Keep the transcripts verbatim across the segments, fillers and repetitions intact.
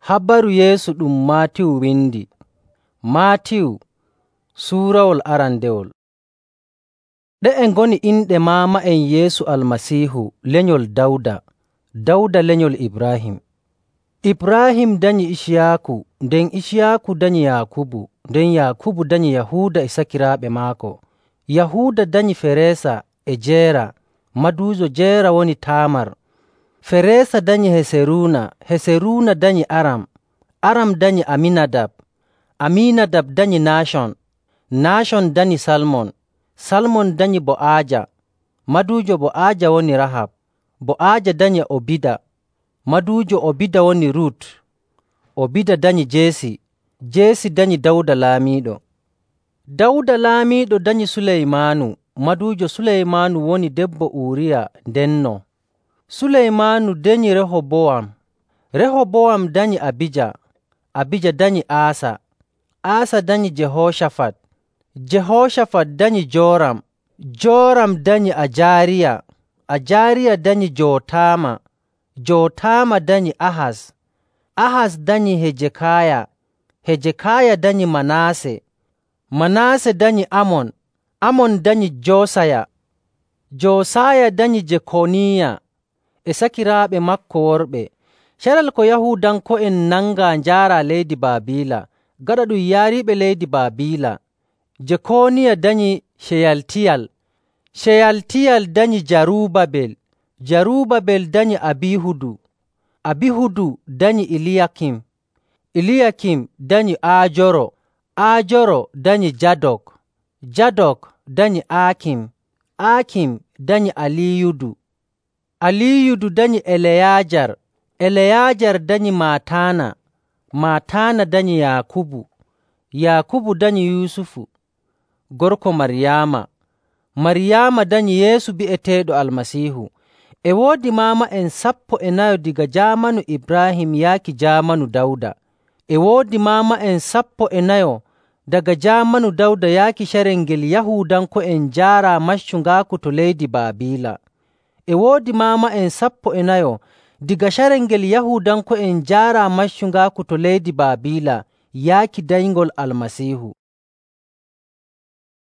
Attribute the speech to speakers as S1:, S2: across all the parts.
S1: Habaru Yeesu ɗum Maatiyu windi. Maatiyu suurawol arandewol. Ɗe'e ngoni inɗe maama'en Yeesu Almasiihu lenyol Dawda, Dawda lenyol Ibraahim. Ibraahim danyi Iciyaaku, nden Iciyaaku danyi Yaakubu, nden Yaakubu danyi Yahuuda e sakiraaɓe maako. Yahuuda danyi Fereesa e Jeera, maduujo Jeera woni Taamar. Fereesa danyi Heseruuna, Heseruuna danyi Aram, Aram danyi Aminadab, Aminadab danyi Naashon, Naashon danyi Salmon, Salmon danyi Bo'aaja, maduujo Bo'aaja woni Rahab, Bo'aaja danyi Obida, maduujo Obida woni Rut, Obida danyi Jeesi, Jeesi danyi Dawda laamiiɗo. Dawda laamiiɗo danyi Suleymaanu, maduujo Suleymaanu woni debbo Uuriya ndenno. Suleymaanu danyi Rehobowam, Rehobowam danyi Abija, Abija danyi Aasa, Aasa danyi Jehoocafat, Jehoocafat danyi Jooram, Jooram danyi Ajaariya, Ajaariya danyi Jootaama, Jootaama danyi Ahas, Ahas danyi Hejekaaya, Hejekaaya danyi Manaase, Manaase danyi Amon, Amon danyi Joosaya, Joosaya danyi Jekoniya e sakiraaɓe maako worɓe. Carel ko Yahuudanko'en nangaa njaaraa leydi Baabiila, gaɗa ɗum yaariiɓe leydi Baabiila. Jekoniya danyi Sheyaltiyal, Sheyaltiyal danyi Jaruubabel, Jaruubabel danyi Abihudu, Abihudu danyi Iliyakim, Iliyakim danyi Aajoro, Aajoro danyi Jadok, Jadok danyi Aakim, Aakim danyi Aliyudu, Aliyudu danyi Eleyaajar, Eleyaajar danyi Maataana, Maataana danyi Yaakubu, Yaakubu danyi Yuusufu, gorko Maryaama, Maryaama danyi Yeesu bi'eteeɗo Almasiihu. E woodi maama'en sappo e nayo diga jaamanu Ibraahim yaaki jaamanu Dawda. E woodi maama'en sappo e nayo daga jaamanu Dawda yaaki carel ngel Yahuudanko'en njaaraa maccungaaku to leydi Baabiila. E woodi maama'en sappo e nayo diga carel ngel Yahuudanko'en njaaraa maccungaaku to leydi Baabiila yaaki dayngol Almasiihu.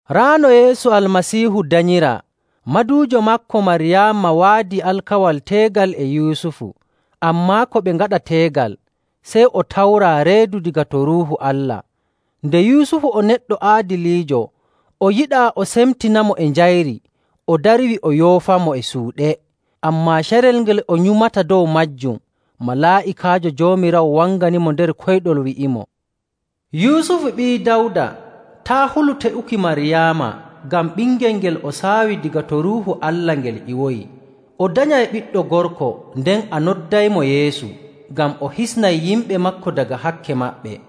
S1: Raano Yeesu Almasiihu danyiraa, maduujo maako Maryaama waadii alkawal teegal e Yuusufu. Ammaa ko ɓe ngaɗa teegal, sey o tawraa reedu diga to Ruuhu Allah. Nde Yuusufu o neɗɗo aadiliijo, o yiɗaa o semtinamo e njayri, o darwi o yoofamo e suuɗe. Ammaa carel ngel o nyumata dow maajum, malaa'ikaajo Joomiraawo wanganimo nder koyɗol wi'imo, “Yuusufu ɓii Dawda, taa' hulu te'uki Maryaama, ngam ɓingel ngel o saawi diga to Ruuhu Allah ngel ƴiwoyi. O danyay ɓiɗɗo gorko, nden a noddaymo Yeesu, ngam o hisnay yimɓe maako daga hakke maɓɓe.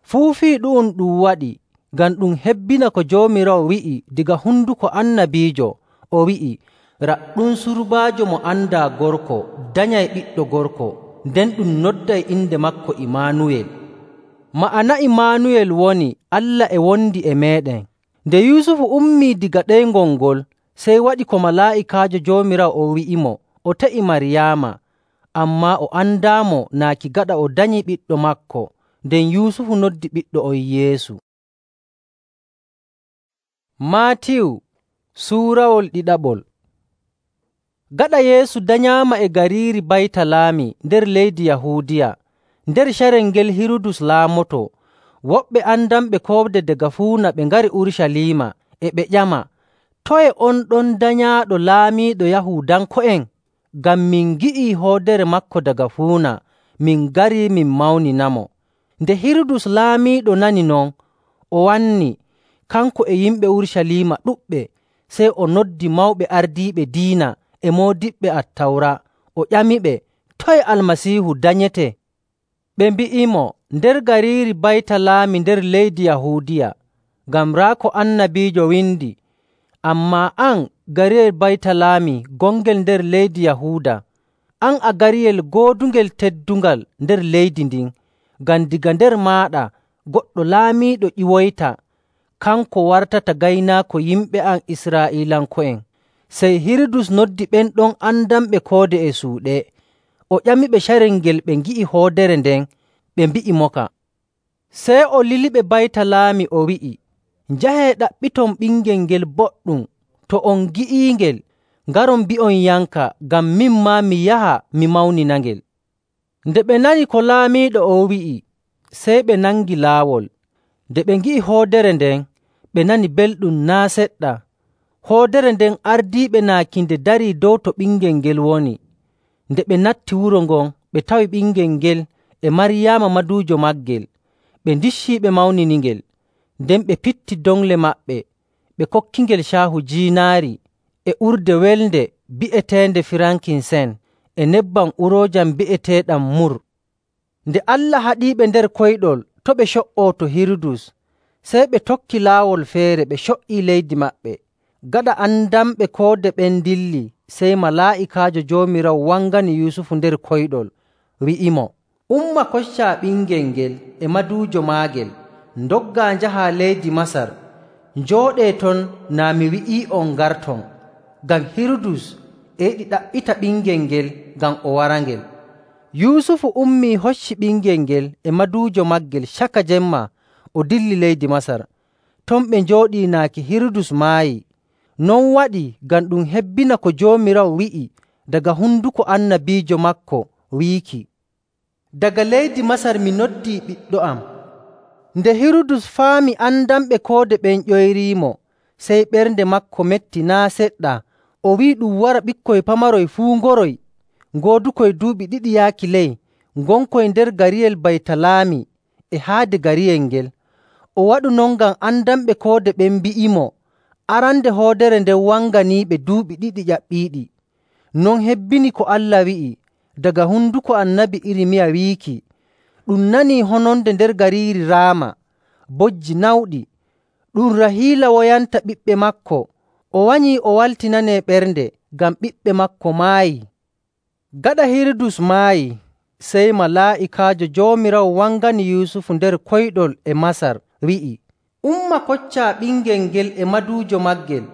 S1: Fuu fii ɗu'um ɗum waɗi ngam ɗum hebbina ko Joomiraawo wi'i diga hunduko annabiijo, o wi'i, ‘Raɗɗum surbaajo mo andaa gorko danyay ɓiɗɗo gorko, nden ɗum nodday inde maako Imaanuwel.’ Ma'ana Imaanuwel woni Allah e wondi e meeɗen.” Nde Yuusufu ummii diga ɗeyngol ngol, sey waɗi ko malaa'ikaajo Joomiraawo o wi'imo, o te'i Maryaama, ammaa o andaamo naaki gaɗa o danyi ɓiɗɗo maako. Nden Yuusufu noddi ɓiɗɗo on Yeesu. Maatiyu suurawol ɗiɗaɓol. Gaɗa Yeesu danyaama e gariiri Baytalaami nder leydi Yahuudiya, nder carel ngel Hirudus laamoto, woɓɓe andanɓe koode daga fuuna ɓe ngari Urucaliima e ɓe ƴama, “Toye on ɗon danyaaɗo laamiiɗo Yahuudanko'en? Ngam min ngi'ii hoodere maako daga fuuna, min ngarii min mawninamo.” Nde Hirudus laamiiɗo nani non, o wanni, kanko e yimɓe Urucaliima ɗuɗɓe, sey o noddi mawɓe ardiiɓe diina e moodiɓɓe Attawra, o ƴamiɓe, toye Almasiihu danyetee? Ɓe mbi'imo, nder gariiri Baytalaami nder leydi Yahuudiya, ngam raa ko annabiijo windi, “Ammaa an, gariyel Baytalaami gongel nder leydi Yahuuda, an a gariyel goodungel teddungal nder leydi ndin, ngam daga nder maaɗa goɗɗo laamiiɗo ƴiwoyta, kanko wartata gaynaako yimɓe am Israa'iilanko'en.” Sey Hirudus noddi ɓen ɗon andanɓe koode e suuɗe, o ƴamiɓe carel ngel ɓe ngi'i hoodere nden, ɓe mbi'imoka. Sey o liliɓe Baytalaami o wi'i, “Njahee ɗaɓɓiton ɓingel ngel boɗɗum. To on ngi'iingel, ngaron mbi'onyamka, ngam min maa mi yaha mi mawninangel.” Nde ɓe nani ko laamiiɗo on wi'i, sey ɓe nangi laawol. Nde ɓe ngi'i hoodere nden, ɓe nani belɗum naa' seɗɗa. Hoodere nden ardiiɓe naaki nde darii dow to ɓingel ngel woni. Nde ɓe natti wuro ngon, ɓe tawi ɓingel ngel e Maryaama maduujo maagel. Ɓe ndiccii ɓe mawniningel. Nden ɓe pitti dongle maɓɓe, ɓe kokkingel caahu jiinaari e urde welnde bi'eteende firankinsen e nebbam uroojam bi'eteeɗam mur. Nde Allah haɗiiɓe nder koyɗol to' ɓe co''oo to Hirudus, sey ɓe tokki laawol feere ɓe co''ii leydi maɓɓe. Gaɗa andamɓe koode ɓen ndilli, sey malaa'ikaajo Joomiraawo wangani Yusufu nder koyɗol, wi'imo, “Umma koccaa ɓingel ngel e maduujo maagel, ndoggaa njahaa leydi Masar. Njooɗee ton naa mi wi'ii'on ngarton, ngam Hirudus e yiɗi ɗaɓɓita ɓingel ngel ngam o warangel.” Yusufu ummii hocci ɓingel ngel e maduujo maagel caka jemma o dilli leydi Masar. Ton ɓe njooɗii naaki Hirudus maayi. Non waɗi ngam ɗum hebbina ko Joomiraawo wi'i daga honduko annabiijo maako wiiki, “Daga leydi Masar mi noddii ɓiɗɗo am.” Nde Hirudus faami andamɓe koode ɓen ƴoyriimo, sey ɓernde maako metti naa' seɗɗa. O wi'i ɗum wara ɓikkoy pamaroy fuu ngoroy, ngoodukoy duuɓi ɗiɗi yaaki ley, ngonkoy nder gariyel Baytalaami e haade gariyel ngel. O waɗu non ngam andamɓe koode ɓen mbi'imo arande hoodere nden wanganiiɓe duuɓi ɗiɗi ƴaɓɓiiɗi. Non hebbini ko Allah wi'i daga honduko annabi Irmiya wiiki, “Ɗum nanii hononde nder gariiri Raama, bojji nawɗi. Ɗum Rahiila woyanta ɓiɓɓe maako. O wanyii o waltinanee ɓernde, ngam ɓiɓɓe maako maayii.” Gaɗa Hirudus maayi, sey malaa'ikaajo Joomiraawo wangani Yusufu nder koyɗol e Masar, wi'i, “Umma koccaa ɓingel ngel e maduujo maagel,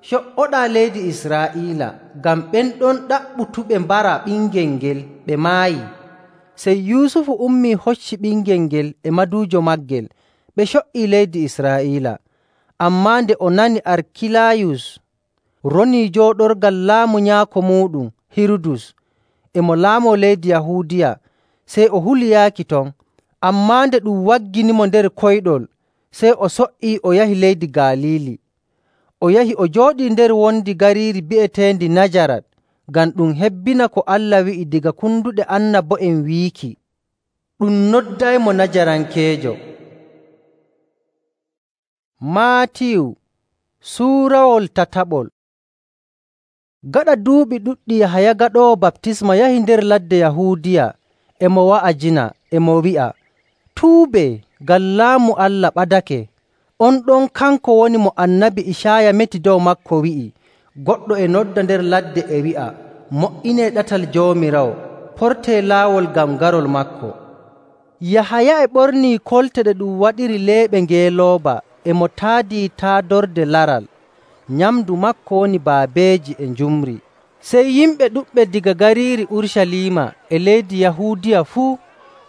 S1: co''oɗaa leydi Israa'iila, ngam ɓen ɗon ɗaɓɓutuɓe mbara ɓingel ngel ɓe maayi.” Sey Yusufu ummii hocci ɓingel ngel e maduujo maagel, ɓe co''ii leydi Israa'iila. Ammaa nde o nani Arkilayus ronii jooɗorgal laamu nyaako muuɗum Hirudus e mo laamoo leydi Yahuudiya, sey o huli yaaki ton. Ammaa nde ɗum wagginimo nder koyɗol, sey o so''ii o yahi leydi Galiili. O yahi o jooɗii nder wondi gariiri bi'eteendi Najarat, ngam ɗum hebbina ko Allah wi'i daga kunduɗe annabo'en wiiki, “Ɗum noddaymo Najarankeejo.” Maatiyu suurawol tataɓol. Gaɗa duuɓi ɗuɗɗi Yahaya gaɗoowo baptisma yahi nder ladde Yahuudiya e mo wa'ajina e mo wi'a, “Tuubee, ngam laamu Allah ɓadake.” On ɗon kanko woni mo annabi Icaaya meti dow maako wi'i, “Goɗɗo e nodda nder ladde e wi'a, mo''inee ɗatal Joomiraawo, portee laawol ngam garol maako.” Yahaya e ɓornii kolte ɗe ɗum waɗiri leeɓe ngeelooba e mo taadii taadorde laral. Nyamndu maako woni baabeeji e njumri. Sey yimɓe ɗuɗɓe diga gariiri Urucaliima e leydi Yahuudiya fuu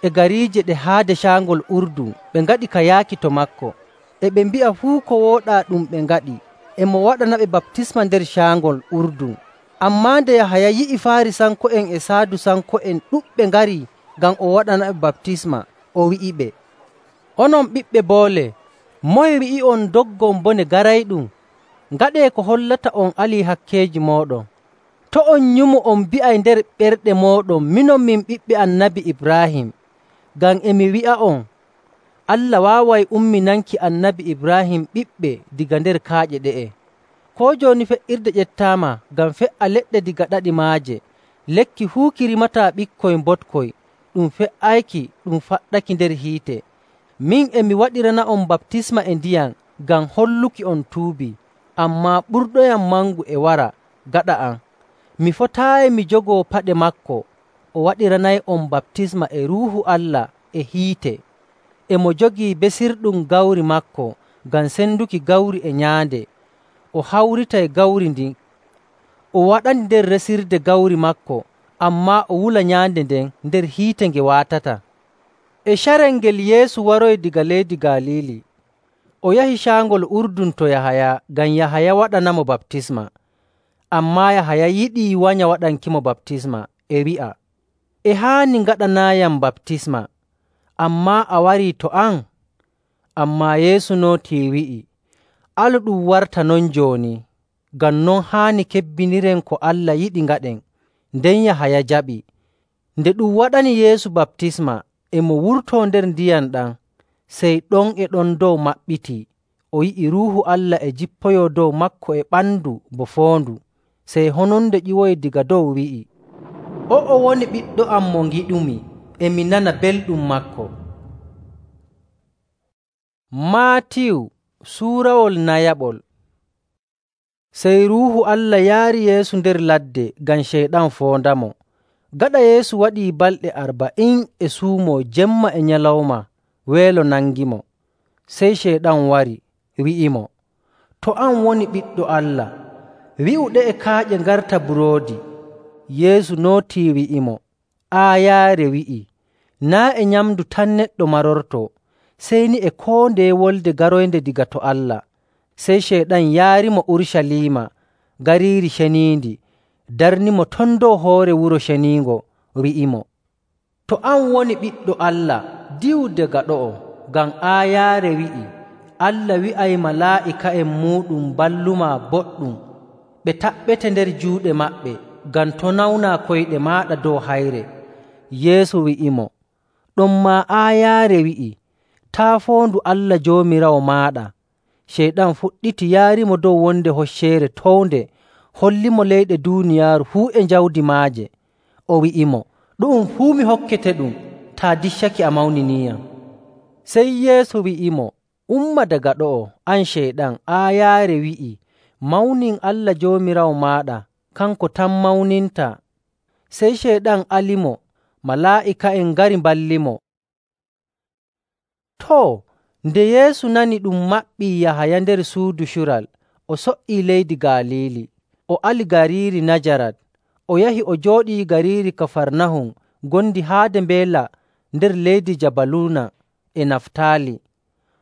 S1: e gariije ɗe haade caangol Urdun ɓe ngaɗi ka yaaki to maako, e ɓe mbi'a fuu ko wooɗaa ɗum ɓe ngaɗi, e mo waɗanaɓe baptisma nder caangol Urdun. Ammaa nde Yahaya yi'i Faarisanko'en e Saadusanko'en ɗuɗɓe ngarii ngam o waɗanaɓe baptisma, o wi'iɓe, “Onon ɓiɓɓe boole, moye wi'i'on doggon bone garayɗum? Ngaɗee ko hollata on alii hakkeeji mooɗon. To' on nyumo on mbi'ay nder ɓerɗe mooɗon, minon min ɓiɓɓe Annabi Ibraahim. Ngam e mi wi'a'on, Allah waaway umminanki Annabi Ibraahim ɓiɓɓe diga nder kaaƴe ɗe'e. Koo jooni fe'irde ƴettaama ngam fe''a leɗɗe diga ɗaɗi maaje. Lekki fuu ki rimataa ɓikkoy mbotkoy, ɗum fe''ayki ɗum faɗɗaki nder hiite. Min e mi waɗirana'on baptisma e ndiyam ngam holluki on tuubii, ammaa ɓurɗoyam mangu e wara gaɗa am. Mi fotaayi mi jogoo paɗe maako. O waɗiranay'on baptisma e Ruuhu Allah e hiite. E mo jogii besirɗum gawri maako ngam senduki gawri e nyaande. O hawritay gawri ndin, o waɗandi nder resirde gawri maako, ammaa o wula nyaande nden nder hiite nge waatata. E carel ngel Yeesu waroyi daga leydi Galiili, o yahi Caangol Urdun to Yahaya ngam Yahaya waɗanamo baptisma. Ammaa Yahaya yiɗii wanya waɗankimo baptisma, e wi'a, “E haani ngaɗanaayam baptisma, ammaa a warii to am?” Ammaa Yeesu nootii wi'i, “Alu ɗum warta non jooni, ngam non haani kebbiniren ko Allah yiɗi ngaɗen.” Nden Yahaya jaɓi. Nde ɗum waɗani Yeesu baptisma, e mo wurtoo nder ndiyam ɗam, sey ɗon e ɗon dow maɓɓitii. O yi'i Ruuhu Allah e jippoyoo dow maako e ɓandu bo foondu. Sey hononde ƴiwoyi daga dow wi'i, “O'o woni Ɓiɗɗo am mo ngiɗumi, e mi nana belɗum maako.” Maatiyu suurawol nayaɓol. Sey Ruuhu Allah yaari Yeesu nder ladde ngam Ceyɗan foondamo. Gaɗa Yeesu waɗii balɗe arba'in e suumoo jemma e nyalawma, weelo nangimo. Sey Ceyɗan wari, wi'imo, “To an woni Ɓiɗɗo Allah, wi'u ɗe'e kaaƴe ngarta buroodi.” Yeesu nootii wi'imo, “Aayaare wi'ii, naa' e nyamndu tan neɗɗo marortoo, sey ni e koo ndeye wolde garoynde daga to Allah.” Sey Ceyɗan yaarimo Urucaliima, gariiri ceniindi, darnimo ton dow hoore Wuro Ceniingo, wi'imo, “To an woni Ɓiɗɗo Allah, diwu daga ɗo'o, ngam aayaare wi'ii, Allah wi'ay malaa'ika'en muuɗum ballumaa boɗɗum, ɓe taɓɓete nder juuɗe maɓɓe, ngam to' nawnaa koyɗe maaɗa dow hayre.” Yeesu wi'imo, “Ɗonmaa aayaare wi'ii, taa' foondu Allah Joomiraawo maaɗa.” Ceyɗan fuɗɗiti yaarimo dow wonde hocceere townde, hollimo leyɗe duuniyaaru fuu e jawdi maaje. O wi'imo, “Ɗu'um fuu mi hokketeɗum, taa diccake a mawniniiyam.” Sey Yeesu wi'imo, “Umma daga ɗo'o, an Ceyɗan, aayaare wi'ii, mawnin Allah Joomiraawo maaɗa, kanko tan mawnintaa.” Sey Ceyɗan alimo, malaa'ika'en ngari mballimo. Too, nde Yeesu nani ɗum maɓɓii Yahaya nder suudu cural, o so''ii leydi Galiili, o ali gariiri Najarat, o yahi o jooɗii gariiri Kafarnahum ngondi haade mbeela nder leydi Jabaluuna e Naftaali.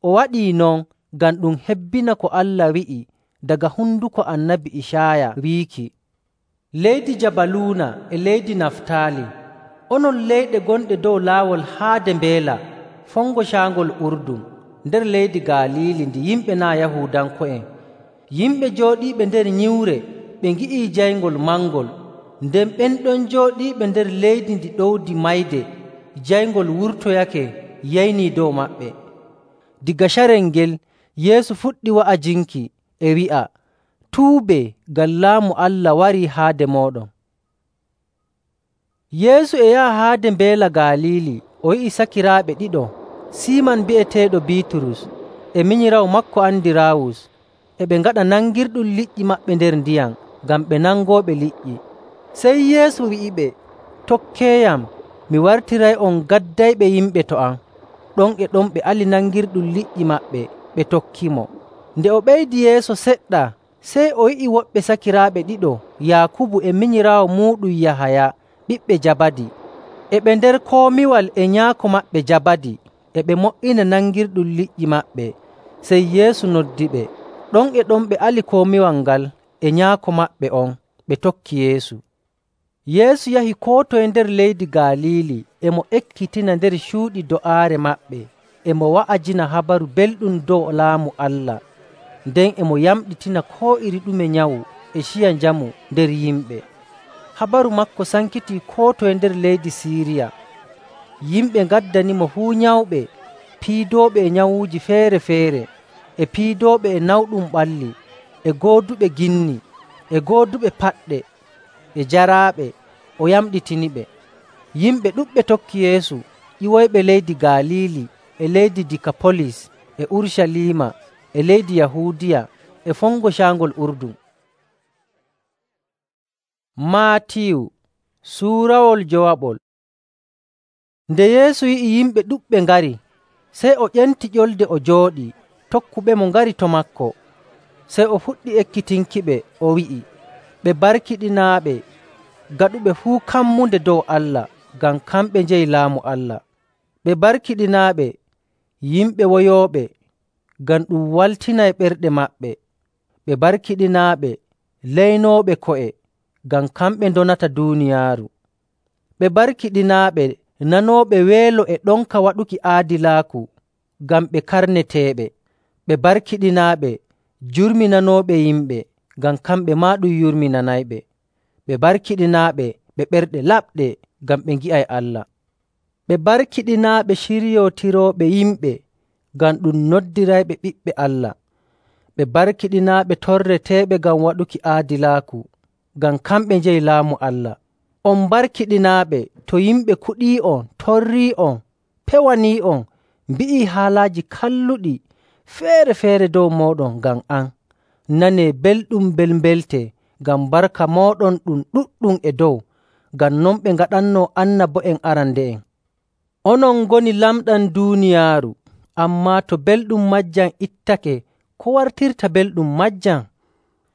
S1: O waɗii non ngam ɗum hebbina ko Allah wi'i daga hunduko Annabi Icaaya wiiki, “Leydi Jabaluuna e leydi Naftaali, onon leyɗe gonɗe dow laawol haade mbeela, fongo Caangol Urdun, nder leydi Galiili ndi yimɓe naa' Yahuudanko'en. Yimɓe jooɗiiɓe nder nyiwre ɓe ngi'ii jayngol mangol, nden ɓen ɗon jooɗiiɓe nder leydi ndi ɗowdi mayde jayngol wurtoyake yaynii dow maɓɓe.” Daga carel ngel Yeesu fuɗɗi wa'ajinki e wi'a, “Tuubee, ngam Laamu Allah warii haade mooɗon.” Yeesu e yaha haade mbeela Galiili, o yi'i sakiraaɓe ɗiɗo, Siiman bi'eteeɗo Biiturus e minyiraawo maako Andiraawus, e ɓe ngaɗa nangirɗum liƴƴi maɓɓe nder ndiyam ngam ɓe nangooɓe liƴƴi. Sey Yeesu wi'iɓe, “Tokkeeyam, mi wartiray'on gaddayɓe yimɓe to am.” Ɗon e ɗon ɓe ali nangirɗum liƴƴi maɓɓe, ɓe tokkimo. Nde o ɓeydi yeeso seɗɗa, sey o yi'i woɓɓe sakiraaɓe ɗiɗo, Yaakubu e minyiraawo muuɗum Yahaya, ɓiɓɓe Jabadi, e ɓe nder komiwal e nyaako maɓɓe Jabadi, e ɓe mo''ina nangirɗum liƴƴi maɓɓe. Sey Yeesu noddiɓe. Ɗon e ɗon ɓe ali komiwal ngal e nyaako maɓɓe on, ɓe tokki Yeesu. Yeesu yahi koo toye nder leydi Galiili, e mo ekkitina nder cuuɗi do'aare maɓɓe, e mo wa'ajina habaru belɗum dow Laamu Allah. Nden e mo yamɗitina koo iri ɗume nyawu e ciya njamu nder yimɓe. Habaru maako sankitii koo toye nder leydi Siiriya. Yimɓe ngaddanimo fuu nyawɓe, piidooɓe e nyawuuji feere‑feere, e piidooɓe e nawɗum ɓalli, e gooduɓe ginni, e gooduɓe paɗɗe, e jaraaɓe, o yamɗitiniɓe. Yimɓe ɗuɗɓe tokki Yeesu, ƴiwoyɓe leydi Galiili, e leydi Dikapolis, e Urucaliima, e leydi Yahuudiya, e fongo Caangol Urdun. Maatiyu suurawol jowaɓol. Nde Yeesu yi'i yimɓe ɗuɗɓe ngari, sey o ƴenti ƴolde o jooɗii, tokkuɓemo ngari to maako. Sey o fuɗɗi ekkitinkiɓe, o wi'i, “Ɓe barkiɗinaaɓe, gaɗuɓe fuu kammunde dow Allah, ngam kamɓe njeyi Laamu Allah. Ɓe barkiɗinaaɓe yimɓe woyooɓe, ngam ɗum waltinay ɓerɗe maɓɓe. Ɓe barkiɗinaaɓe leynooɓe ko'e, ngam kamɓe ndonata duuniyaaru. Ɓe barkiɗinaaɓe nanooɓe weelo e ɗonka waɗuki aadilaaku, ngam ɓe karneteeɓe. Ɓe barkiɗinaaɓe jurminanooɓe yimɓe, ngam kamɓe maa ɗum yurminanayɓe. Ɓe barkiɗinaaɓe ɓe ɓerɗe laɓɗe, ngam ɓe ngi'ay Allah. Ɓe barkiɗinaaɓe ciryootirooɓe yimɓe, ngam ɗum noddirayɓe ɓiɓɓe Allah. Ɓe barkiɗinaaɓe torreteeɓe ngam waɗuki aadilaaku, ngam kamɓe njeyi laamu Allah. On barkiɗinaaɓe to yimɓe kuɗii'on, torrii'on, pewanii'on, mbi'ii haalaaji kalluɗi feere‑feere dow mooɗon ngam am. Nanee belɗum mbelmbelte, ngam barka mooɗon ɗum ɗuɗɗum e dow, ngam non ɓe ngaɗannoo annabo'en arande'en. Onon ngoni lamɗam duuniyaaru, ammaa to belɗum majjam ittake, ko wartirta belɗum majjam?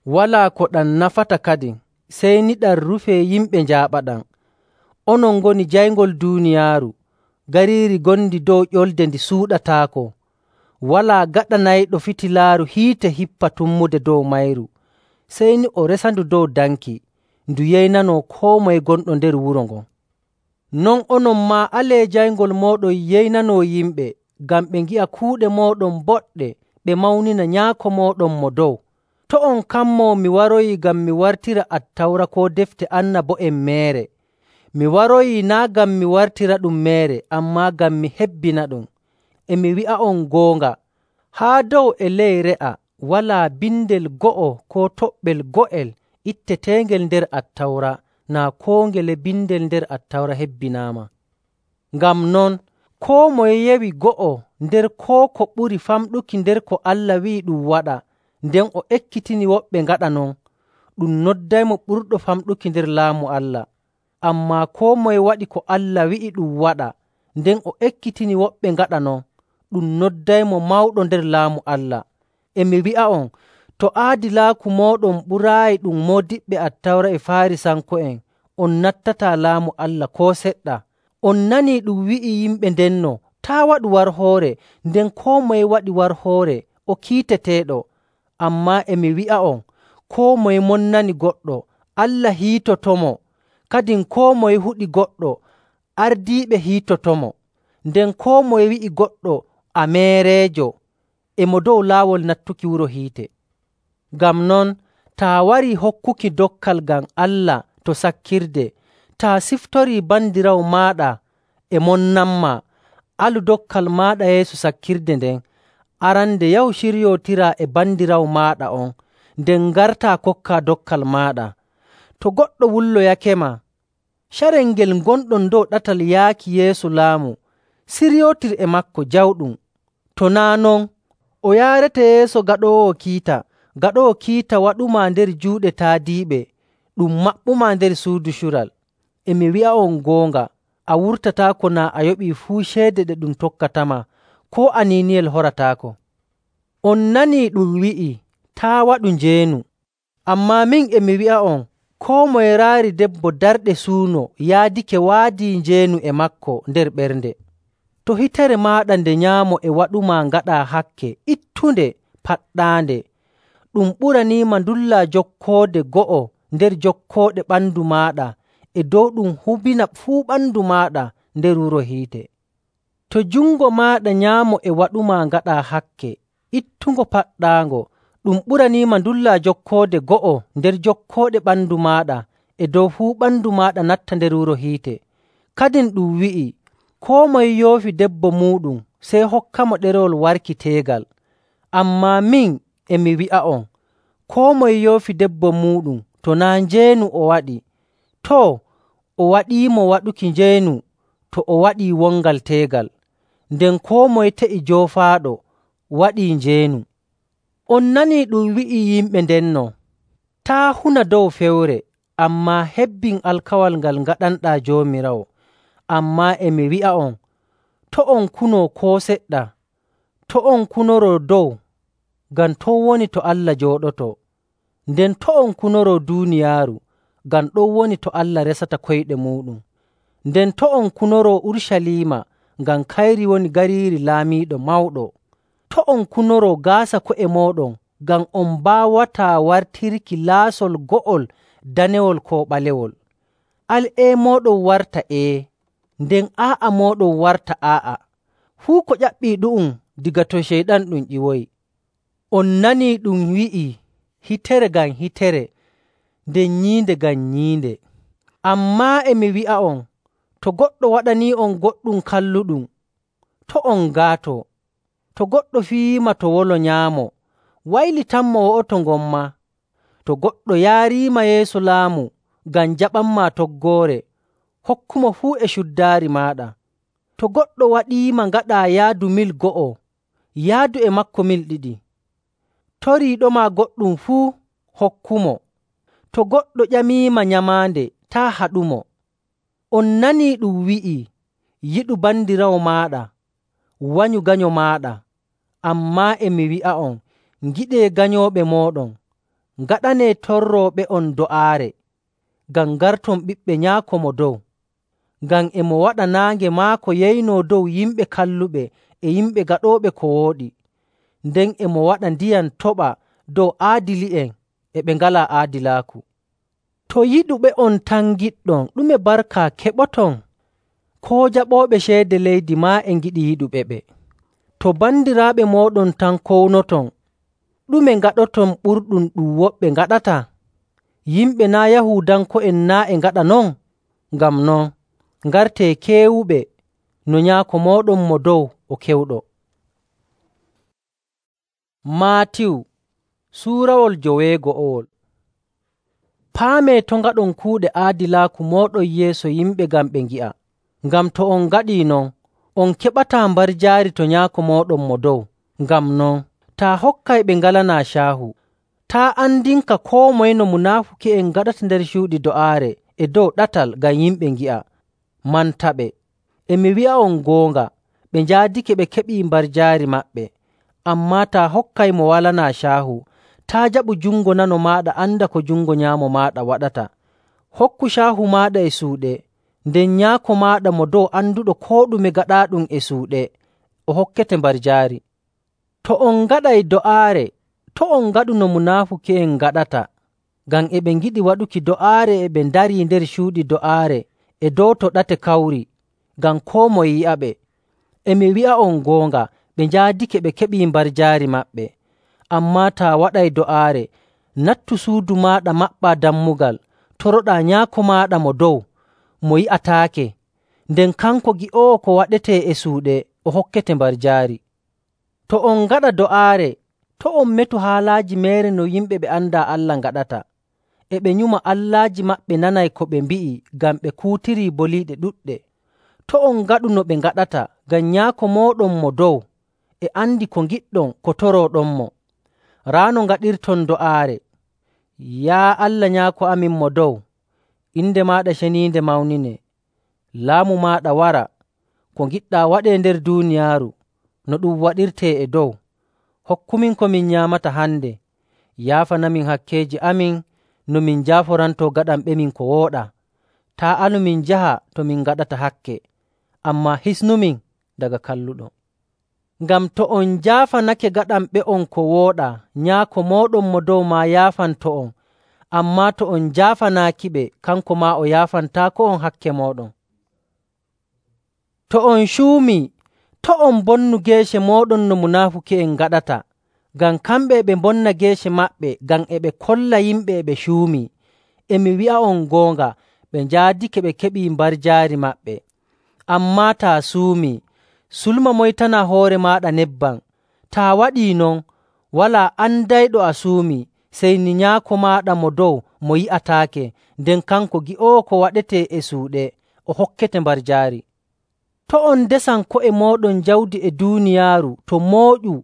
S1: Walaa ko ɗam nafata kadin, sey ni ɗam rufee yimɓe njaaɓaɗam. Onon ngoni jayngol duuniyaaru, gariiri ngondi dow ƴolde ndi suuɗataako. Walaa gaɗanayɗo fitilaaru hiite hippa tummude dow mayru, sey ni o resandu dow danki, ndu yeynanoo koo moye gonɗo nder wuro ngon. Non onon maa alee jayngol mooɗon yeynanoo yimɓe, ngam ɓe ngi'a kuuɗe mooɗon boɗɗe, ɓe mawnina Nyaako mooɗon Mo Dow. To' on kammoo mi waroyi ngam mi wartira Attawra koo defte annabo'en meere. Mi waroyii naa' ngam mi wartiraɗum meere, ammaa ngam mi hebbinaɗum. E mi wi'a'on goonga, haa dow e ley re'a walaa bindel go'o koo toɓɓel go'el itteteengel nder Attawra naa koo ngele bindel nder Attawra hebbinaama. Ngam non, koo moye yewi go'o nder koo ko ɓuri famɗuki nder ko Allah wi'i ɗum waɗa, nden o ekkitini woɓɓe ngaɗa non, ɗum noddaymo ɓurɗo famɗuki nder laamu Allah. Ammaa koo moye waɗi ko Allah wi'i ɗum waɗa, nden o ekkitini woɓɓe ngaɗa non, ɗum noddaymo mawɗo nder laamu Allah. E mi wi'a'on, to aadilaaku mooɗon ɓuraayi ɗum moodiɓɓe Attawra e Faarisanko'en, on nattataa laamu Allah koo seɗɗa. On nanii ɗum wi'i yimɓe ndenno, taa' waɗu warhoore, nden koo moye waɗi warhoore, o kiiteteeɗo. Ammaa e mi wi'a'on, koo moye monnani goɗɗo, Allah hiitotomo. Kadin koo moye huɗi goɗɗo, ardiiɓe hiitotomo. Nden koo moye wi'i goɗɗo, a meereejo, e mo dow laawol nattuki wuro hiite. Ngam non, taa warii hokkuki dokkal ngam Allah to sakkirde, taa siftorii bandiraawo maaɗa e monnanmaa, alu dokkal maaɗa yeeso sakkirde nden. Arande yahu ciryootiraa e bandiraawo maaɗa on, nden ngartaa kokkaa dokkal maaɗa. To goɗɗo wulloyakema, carel ngel ngonɗon dow ɗatal yaaki yeeso laamu, siryootir e maako jawɗum. To naa' non, o yaarete yeeso gaɗoowo kiita, gaɗoowo kiita waɗumaa nder juuɗe taadiiɓe, ɗum maɓɓumaa nder suudu cural. E mi wi'a'on goonga, a wurtataako naa a yoɓii fuu ceede ɗe ɗum tokkatama, koo aniiniyel horataako. On nanii ɗum wi'ii, taa' waɗu njeenu. Ammaa min e mi wi'a'on, koo moye raari debbo darɗe suuno yaadake waadii njeenu e maako nder ɓernde. To hitere maaɗa nde nyaamo e waɗumaa ngaɗaa hakke ittunde paɗɗaande, ɗum ɓuraniima ndullaa jokkoode go'o nder jokkooɗe ɓandu maaɗa e dow ɗum hubina fuu ɓandu maaɗa nder wuro hiite. To jungo maaɗa nyaamo e waɗumaa ngaɗaa hakke ittungo paɗɗaango, ɗum ɓuraniima ndullaa jokkoode go'o nder jokkooɗe ɓandu maaɗa e dow fuu ɓandu maaɗa natta nder wuro hiite. Kadin ɗum wi'ii, koo moye yoofi debbo muuɗum sey hokkamo ɗerewol warki teegal. Ammaa min e mi wi'a'on, koo moye yoofi debbo muuɗum to naa' njeenu o waɗi, too, o waɗiimo waɗuki njeenu to o waɗii wongal teegal. Nden koo moye te'i joofaaɗo waɗii njeenu. On nanii ɗum wi'ii yimɓe ndenno, taa' huna dow fewre, ammaa hebbin alkawal ngal ngaɗanɗaa Joomiraawo. Ammaa e mi wi'a'on, to' on kunoo koo seɗɗa, to' on kunoroo dow, ngam ton woni to Allah jooɗotoo. Nden to' on kunoroo duuniyaaru, ngam ɗon woni to Allah resata koyɗe muuɗum. Nden to' on kunoroo Urucaliima, ngam kayri woni gariiri laamiiɗo mawɗo. To' on kunoroo gaasa ko'e mooɗon, ngam on mbaawataa wartirki laasol go'ol danewol koo ɓalewol. Al ee mooɗon warta ee, nden aa'a mooɗon warta aa'a. Fuu ko ƴaɓɓii ɗu'um daga to Ceyɗan ɗum ƴiwoyi. On nanii ɗum wi'ii hitere ngam hitere, nden nyiinde ngam nyiinde. Ammaa e mi wi'a'on, to goɗɗo waɗanii'on goɗɗum kalluɗum, to' on ngaatoo. To goɗɗo fiyiima to wolo nyaamo, waylitanmo wo'oto ngommaa. To goɗɗo yaariima yeeso laamu ngam jaɓanmaa toggoore, hokkumo fuu e cuddaari maaɗa. To goɗɗo waɗiima ngaɗaa yaadu mil go'o, yaadu e maako mil ɗiɗi. Toriiɗoma goɗɗum fuu, hokkumo. To goɗɗo ƴamiima nyamaande, taa' haɗumo. On nanii ɗum wi'ii, yiɗu bandiraawo maaɗa, wanyu ganyo maaɗa. Ammaa e mi wi'a'on, ngiɗee ganyooɓe mooɗon, ngaɗanee torrooɓe'on do'aare, ngam ngarton ɓiɓɓe Nyaako Mo Dow. Ngam e mo waɗa naange maako yeynoo dow yimɓe kalluɓe e yimɓe gaɗooɓe ko wooɗi, nden e mo waɗa ndiyam toɓa dow aadili'en e ɓe ngalaa aadilaaku. To yiɗuɓe'on tan ngiɗɗon, ɗume barka keɓoton? Koo jaɓooɓe ceede leydi maa e ngiɗi yiɗuɓeɓe. To bandiraaɓe mooɗon tan kownoton, ɗume ngaɗoton ɓurɗum ɗum woɓɓe ngaɗata? Yimɓe naa' Yahuudanko'en naa' e ngaɗa non? Ngam non, ngartee keewuɓe no Nyaako mooɗon Mo Dow o kewɗo. Maatiyu suurawol joweego'owol. Paamee to' ngaɗon kuuɗe aadilaaku mooɗon yeeso yimɓe ngam ɓe ngi'a. Ngam to on ngaɗii non, on keɓataa mbarjaari to Nyaako mooɗon Mo Dow. Ngam non, taa hokkay ɓe ngalanaa caahu. Taa andinka koo moye no munaafuki'en ngaɗata nder cuuɗi do'aare e dow ɗatal ngam yimɓe ngi'a. Mantaɓe. E mi wi'a'on goonga, ɓe njaadake ɓe keɓii mbarjaari maɓɓe. Ammaa taa hokkay mo walanaa caahu, taa' jaɓu jungo nano maaɗa anda ko jungo nyaamo maaɗa waɗata. Hokku caahu maaɗa e suuɗe, nden Nyaako maaɗa Mo Dow anduɗo koo ɗume gaɗaaɗum e suuɗe, o hokkete mbarjaari. To on ngaɗay do'aare, to' on ngaɗu no munaafuki'en ngaɗata, ngam e ɓe ngiɗi waɗuki do'aare e ɓe ndarii nder cuuɗi do'aare e dow to ɗate kawri, ngam koo moye yi'aɓe. E mi wi'a'on goonga, ɓe njaadake ɓe keɓii mbarjaari maɓɓe. Ammaa taa waɗay do'aare, nattu suudu maaɗa maɓɓaa dammugal, toroɗaa Nyaako maaɗa Mo Dow, mo yi'ataake, nden kanko gi'oowo ko waɗetee e suuɗe, o hokkete mbarjaari. To on ngaɗa do'aare, to' on metu haalaaji meere no yimɓe ɓe andaa Allah ngaɗata. E ɓe nyuma allaaji maɓɓe nanay ko ɓe mbi'i ngam ɓe kuutirii boliiɗe ɗuɗɗe. To' on ngaɗu no ɓe ngaɗata, ngam Nyaako mooɗon Mo Dow e andi ko ngiɗɗon ko torooɗonmo. Raa no ngaɗirton do'aare: Yaa Allah Nyaako amin Mo Dow, inde maaɗa ceniinde mawninee. Laamu maaɗa wara. Ko ngiɗɗaa waɗee nder duuniyaaru, no ɗum waɗirtee e dow. Hokkumin ko min nyaamata hande. Yaafanamin hakkeeji amin no min njaaforantoo gaɗanɓemin ko wooɗaa. Taa' anu min njaha to min ngaɗata hakke, ammaa hisnumin daga kalluɗo. Ngam to on njaafanake gaɗanɓe'on ko wooɗaa, Nyaako mooɗon Mo Dow maa yaafanto'on. Ammaa to on njaafanaakiɓe, kanko maa o yaafantaako'on hakke mooɗon. To on cuumii, to' on mbonnu geece mooɗon no munaafuki'en ngaɗata, ngam kamɓe e ɓe mbonna geece maɓɓe ngam e ɓe kolla yimɓe e ɓe cuumii. E mi wi'a'on goonga, ɓe njaadake ɓe keɓii mbarjaari maɓɓe. Ammaa taa suumii, sulma moytanaa hoore maaɗa nebbam. Taa waɗii non, walaa andayɗo a suumii, sey ni Nyaako maaɗa Mo Dow mo yi'ataake, nden kanko gi'oowo ko waɗetee e suuɗe, o hokkete mbarjaari. To' on ndesan ko'e mooɗon jawdi e duuniyaaru to mooƴu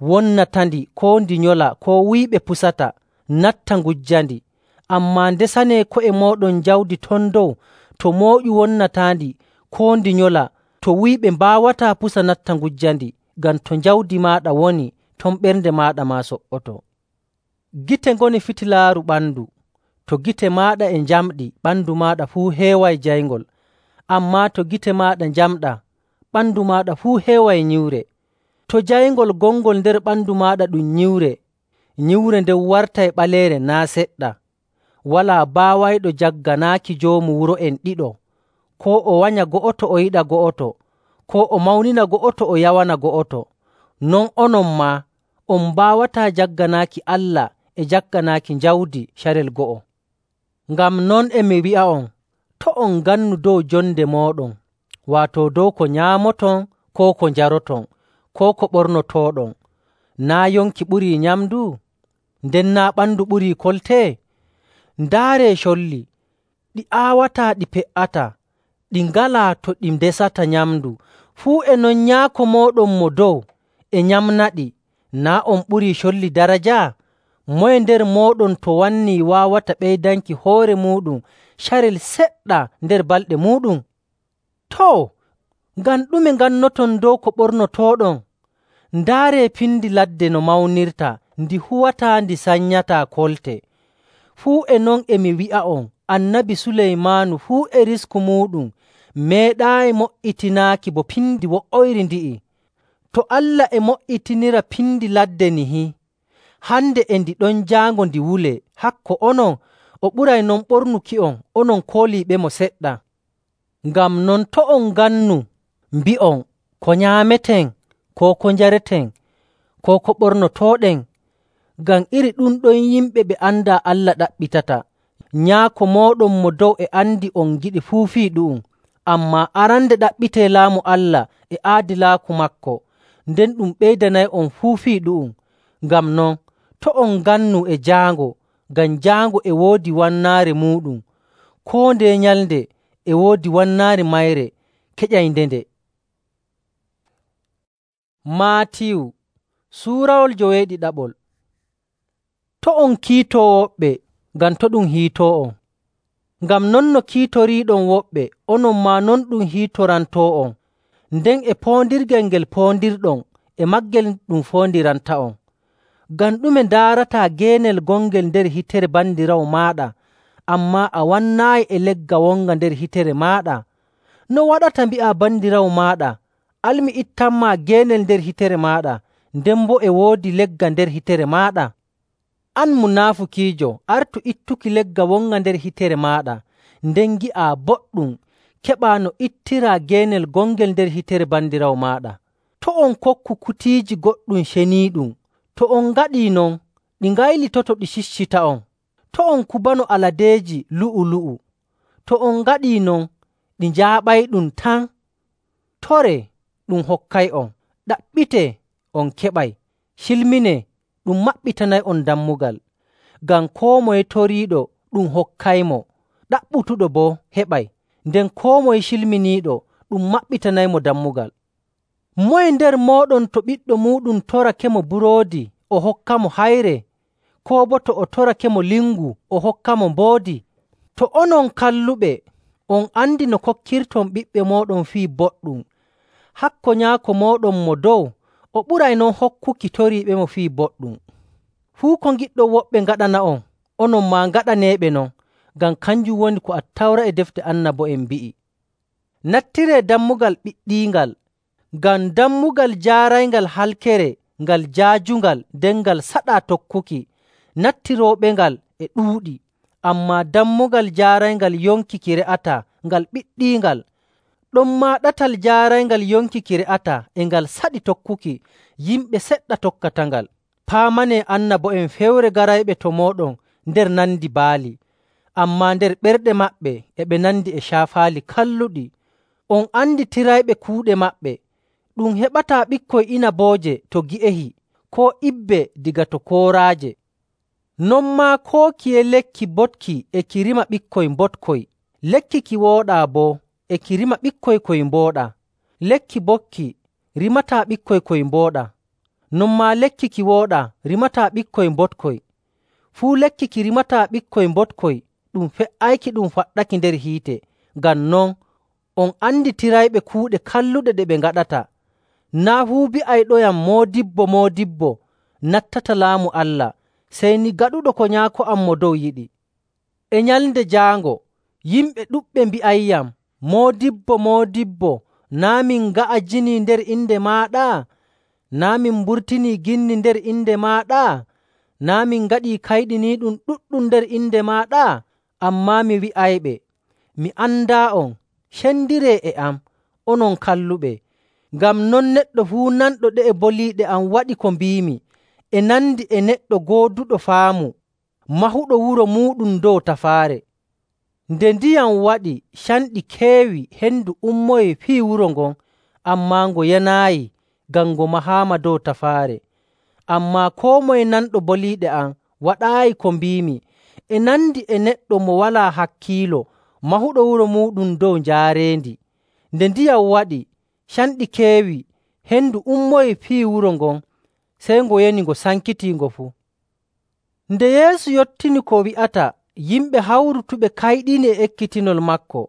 S1: wonnatandi koo ndi nyola koo wuyɓe pusata natta ngujjandi. Ammaa ndesanee ko'e mooɗon jawdi ton dow to mooƴu wonnataandi koo ndi nyola, to wuyɓe mbaawataa pusa natta ngujjandi, ngam to jawdi maaɗa woni, ton ɓernde maaɗa maa so''oto. Gite ngoni fitilaaru ɓandu. To gite maaɗa e njamɗi, ɓandu maaɗa fuu heeway jayngol. Ammaa to gite maaɗa njamɗaa, ɓandu maaɗa fuu heeway nyiwre. To jayngol gongol nder ɓandu maaɗa ɗum nyiwre, nyiwre nden wartay ɓaleere naa' seɗɗa. Walaa baawayɗo jagganaaki joomu wuro'en ɗiɗo, koo o wanya go'oto o yiɗa go'oto, koo o mawnina go'oto o yawana go'oto. Non onon maa on mbaawataa jagganaaki Allah e jagganaaki jawdi carel go'o. Ngam non e mi wi'a'on, to' on ngannu dow jonde mooɗon, waato dow ko nyaamoton koo ko njaroton, koo ko ɓornotooɗon. Naa' yonki ɓurii nyamndu? Nden naa' ɓandu ɓurii kolte? Ndaaree colli, ɗi aawataa ɗi pe''ataa, ɗi ngalaa to ɗi ndesata nyamndu. Fuu e non Nyaako mooɗon mo dow e nyamnaɗi. Naa' on ɓurii colli daraja? Moye nder mooɗon to wannii waawata ɓeydanki hoore muuɗum carel seɗɗa nder balɗe muuɗum? Too, ngam ɗume ngannoton dow ko ɓornotooɗon? Ndaaree pindi ladde no mawnirta, ndi huwataa ndi sanyataa kolte. Fuu e non e mi wi'a'on, Annabi Suleymaanu fuu e risku muuɗum meeɗaayi mo''itinaaki bo pindi wo'oyri ndi'i. To Allah e mo''itinira pindi ladde nihi, hande e ndi ɗon jaango ndi wulee, hakko onon o ɓuray non ɓornuki'on onon kooliiɓemo seɗɗa. Ngam non to' on ngannu mbi'on, ko nyaameten, koo ko njareten, koo ko ɓornotooɗen, ngam iri ɗum ɗon yimɓe ɓe andaa Allah ɗaɓɓitata. Nyaako mooɗon mo dow e andi on ngiɗi fuu fii ɗu'um. Ammaa arande ɗaɓɓitee laamu Allah e aadilaaku maako, nden ɗum ɓeydanay'on fuu fii ɗu'um. Ngam non, to' on ngannu e jaango, ngam jaango e woodi wannaare muuɗum. Koo ndeye nyalnde e woodi wannaare mayre keƴaynde-nde. Maatiyu suurawol joweeɗiɗaɓol. To' on kiitoo woɓɓe, ngam to' ɗum hiitoo'on. Ngam non no kiitoriiɗon woɓɓe, onon maa non ɗum hiitorantoo'on. Nden e poondirgel ngel poondirɗon, e maagel ɗum foondiranta'on. Ngam ɗume ndaarataa geenel gongel nder hitere bandiraawo maaɗa, ammaa a wannaayi e legga wonga nder hitere maaɗa? No waɗata mbi'aa bandiraawo maaɗa, “Al mi ittanmaa geenel nder hitere maaɗa,” nden boo e woodi legga nder hitere maaɗa? An munaafukiijo, artu ittuki legga wonga nder hitere maaɗa, nden ngi'aa boɗɗum keɓaa no ittiraa geenel gongel nder hitere bandiraawo maaɗa. To' on kokku kutiiji goɗɗum ceniiɗum. To on ngaɗii non, ɗi ngaylitoto ɗi ciccita'on. To' on kubano aladeeji lu'ulu'u. To on ngaɗii non, ɗi njaaɓayɗum tan. Toree, ɗum hokkay'on. Ɗaɓɓitee, on keɓay. Cilminee, ɗum maɓɓitanay'on dammugal. Ngam koo moye toriiɗo, ɗum hokkaymo. Ɗaɓɓutuɗo boo heɓay, nden koo moye cilminiiɗo, ɗum maɓɓitanaymo dammugal. Moye nder mooɗon to ɓiɗɗo muuɗum torakemo buroodi, o hokkamo hayre? Koo boo to o torakemo lingu, o hokkamo mboodi? To onon kalluɓe on andi no kokkirton ɓiɓɓe mooɗon fii boɗɗum, hakko Nyaako mooɗon mo dow o ɓuray non hokkuki toriiɓemo fii boɗɗum. Fuu ko ngiɗɗon woɓɓe ngaɗana'on, onon maa ngaɗaneeɓe non, ngam kanjum woni ko Attawra e defte annabo'en mbi'i. Nattiree dammugal ɓiɗɗiingal, ngam dammugal jaarayngal halkere ngal jaajungal nden ngal saɗaa tokkuki. Nattirooɓengal e ɗuuɗi, ammaa dammugal jaarayngal yonkiki re'ataa ngal ɓiɗɗiingal. Ɗonmaa ɗatal jaarayngal yonkiki re'ataa e ngal saɗi tokkuki, yimɓe seɗɗa tokkatangal. Paamanee annabo'en fewre garayɓe to mooɗon nder nandi baali, ammaa nder ɓerɗe maɓɓe e ɓe nandi e caafaali kalluɗi. On anditirayɓe kuuɗe maɓɓe. Ɗum heɓataa ɓikkoy inabooje to gi'ehi, koo ibbe diga to kooraaje. Non maa koo kiye lekki boɗki e ki rima ɓikkoy mboɗkoy. Lekki ki wooɗaa boo e ki rima ɓikkoy koy mbooɗaa. Lekki boɗki rimataa ɓikkoy koy mbooɗaa. Non maa lekki ki wooɗaa rimataa ɓikkoy mboɗkoy. Fuu lekki ki rimataa ɓikkoy mboɗkoy ɗum fe''ayki ɗum faɗɗaki nder hiite. Ngam non, on anditirayɓe kuuɗe kalluɗe ɗe ɓe ngaɗata. Naa' fuu bi'ayɗoyam moodibbo moodibbo nattata laamu Allah, sey ni gaɗuɗo ko Nyaako am mo dow yiɗi. E nyalnde jaango yimɓe ɗuɗɓe mbi'ayyam, “Moodibbo, moodibbo, Naa' min nga'ajinii nder inde maaɗa? Naa' min mburtinii ginni nder inde maaɗa? Naa' min ngaɗii kayɗiniiɗum ɗuɗɗum nder inde maaɗa? Ammaa mi wi'ayɓe, mi andaa'on. Cendiree e am, onon kalluɓe. Ngam non neɗɗo fuu nanɗo ɗe'e boliiɗe am waɗi ko mbiimi e nandi e neɗɗo gooduɗo faamu mahuɗo wuro muuɗum dow tafaare. Nde ndiyam waɗi, canɗi keewi, hendu ummoyi fii wuro ngon, ammaa ngo yanaayi ngam ngo mahaama dow tafaare. Ammaa koo moye nanɗo boliiɗe am waɗaayi ko mbiimi e nandi e neɗɗo mo walaa hakkiilo mahuɗo wuro muuɗum dow njaarendi. Nde ndiyam waɗi, canɗi keewi, hendu ummoyi fii wuro ngon, sey ngo yani ngo sankitii fuu. Nde Yeesu yottini ko wi'ata, yimɓe hawrutuɓe kayɗini e ekkitinol maako,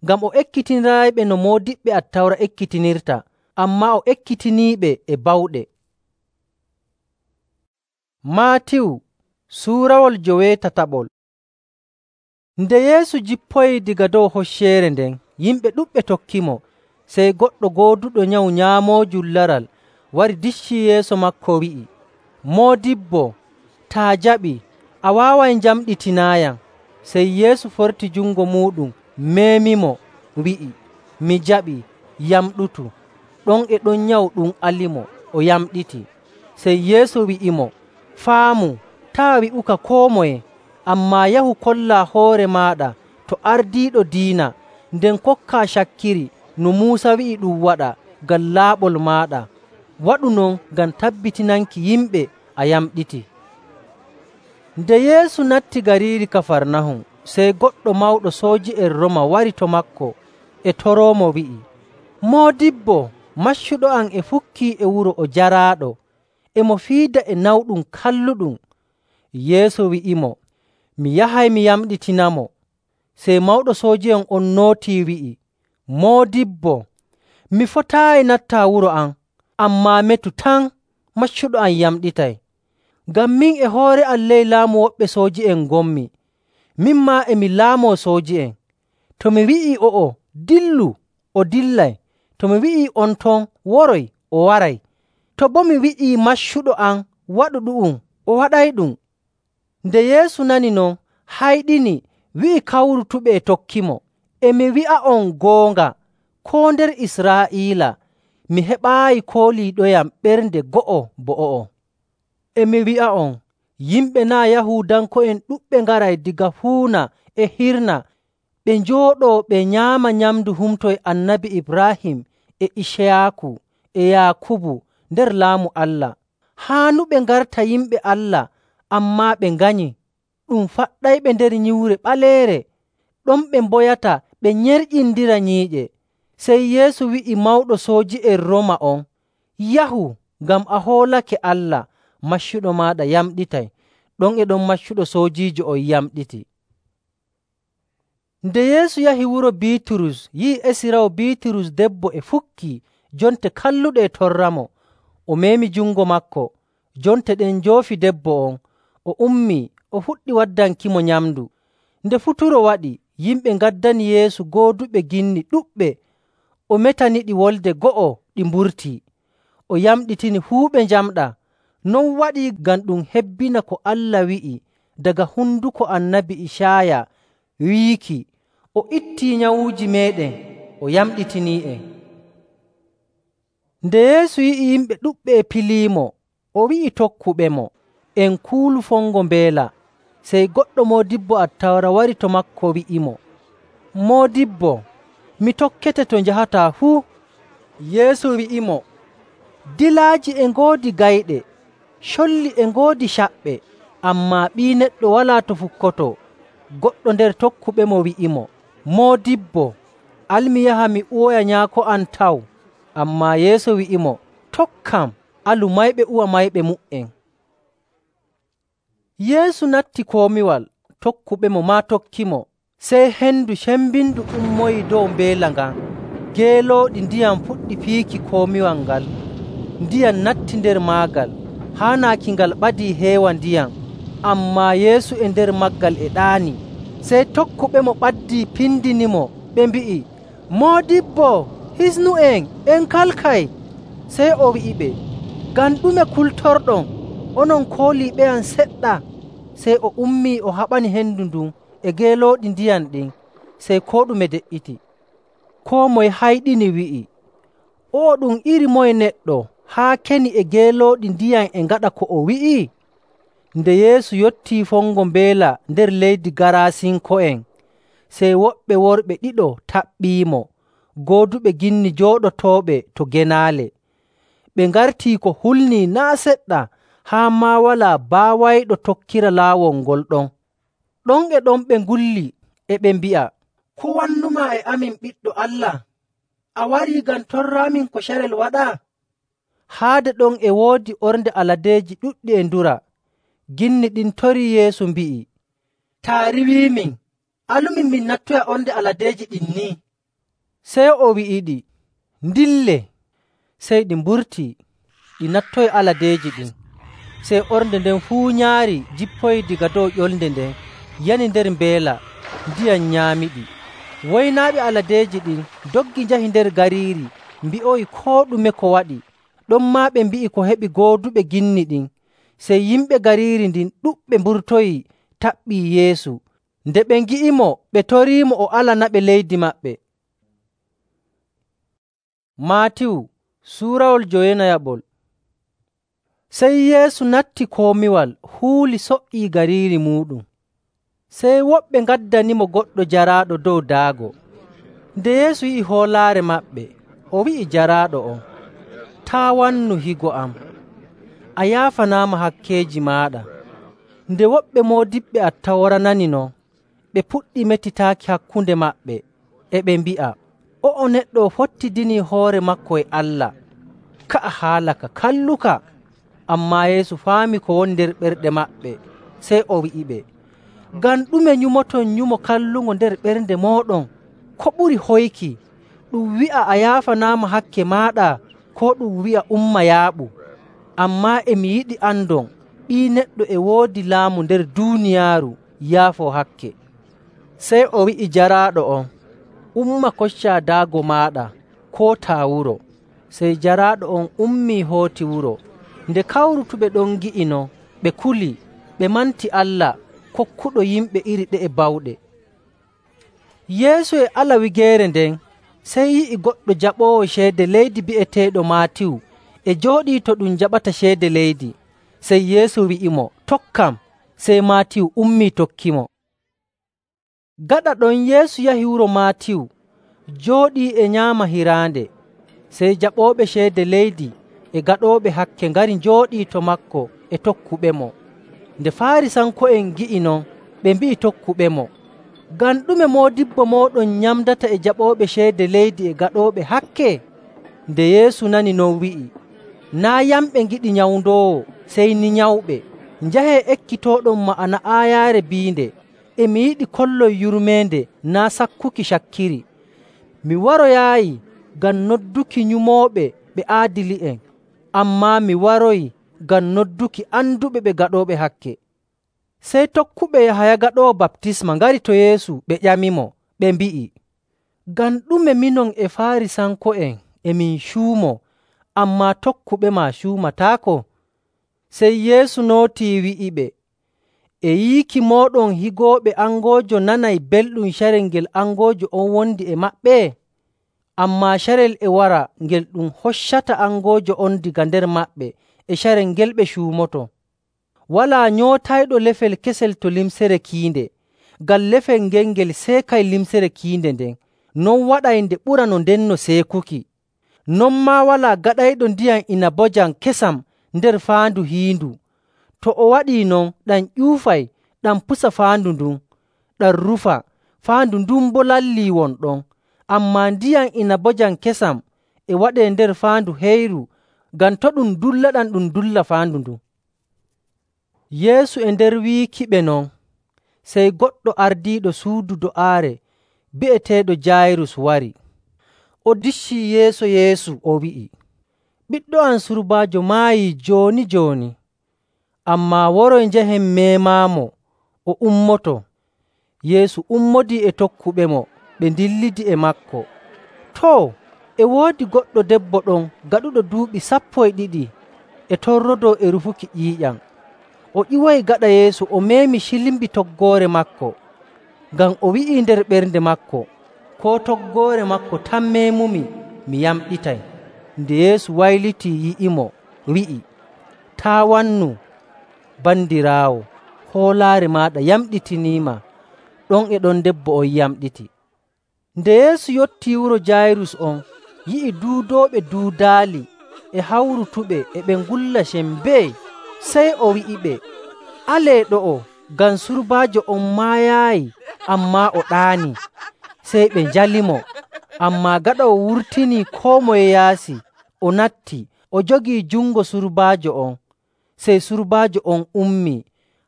S1: ngam o ekkitiniraayiɓe no moodiɓɓe Attawra ekkitinirta, ammaa o ekkitiniiɓe e bawɗe. Maatiyu suurawol joweetataɓol. Nde Yeesu jippoyii daga dow hocceere nden, yimɓe ɗuɗɓe tokkimo. Sey goɗɗo gooduɗo nyawu nyaamoojum laral wari diccii yeeso maako wi'i, “Moodibbo, taa jaɓii, a waaway njamɗitinaayam.” Sey Yeesu forti jungo muuɗum meemimo, wi'i, “Mi jaɓii, yamɗutu.” Ɗon e ɗon nyawu ɗum alimo, o yamɗiti. Sey Yeesu wi'imo, “Faamu, taa' wi'uka koo moye, ammaa yahu kollaa hoore maaɗa to ardiiɗo diina, nden kokkaa cakkiri no Muusa wi'i ɗum waɗa ngam laaɓol maaɗa. Waɗu non ngam tabbitinanki yimɓe a yamɗiti.” Nde Yeesu natti gariiri Kafarnahum, sey goɗɗo mawɗo sooji'en Rooma wari to maako e toroomo wi'i, “Moodibbo, maccuɗo am e fukkii e wuro o jaraaɗo, e mo fiida e nawɗum kalluɗum.” Yeesu wi'imo, “Mi yahay mi yamɗitinamo.” Sey mawɗo sooji'en on nootii wi'i, “Moodibbo, mi fotaayi nattaa wuro am, ammaa metu tan maccuɗo am yamɗitay. Ngam min e hoore am ley laamu woɓɓe sooji'en ngonmi, min maa e mi laamoo sooji'en. To mi wi'ii o'o, ‘Dillu,’ o dillay. To mi wi'ii on ton, ‘Woroy,’ o waray. To boo mi wi'ii maccuɗo am, ‘Waɗu ɗu'um,’ o waɗayɗum.” Nde Yeesu nani non, hayɗini, wi'i kawrutuɓe e tokkimo, “E mi wi'a'on goonga, koo nder Israa'iila mi heɓaayi kooliiɗoyam ɓernde go'o bo o'o. E mi wi'a'on, yimɓe naa' Yahuudanko'en ɗuɗɓe ngaray daga fuuna e hirna ɓe njooɗoo ɓe nyaama nyamndu humto e Annabi Ibraahim e Iciyaaku e Yaakubu nder Laamu Allah. Haanu ɓe ngarta yimɓe Allah, ammaa ɓe nganyi. Ɗum faɗɗayɓe nder nyiwre ɓaleere, ɗon ɓe mboyata ɓe nyerƴindira nyiiƴe.” Sey Yeesu wi'i mawɗo sooji'en Rooma on, “Yahu, ngam a hoolake Allah, maccuɗo maaɗa yamɗitay.” Ɗon e ɗon maccuɗo soojiijo on yamɗiti. Nde Yeesu yahi wuro Biiturus, yi'i esiraawo Biiturus debbo e fukkii, jonte kalluɗe e torramo. O meemi jungo maako. Jonte ɗen njoofi debbo on. O ummii, o fuɗɗi waddankimo nyamndu. Nde futuro waɗi, yimɓe ngaddani Yeesu gooduɓe ginni ɗuɗɓe. O metaniɗi wolde go'o, ɗi mburtii. O yamɗitini fuu ɓe njamɗaa. Non waɗii ngam ɗum hebbina ko Allah wi'i daga honduko Annabi Icaaya wiiki, “O ittii nyawuuji meeɗen, o yamɗitinii'en.” Nde Yeesu yi'i yimɓe ɗuɗɓe e piliimo, o wi'i tokkuɓemo, “En kuulu fongo mbeela.” Sey goɗɗo moodibbo Attawra wari to maako wi'imo, “Moodibbo, mi tokkete to njahataa fuu.” Yeesu wi'imo, “Dilaaji e ngoodi gayɗe, colli e ngoodi caɓɓe, ammaa Ɓii Neɗɗo walaa to fukkotoo.” Goɗɗo nder tokkuɓemo wi'imo, “Moodibbo, al mi yaha mi uwoya nyaako am taw.” Ammaa Yeesu wi'imo, “Tokkam, alu mayɓe uwa mayɓe mu''en.” Yeesu natti komiwal, tokkuɓemo maa tokkimo. Sey hendu cembindu ummoyi dow mbeela ngan. Geelooɗi ndiyam puɗɗi fiiki komiwal ngal. Ndiyam natti nder maagal, haa naaki ngal ɓadii heewa ndiyam. Ammaa Yeesu e nder maagal e ɗaani. Sey tokkuɓemo ɓaddii pindinimo, ɓe mbi'i, “Moodibbo, “Hisnu'en, en kalkay.” Sey o wi'iɓe, “Ngam ɗume kultorɗon? Onon kooliiɓeyam seɗɗa?” Sey o ummii o haɓani hendu ndun e geelooɗi ndiyam ɗin, sey koo ɗume de''iti. Koo moye hayɗini wi'i, “O'o ɗum iri moye neɗɗo haa keni e geelooɗi ndiyam e ngaɗa ko o wi'i?” Nde Yeesu yottii fongo mbeela nder leydi Garaasinko'en, sey woɓɓe worɓe ɗiɗo taɓɓiimo, gooduɓe ginni jooɗotooɓe to genaale. Ɓe ngartii ko hulnii naa' seɗɗa haa maa walaa baawayɗo tokkira laawol ngol ɗon. Ɗon e ɗon ɓe ngulli, e ɓe mbi'a, “Ko wannumaa e amin, Ɓiɗɗo Allah? A warii ngam torraamin ko carel waɗaa?” Haade ɗon e woodi ornde aladeeji ɗuɗɗi e ndura. Ginni ɗin torii Yeesu mbi'i, “Taa riiwiimin, alumin min nattoya ornde aladeeji ɗin ni.” Sey o wi'iɗi, “Ndille.” Sey ɗi mburtii, ɗi nattoyi aladeeji ɗin. Sey ornde nden fuu nyaari jippoyi daga dow ƴolnde nden yani nder mbeela, ndiyam nyaamiɗi. Woynaaɓe aladeeji ɗin ndoggi njahi nder gariiri, mbi'oyi koo ɗume ko waɗi. Ɗonmaa ɓe mbi'i ko heɓi gooduɓe ginni ɗin. Sey yimɓe gariiri ndin ɗuɗɓe mburtoyii taɓɓii Yeesu. Nde ɓe ngi'imo, ɓe toriimo o alanaɓe leydi maɓɓe. Maatiyu Suurawol jowenayaɓol. Sey Yeesu natti komiwal huuli so''ii gariiri muuɗum. Sey woɓɓe ngaddanimo goɗɗo jaraaɗo dow daago. Nde Yeesu yi'i hoolaare maɓɓe, o wi'i jaraaɗo on, “Taa' wannu higo am. A yaafanaama hakkeeji maaɗa.” Nde woɓɓe moodiɓɓe Attawra nani non, ɓe puɗɗi metitaaki hakkunde maɓɓe, e ɓe mbi'a, “O'o neɗɗo o fottidinii hoore maako e Allah. Ka'a haala ka kalluka!” Ammaa Yeesu faami ko woni nder ɓerɗe maɓɓe, sey o wi'iɓe, “Ngam ɗume nyumoton nyumo kallungo nder ɓernde mooɗon? Ko ɓuri hoyki, ɗum wi'a, ‘A yaafanaama hakke maaɗa,’ koo ɗum wi'a, ‘Umma yaaɓu’? Ammaa e mi yiɗi andon Ɓii Neɗɗo e woodi laamu nder duuniyaaru yaafoo hakke.” Sey o wi'i jaraaɗo on, “Umma koccaa daago maaɗa, kootaa wuro.” Sey jaraaɗo on ummii hooti wuro. Nde kawrutuɓe ɗon ngi'i non, ɓe kuli, ɓe manti Allah kokkuɗo yimɓe iri ɗe'e bawɗe. Yeesu e ala wigeere nden, sey yi'i goɗɗo jaɓoowo ceede leydi bi'eteeɗo Maatiyu e jooɗii to ɗum jaɓata ceede leydi. Sey Yeesu wi'imo, “Tokkam.” Sey Maatiyu ummii tokkimo. Gaɗa ɗon Yeesu yahi wuro Maatiyu, jooɗii e nyaama hiraande. Sey jaɓooɓe ceede leydi e gaɗooɓe hakke ngari njooɗii to maako e tokkuɓemo. Nde Faarisanko'en ngi'i non, ɓe mbi'i tokkuɓemo, “Ngam ɗume moodibbo mooɗon nyamdata e jaɓooɓe ceede leydi e gaɗooɓe hakke?” Nde Yeesu nani non wi'i, “Naa' yamɓe ngiɗi nyawndoowo, sey ni nyawɓe. Njahee ekkitooɗon ma'ana aayaare biinde, ‘E mi yiɗi kollon yurmeende, naa' sakkuki cakkiri.’ Mi waroyaayi ngam nodduki nyumooɓe ɓe aadili'en, ammaa mi waroyi ngam nodduki anduɓe ɓe gaɗooɓe hakke.” Sey tokkuɓe Yahaya Gaɗoowo Baptisma ngari to Yeesu ɓe ƴamimo, ɓe mbi'i, “Ngam ɗume minon e Faarisanko'en e min cuumoo, ammaa tokkuɓema cuumataako?” Sey Yeesu nootii wi'iɓe, “E yiiki mooɗon higooɓe angoojo nanay belɗum carel ngel angoojo on wondi e maɓɓe? Ammaa carel e wara ngel ɗum hoccata angoojo on daga nder maɓɓe e carel ngel ɓe cuumoto. Walaa nyootayɗo lefel kesel to limcere kiinde, ngam lefel ngel ngel seekay limcere kiinde nden, non waɗay nde ɓura no ndenno seekuki. Non maa walaa gaɗayɗo ndiyam inabojam kesam nder faandu hiindu. To o waɗii non, ɗam ƴuufay, ɗam pusa faandu ndun, ɗam rufa, faandu ndun boo lallii won ɗon. Ammaa ndiyam inabojam kesam e waɗee nder faandu heyru, ngam to ɗum dullaɗam ɗum dulla faandu ndun.” Yeesu e nder wiikiɓe non, sey goɗɗo ardiiɗo suudu do'aare bi'eteeɗo Jaayirus wari. O diccii yeeso Yeesu, o wi'i, “Ɓiɗɗo am surbaajo maayii jooni‑jooni. Ammaa woroy njahen meemaamo, o ummoto.” Yeesu ummodii e tokkuɓemo, ɓe ndillidi e maako. Too, E woodi goɗɗo debbo ɗon gaɗuɗo duuɓi sappo e ɗiɗi e torrodoo e rufuki ƴiiƴam. O ƴiwoyi gaɗa Yeesu o meemi cilimbi toggoore maako, ngam o wi'ii nder ɓernde maako, “Koo toggoore maako tan meemumi, mi yamɗitay.” Nde Yeesu waylitii yi'imo, wi'i, “Taa' wannu, bandiraawo, hoolaare maaɗa yamɗitiniima.” Ɗon e ɗon debbo on yamɗiti. Nde Yeesu yottii wuro Jaayirus on, yi'i duudooɓe duudaali e hawrutuɓe e ɓe ngulla sembee. Sey o wi'iɓe, “Alee ɗo'o, ngam surbaajo on maayaayi, ammaa o ɗaanii.” Sey ɓe njalimo. Ammaa gaɗa o wurtinii koo moye yaasi, o natti, o jogii jungo surbaajo on. Sey surbaajo on ummii.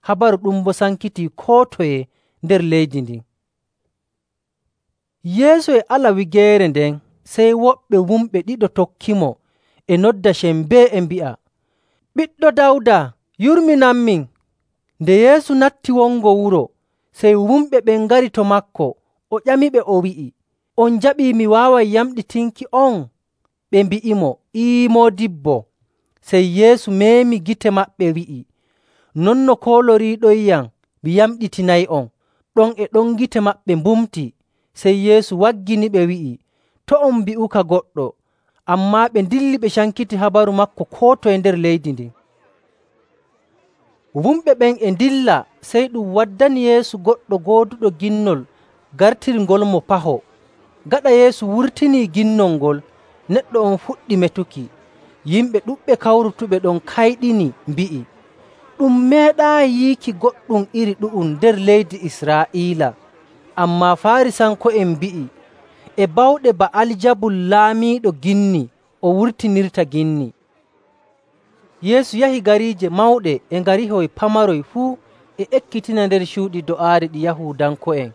S1: Habaru ɗum boo sankitii koo toye nder leydi ndin. Yeesu e ala wigeere nden, sey woɓɓe wumɓe ɗiɗo tokkimo e nodda sembee e mbi'a, “Ɓiɗɗo Dawda, yurminanmin!” Nde Yeesu natti wongo wuro, sey wumɓe ɓen ngari to maako. O ƴamiɓe o wi'i, “On njaɓii mi waaway yamɗitinki on?” Ɓe mbi'imo, “Ee, Moodibbo.” Sey Yeesu meemi gite maɓɓe wi'i, “Non no kooloriiɗonyam, mi yamɗitinay'on.” Ɗon e ɗon gite maɓɓe mbumti. Sey Yeesu wagginiɓe wi'i, “To' on mbi'uka goɗɗo.” Ammaa ɓe ndilli ɓe cankiti habaru maako koo toye nder leydi ndin. Wumɓe ɓen e ndilla, sey ɗum waddani Yeesu goɗɗo gooduɗo ginnol gartirngol mo paho. Gaɗa Yeesu wurtinii ginnol ngol, neɗɗo on fuɗɗi metuki. Yimɓe ɗuɗɓe kawrutuɓe ɗon kayɗini, mbi'i, “Ɗum meeɗaayi yiiki goɗɗum iri ɗu'um nder leydi Israa'iila.” Ammaa Faarisanko'en mbi'i, “E bawɗe Ba'aljabul laamiiɗo ginni o wurtinirta ginni.” Yeesu yahi gariije mawɗe e ngarihoy pamaroy fuu e ekkitina nder cuuɗi do'aari ɗi Yahuudanko'en,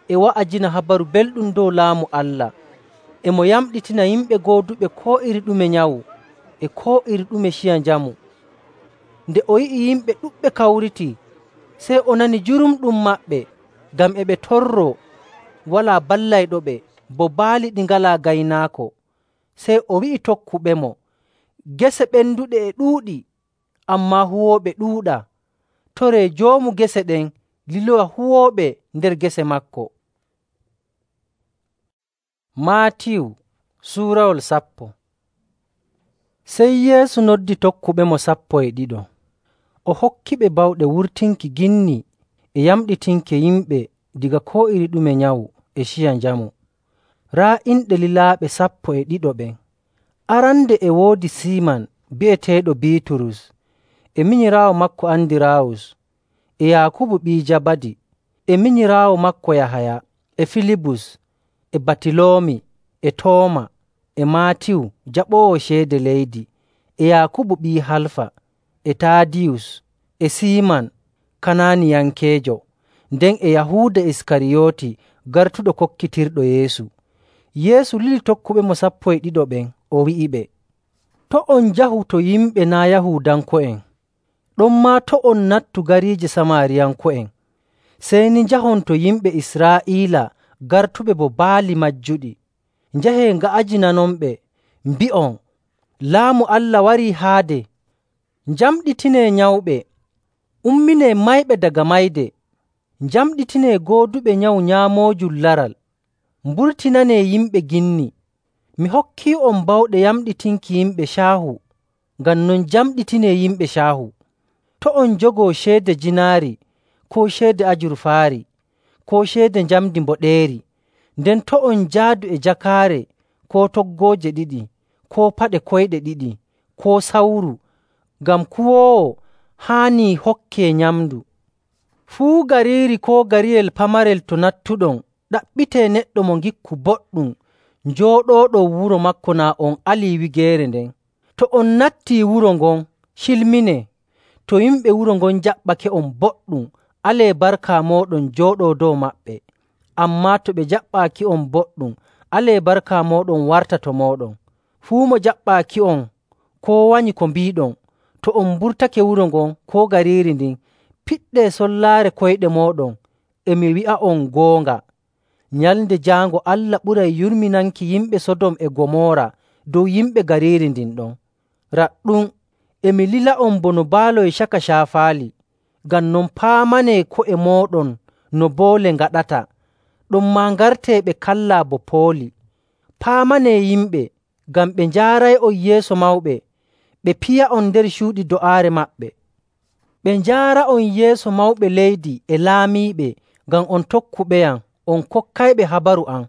S1: e wa'ajina habaru belɗum dow Laamu Allah. E mo yamɗitina yimɓe gooduɓe koo iri ɗume nyawu e koo iri ɗume ciya njamu. Nde o yi'i yimɓe ɗuɗɓe kawritii, sey o nani jurumɗum maɓɓe, ngam e ɓe torroo, walaa ballayɗoɓe, bo baali ɗi ngalaa gaynaako. Sey o wi'i tokkuɓemo, “Gese ɓenduɗe e ɗuuɗi, ammaa huwooɓe ɗuuɗaa. Toree joomu gese ɗen liloya huwooɓe nder gese maako.” Maatiyu suurawol sappo. Sey Yeesu noddi tokkuɓemo sappo e ɗiɗo. O hokkiɓe bawɗe wurtinki ginni e yamɗitinki yimɓe diga koo iri ɗume nyawu e ciya njamu. Raa inɗe lilaaɓe sappo e ɗiɗo ɓen. Arande e woodi Siiman bi'eteeɗo Biiturus, e minyiraawo maako Andiraawus, e Yaakubu ɓii Jabadi, e minyiraawo maako Yahaya, e Filibus, e Batiloomi, e Tooma, e Maatiyu jaɓoowo ceede leydi, e Yaakubu ɓii Halfa, e Taadiyus, e Siiman Kanaaniyankeejo, nden e Yahuuda Iskariyooti gartuɗo kokkitirɗo Yeesu. Yeesu lili tokkuɓemo sappo e ɗiɗo ɓen, o wi'iɓe, “To' on njahu to yimɓe naa' Yahuudanko'en, ɗonmaa to' on nattu gariije Samaariyanko'en. Sey ni njahon to yimɓe Israa'iila gartuɓe bo baali majjuɗi. Njahee nga'ajinanonɓe, mbi'on, ‘Laamu Allah warii haade.’ Njamɗitinee nyawɓe, umminee mayɓe daga mayde, njamɗitinee gooduɓe nyawu nyaamoojum laral, mburtinanee yimɓe ginni. Mi hokkii'on bawɗe yamɗitinki yimɓe caahu, ngam non njamɗitinee yimɓe caahu. To' on njogoo ceede jiinaari, koo ceede ajurfaari, koo ceede njamndi mboɗeeri. Nden to' on njaadu e jakaare, koo toggooje ɗiɗi, koo paɗe koyɗe ɗiɗi, koo sawru, ngam kuwoowo haanii hokkee nyamndu. Fuu gariiri koo gariyel pamarel to nattuɗon, ɗaɓɓitee neɗɗo mo ngikku boɗɗum njooɗooɗon wuro maako naa on alii wigeere nden. To on nattii wuro ngon, cilminee. To yimɓe wuro ngon jaɓɓake'on boɗɗum, alee barka mooɗon jooɗoo dow maɓɓe. Ammaa to ɓe jaɓɓaaki'on boɗɗum, alee barka mooɗon warta to mooɗon. Fuu mo jaɓɓaaki'on koo wanyi ko mbiiɗon, to on mburtake wuro ngon koo gariiri ndin, piɗɗee sollaare koyɗe mooɗon. E mi wi'a'on goonga, Nyalnde jaango Allah ɓuray yurminanki yimɓe Sodom e Gomoora dow yimɓe gariiri ndin ɗon. Raɗɗum, e mi lila'on bono baaloy caka caafaali. Ngam non paamanee ko'e mooɗon no boole ngaɗata, ɗonmaa ngartee ɓe kallaa bo pooli. Paamanee yimɓe, ngam ɓe njaaray'on yeeso mawɓe, ɓe piya'on nder cuuɗi do'aare maɓɓe. Ɓe njaara'on yeeso mawɓe leydi e laamiiɓe, ngam on tokkuɓeyam, on kokkayɓe habaru am.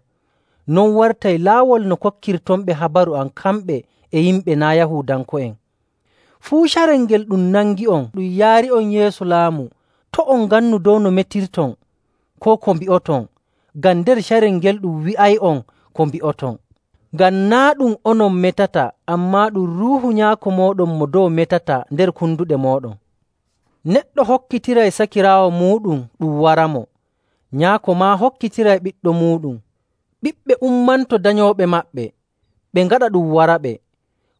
S1: Non wartay laawol no kokkirtonɓe habaru am kamɓe e yimɓe naa' Yahuudanko'en. Fuu carel ngel ɗum nangi'on ɗum yaari'on yeeso laamu, to' on ngannu dow no metirton koo ko mbi'oton, ngam nder carel ngel ɗum wi'ay'on ko mbi'oton. Ngam naa' ɗum onon metata, ammaa ɗum Ruuhu Nyaako mooɗon mo dow metata nder konduɗe mooɗon. Neɗɗo hokkitiray sakiraawo muuɗum ɗum waramo. Nyaako maa hokkitiray ɓiɗɗo muuɗum. Ɓiɓɓe ummanto danyooɓe maɓɓe, ɓe ngaɗa ɗum waraɓe.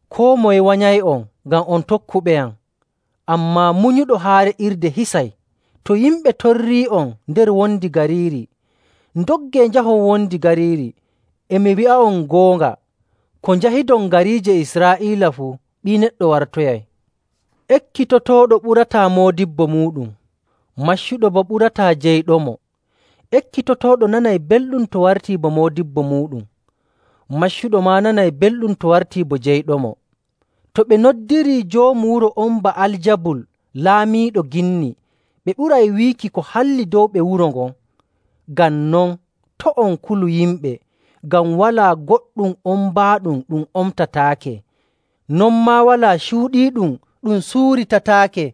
S1: Koo moye wanyay'on ngam on tokkuɓeyam. Ammaa munyuɗo haa re'irde hisay. To yimɓe torrii'on nder wondi gariiri, ndoggee njahon wondi gariiri. E mi wi'a'on goonga, ko njahidon gariije Israa'iila fuu, Ɓii Neɗɗo wartoyay. Ekkitotooɗo ɓurataa moodibbo muuɗum, maccuɗo boo ɓurataa jeyɗomo. Ekkitotooɗo nanay belɗum to wartii bo moodibbo muuɗum, maccuɗo maa nanay belɗum to wartii bo jeyɗomo. To ɓe noddirii joomu wuro on Ba'aljabul, laamiiɗo ginni, ɓe ɓuray wiiki ko halli dow ɓe wuro ngon. Ngam non, to' on kulu yimɓe, ngam walaa goɗɗum ombaaɗum ɗum omtataake, non maa walaa cuuɗiiɗum ɗum suuritataake.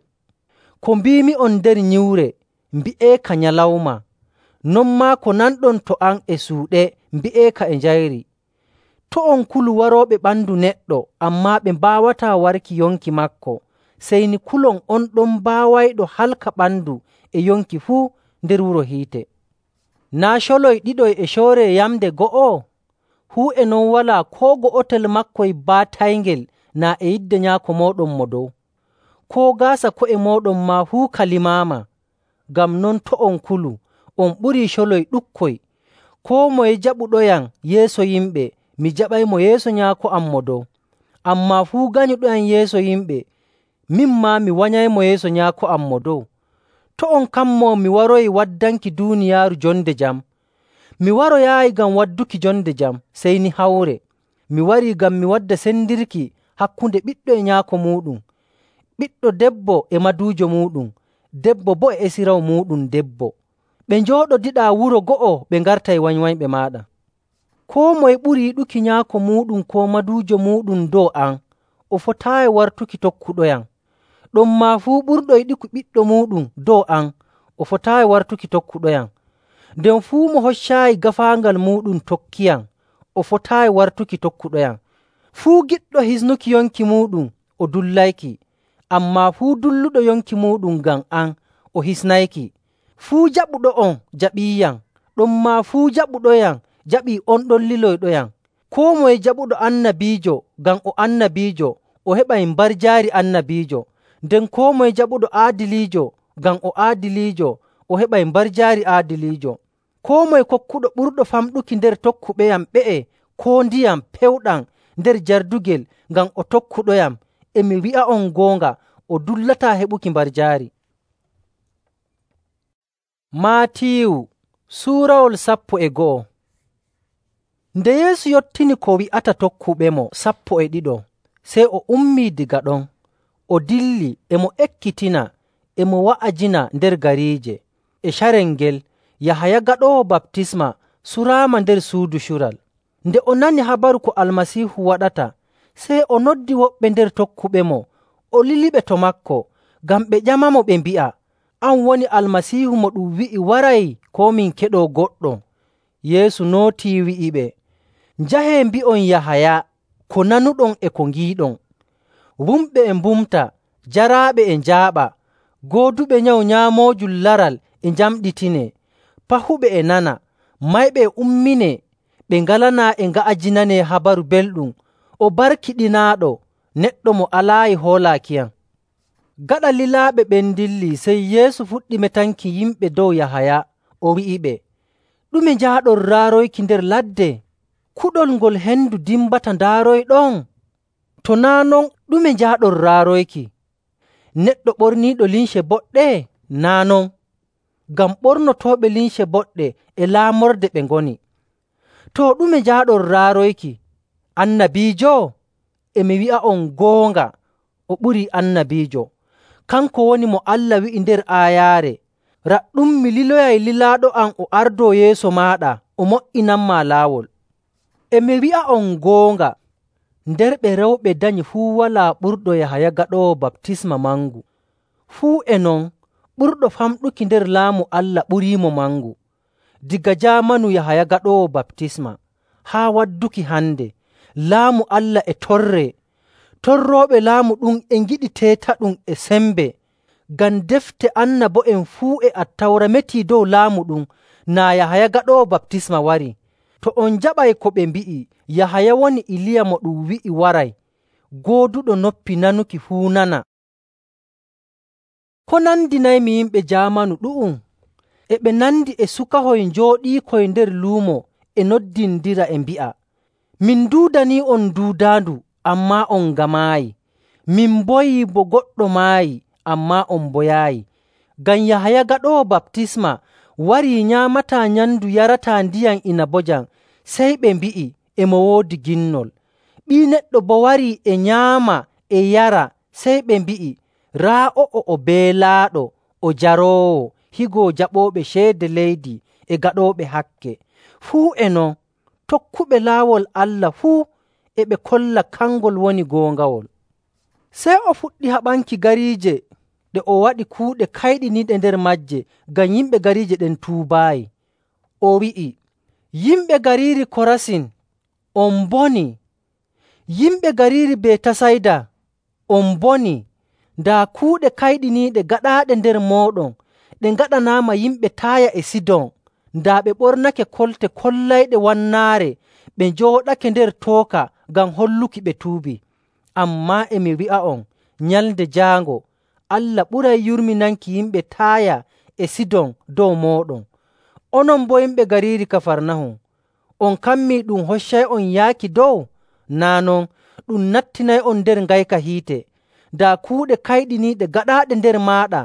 S1: Ko mbiimi'on nder nyiwre, mbi'eeka nyalawma, non maa ko nanɗon to am e suuɗe, mbi'eeka e njayri. To' on kulu warooɓe ɓandu neɗɗo, ammaa ɓe mbaawataa warki yonki maako, sey ni kulon on ɗon baawayɗo halka ɓandu e yonki fuu nder wuro hiite. Naa' coloy ɗiɗoy e cooree yamnde go'o? Fuu e non walaa koo go'otel makkoy baatayngel naa e yidde Nyaako mooɗon mo dow. Koo gaasa ko'e mooɗon maa fuu ka limaama. Ngam non to' on kulu, on ɓurii coloy ɗuɗkoy. Koo moye jaɓuɗoyam yeeso yimɓe, mi jaɓaymo yeeso Nyaako am mo dow. Ammaa fuu ganyuɗoyam yeeso yimɓe, min maa mi wanyaymo yeeso Nyaako am mo dow. To' on kammoo mi waroyi waddanki duuniyaaru jonde jam. Mi waroyaayi ngam wadduki jonde jam, sey ni hawre. Mi warii ngam mi wadda sendirki hakkunde ɓiɗɗo e nyaako muuɗum, ɓiɗɗo debbo e maduujo muuɗum, debbo boo e esiraw muuɗum debbo. Ɓe njooɗodiɗaa wuro go'o ɓe ngartay wanywanyɓe maaɗa. Koo moye ɓuri yiɗuki nyaako muuɗum koo maduujo muuɗum dow am, o fotaayi wartuki tokkuɗoyam. Ɗonmaa fuu ɓurɗo yiɗuki ɓiɗɗo muuɗum dow am, o fotaayi wartuki tokkuɗoyam. Nden fuu mo hoccaayi gaafaangal muuɗum tokkiyam, o fotaayi wartuki tokkuɗoyam. Fuu giɗɗo hisnuki yonki muuɗum, o dullayki, ammaa fuu dulluɗo yonki muuɗum ngam am, o hisnayki. Fuu jaɓuɗo'on jaɓiiyam, ɗonmaa fuu jaɓuɗoyam jaɓii on ɗon liloyɗoyam. Koo moye jaɓuɗo annabiijo ngam o annabiijo, o heɓay mbarjaari annabiijo. Nden koo moye jaɓuɗo aadiliijo ngam o aadiliijo, o heɓay mbarjaari aadiliijo. Koo moye kokkuɗo ɓurɗo famɗuki nder tokkuɓeyam ɓe'e koo ndiyam pewɗam nder jardugel ngam o tokkuɗoyam, e mi wi'a'on goonga, o dullataa heɓuki mbarjaari. Maatiiwu suurawol sappo e go'o. Nde Yeesu yottini ko wi'ata tokkuɓemo sappo e ɗiɗo, sey o ummii diga ɗon, o dilli e mo ekkitina e mo wa'ajina nder gariije. E carel ngel, Yahaya Gaɗoowo Baptisma suraama nder suudu cural. Nde o nani habaru ko Almasiihu waɗata, sey o noddi woɓɓe nder tokkuɓemo, o liliɓe to maako, ngam ɓe ƴamamo ɓe mbi'a, “An woni Almasiihu mo ɗum wi'i waray, koo min keɗoo goɗɗo?” Yeesu nootii wi'iɓe, “Njahee mbi'on Yahaya ko nanuɗon e ko ngiiɗon. Wumɓe e mbumta, jaraaɓe e njaaɓa, gooduɓe nyawu nyaamoojum laral e njamɗitinee, pahuɓe e nana, mayɓe e umminee, ɓe ngalanaa e nga'ajinanee habaru belɗum. O barkiɗinaaɗo neɗɗo mo alaayi hoolaakiyam.” Gaɗa lilaaɓe ɓen ndilli, sey Yeesu fuɗɗi metanki yimɓe dow Yahaya, o wi'iɓe, ɗume njaaɗon raaroyki nder ladde? Kuɗol ngol hendu dimbata ndaaroyɗon? To naa' non, ɗume njaaɗon raaroyki? Neɗɗo ɓorniiɗo limce boɗɗe? Naa' non, ngam ɓornotooɓe limce boɗɗe e laamorde ɓe ngoni. Too, ɗume njaaɗon raaroyki? Annabiijo? E mi wi'a'on goonga, o ɓurii annabiijo. Kanko woni mo Allah wi'i nder aayaare, “Raɗɗum mi liloyay lilaaɗo am o ardoo yeeso maaɗa, o mo''inanmaa laawol.” E mi wi'a'on goonga, nder ɓe rewɓe danyi fuu walaa ɓurɗo Yahaya Gaɗoowo Baptisma mangu. Fuu e non, ɓurɗo famɗuki nder Laamu Allah ɓuriimo mangu. Daga jaamanu Yahaya Gaɗoowo Baptisma haa wadduki hande, Laamu Allah e torree. Torrooɓe laamu ɗum e ngiɗi teetaɗum e sembe, ngam defte annabo'en fuu e Attawra metii dow laamu ɗum naa Yahaya Gaɗoowo Baptisma warii. To on njaɓay ko ɓe mbi'i, Yahaya woni Iliya mo ɗum wi'i waray, gooduɗo noppi nanuki fuu nana. Ko nandinaymi yimɓe jaamanu ɗu'um? E ɓe nandi e sukahoy njooɗiikoy nder luumo e noddindira e mbi'a, “Min nduudanii'on duudaandu, ammaa on ngamaayi. Min mboyii bo goɗɗo maayi, ammaa on mboyaayi.” Ngam Yahaya Gaɗoowo Baptisma warii nyaamataa nyamndu yarataa ndiyam inabojam, sey ɓe mbi'i, “E mo woodi ginnol.” Ɓii Neɗɗo boo warii e nyaama e yara, sey ɓe mbi'i, “Raa o'o o beelaaɗo, o jaroowo, higo jaɓooɓe ceede leydi e gaɗooɓe hakke.” Fuu e non, tokkuɓe laawol Allah fuu e ɓe kolla kangol woni goongawol. Sey o fuɗɗi haɓanki gariije ɗe o waɗi kuuɗe kayɗiniiɗe nder maaje ngam yimɓe gariije ɗen tuubaayi. O wi'i, “Yimɓe gariiri Korasin, on mbonii! Yimɓe gariiri Betasayda, on mbonii! Daa kuuɗe kayɗiniiɗe gaɗaaɗe nder mooɗon ɗe ngaɗanaama yimɓe Taaya e Sidon, daa ɓe ɓornake kolte kollayɗe wannaare ɓe njooɗake nder tooka ngam holluki ɓe tuubii. Ammaa e mi wi'a'on, nyalnde jaango Allah ɓuray yurminanki yimɓe Taaya e Sidon dow mooɗon. Onon boo yimɓe gariiri Kafarnahum, on kammii ɗum hoccay'on yaaki dow? Naa' non, ɗum nattinay'on nder ngayka hiite. Daa kuuɗe kayɗiniiɗe gaɗaaɗe nder maaɗa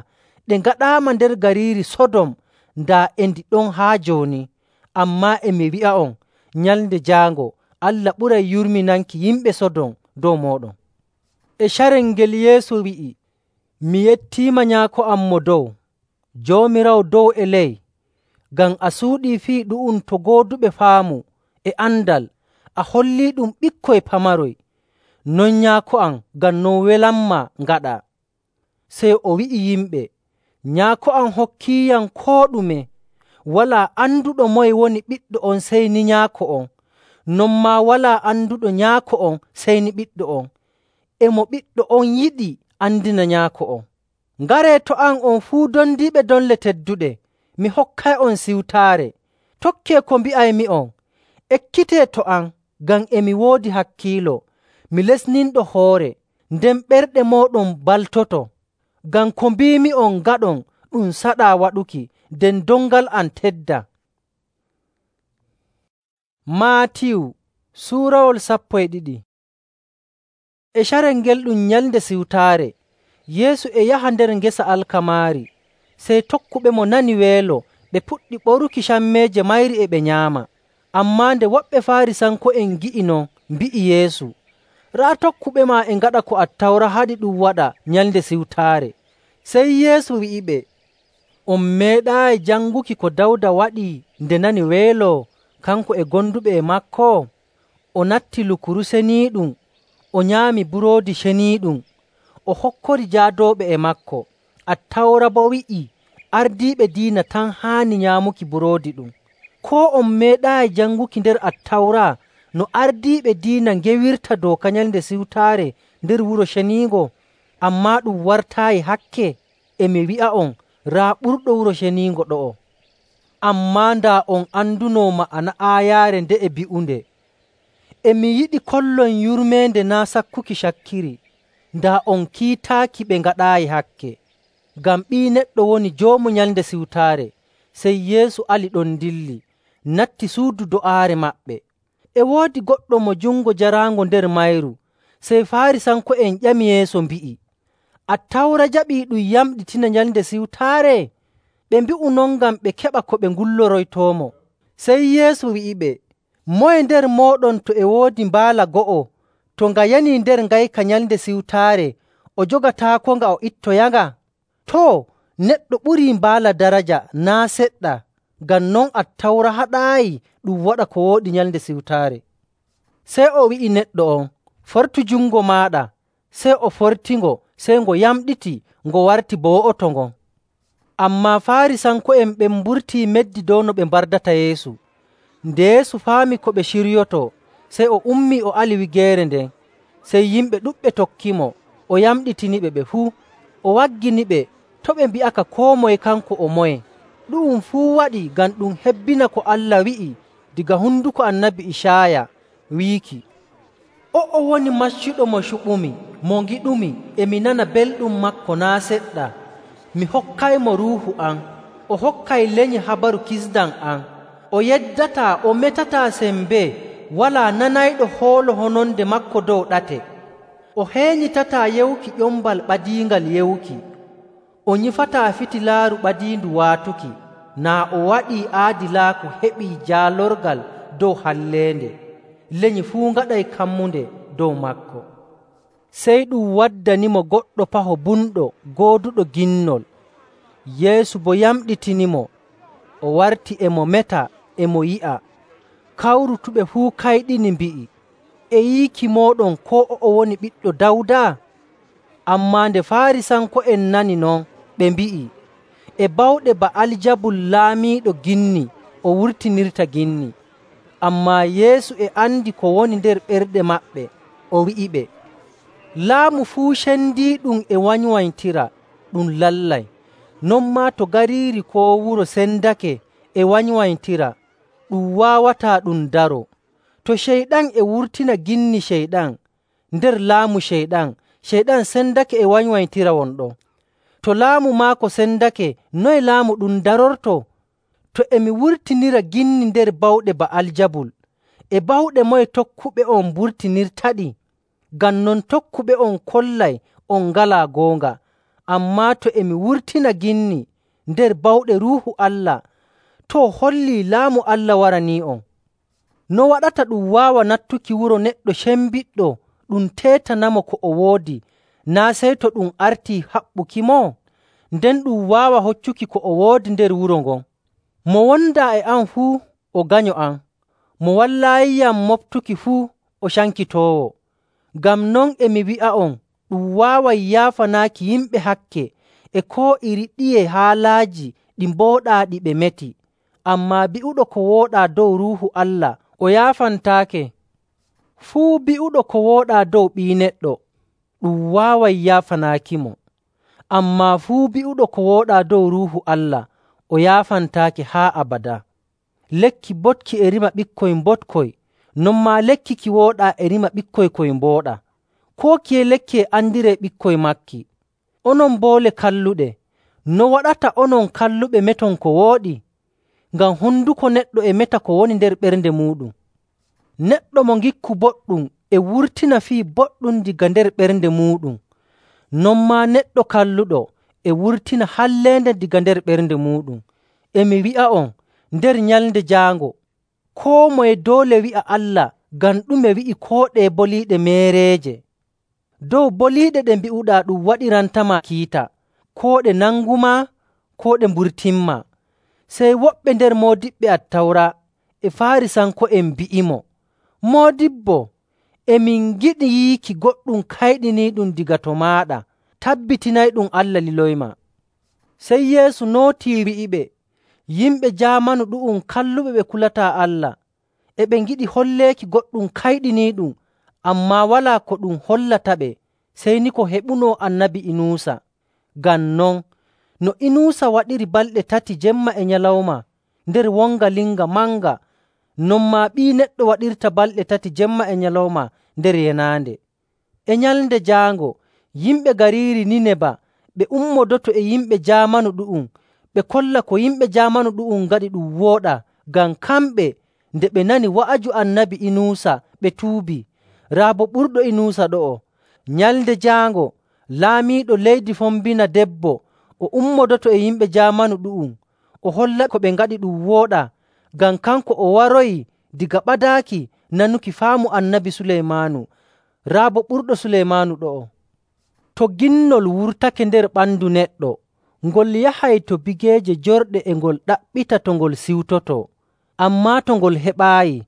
S1: ɗe ngaɗaama nder gariiri Sodom, daa e ndi ɗon haa jooni. Ammaa e mi wi'a'on, nyalnde jaango Allah ɓuray yurminanki yimɓe Sodom dow mooɗon. E carel ngel Yeesu wi'i, “Mi yettiima, Nyaako am mo dow, Joomiraawo dow e ley, ngam a suuɗii fii ɗu'um to gooduɓe faamu e andal, a holliiɗum ɓikkoy pamaroy. Non Nyaako am, ngam non welanmaa ngaɗaa.” Sey o wi'i yimɓe, “Nyaako am hokkiiyam koo ɗume. Walaa anduɗo moye woni Ɓiɗɗo on sey ni Nyaako on. Non maa walaa anduɗo Nyaako on sey ni Ɓiɗɗo on. E mo Ɓiɗɗo on yiɗi andina Nyaako on.” Ngaree to am on fuu dondiiɓe donle tedduɗe, mi hokkay'on siwtaare. Tokkee ko mbi'aymi'on. Ekkitee to am, ngam e mi woodi hakkiilo. Mi lesninɗo hoore, nden ɓerɗe mooɗon baltoto. Ngam ko mbiimi'on ngaɗon ɗum saɗaa waɗuki, nden dongal am tedda. Maatiyu suurawol sappo e ɗiɗi. E carel ngel ɗum Nyalnde Siwtaare, Yeesu e yaha nder ngesa alkamaari. Sey tokkuɓemo nani weelo, ɓe puɗɗi ɓoruki cammeeje mayri e ɓe nyaama. Ammaa nde woɓɓe Faarisanko'en ngi'i non, mbi'i Yeesu, “Raa tokkuɓe maa e ngaɗa ko Attawra haɗi ɗum waɗa Nyalnde Siwtaare.” Sey Yeesu wi'iɓe, “On meeɗaayi janguki ko Dawda waɗi nde nani weelo, kanko e gonduɓe e maako? O natti lukuru seniiɗum, o nyaami buroodi ceniiɗum, o hokkori jaadooɓe e maako. Attawra boo wi'ii ardiiɓe diina tan haani nyaamuki buroodi ɗum. Koo on meeɗaayi janguki nder Attawra no ardiiɓe diina ngewirta dooka Nyalnde Siwtaare nder Wuro Ceniingo, ammaa ɗum wartaayi hakke? E mi wi'a'on, raa ɓurɗo Wuro Ceniingo ɗo'o. Ammaa ndaa on andunoo ma'ana aayaare nde'e bi'unde, ‘E mi yiɗi kollon yurmeende naa' sakkuki cakkiri,’ daa on kiitaaki ɓe ngaɗaayi hakke. Ngam Ɓii Neɗɗo woni Joomu Nyalnde Siwtaare.” Sey Yeesu ali ɗon dilli. natti suudu do'aare maɓɓe. E woodi goɗɗo mo jungo jaraango nder mayru. Sey Faarisanko'en ƴami Yeesu mbi'i, “Attawra jaɓii ɗum yamɗitina Nyalnde Siwtaare?” Ɓe mbi'u non ngam ɓe keɓa ko ɓe ngulloroytoomo. Sey Yeesu wi'iɓe, “Moye nder mooɗon to e woodi mbaala go'o, to nga yanii nder ngayka Nyalnde Siwtaare, o jogataakonga o ittoyanga? Too, neɗɗo ɓurii mbaala daraja naa' seɗɗa. Ngam non Attawra haɗaayi ɗum waɗa ko wooɗi Nyalnde Siwtaare.” Sey o wi'i neɗɗo on, “Fortu jungo maaɗa.” Sey o fortingo, sey ngo yamɗiti, ngo warti bo wo'oto ngon. Ammaa Faarisanko'en ɓen mburtii meddi dow no ɓe mbardata Yeesu. Nde Yeesu faami ko ɓe ciryotoo, sey o ummii o ali wigeere nden. Sey yimɓe ɗuɗɓe tokkimo, o yamɗitiniɓe ɓe fuu. O wagginiɓe to' ɓe mbi'aka koo moye kanko o moye. Ɗu'um fuu waɗi ngam ɗum hebbina ko Allah wi'i daga honduko Annabi Icaaya wiiki, “O'o woni maccuɗo mo cuɓumi, mo ngiɗumi, e mi nana belɗum maako naa' seɗɗa. Mi hokkaymo Ruuhu am, o hokkay lenyi habaru kisndam am. O yeddataa, o metataa sembee, walaa nanayɗo hoolo hononde maako dow ɗate. O heenyitataa yewuki ƴombal ɓadiingal yewuki. O nyifataa fitilaaru ɓadiindu waatuki, naa o waɗii aadilaaku heɓii jaalorgal dow halleende. Lenyi fuu ngaɗay kammunde dow maako.” Sey ɗum waddanimo goɗɗo paho bunɗo gooduɗo ginnol. Yeesu boo yamɗitinimo, o warti e mo meta e mo yi'a. Kawrutuɓe fuu kayɗini mbi'i, “E yiiki mooɗon koo o'o woni ɓiɗɗo Dawda?” Ammaa nde Faarisanko'en nani non, ɓe mbi'i, “E bawɗe Ba'aljabul laamiiɗo ginni o wurtinirta ginni.” Ammaa Yeesu e andi ko woni nder ɓerɗe maɓɓe, o wi'iɓe, “Laamu fuu cendiiɗum e wanywanytira, ɗum lallay. Non maa to gariiri koo wuro sendake e wanywanytira, ɗum waawataa ɗum daroo. To Ceyɗan e wurtina ginni Ceyɗan nder laamu Ceyɗan, Ceyɗan sendake e wanywanytira won ɗon. To laamu maako sendake, noye laamu ɗum darortoo? To e mi wurtinira ginni nder bawɗe Ba'aljabul, e bawɗe moye tokkuɓe'on mburtinirtaɗi? Ngam non tokkuɓe'on kollay on ngalaa goonga. Ammaa to e mi wurtina ginni nder bawɗe Ruuhu Allah, too hollii laamu Allah waranii'on. No waɗata ɗum waawa nattuki wuro neɗɗo cembiɗɗo ɗum teetanamo ko o woodi, naa' sey to ɗum artii haɓɓukimo? Nden ɗum waawa hoccuki ko o woodi nder wuro ngon. Mo wondaa e am fuu o ganyo am. Mo wallaayiyam moɓtuki fuu o cankitoowo. Ngam non e mi wi'a'on, ɗum waaway yaafanaaki yimɓe hakke e koo iri ɗiye haalaaji ɗi mbooɗaa ɗi ɓe meti. Ammaa bi'uɗo ko wooɗaa dow Ruuhu Allah o yaafantaake. Fuu bi'uɗo ko wooɗaa dow Ɓii Neɗɗo, ɗum waaway yaafanaakimo. Ammaa fuu bi'uɗo ko wooɗaa dow Ruuhu Allah o yaafantaake haa abadaa. Lekki boɗki e rima ɓikkoy mboɗkoy, non maa lekki ki wooɗaa e rima ɓikkoy koy mbooɗa. Koo kiye lekki e andiree ɓikkoy maaki. Onon boole kalluɗe, no waɗata onon kalluɓe meton ko wooɗi? Ngam honduko neɗɗo e meta ko woni nder ɓernde muuɗum. Neɗɗo mo ngikku boɗɗum e wurtina fii boɗɗum daga nder ɓernde muuɗum. Non maa neɗɗo kalluɗo e wurtina halleende daga nder ɓernde muuɗum. E mi wi'a'on, nder nyalnde jaango, koo moye doole wi'a Allah ngam ɗume wi'i koo ɗee boliiɗe meereeje. Dow boliiɗe ɗe mbi'uɗaa ɗum waɗirantama kiita, koo ɗe nangumaa, koo ɗe mburtinmaa. Sey woɓɓe nder moodiɓɓe Attawra e Faarisanko'en mbi'imo, “Moodibbo, e min ngiɗi yiiki goɗɗum kayɗiniiɗum daga to maaɗa. Tabbitinayɗum Allah liloymaa.” Sey Yeesu nootii wi'iɓe, “Yimɓe jaamanu ɗu'um kalluɓe ɓe kulataa Allah, e ɓe ngiɗi holleeki goɗɗum kayɗiniiɗum, ammaa walaa ko ɗum hollataɓe sey ni ko heɓunoo Annabi Inuusa. Ngam non, no Inuusa waɗiri balɗe tati jemma e nyalawma nder wonga linga manga, non maa Ɓii Neɗɗo waɗirta balɗe tati jemma e nyalawma nder yenaande. E nyalnde jaango, yimɓe gariiri Nineba ɓe ummodoto e yimɓe jaamanu ɗu'um, ɓe kolla ko yimɓe jaamanu ɗu'um ngaɗi ɗum wooɗa ngam kamɓe nde ɓe nani wa'aju Annabi Inuusa ɓe tuubii, raa boo ɓurɗo Inuusa ɗo'o. Nyalnde jaango laamiiɗo leydi fombina debbo o ummodoto e yimɓe jaamanu ɗu'um o holla ko ɓe ngaɗi ɗum wooɗaa, ngam kanko o waroyi daga ɓadaaki nanuki faamu Annabi Suleymaanu, raa boo ɓurɗo Suleymaanu ɗo'o. To ginnol wurtake nder ɓandu neɗɗo, ngol yahay to bigeeje jorɗe e ngol ɗaɓɓita to ngol siwtotoo. Ammaa to ngol heɓaayi,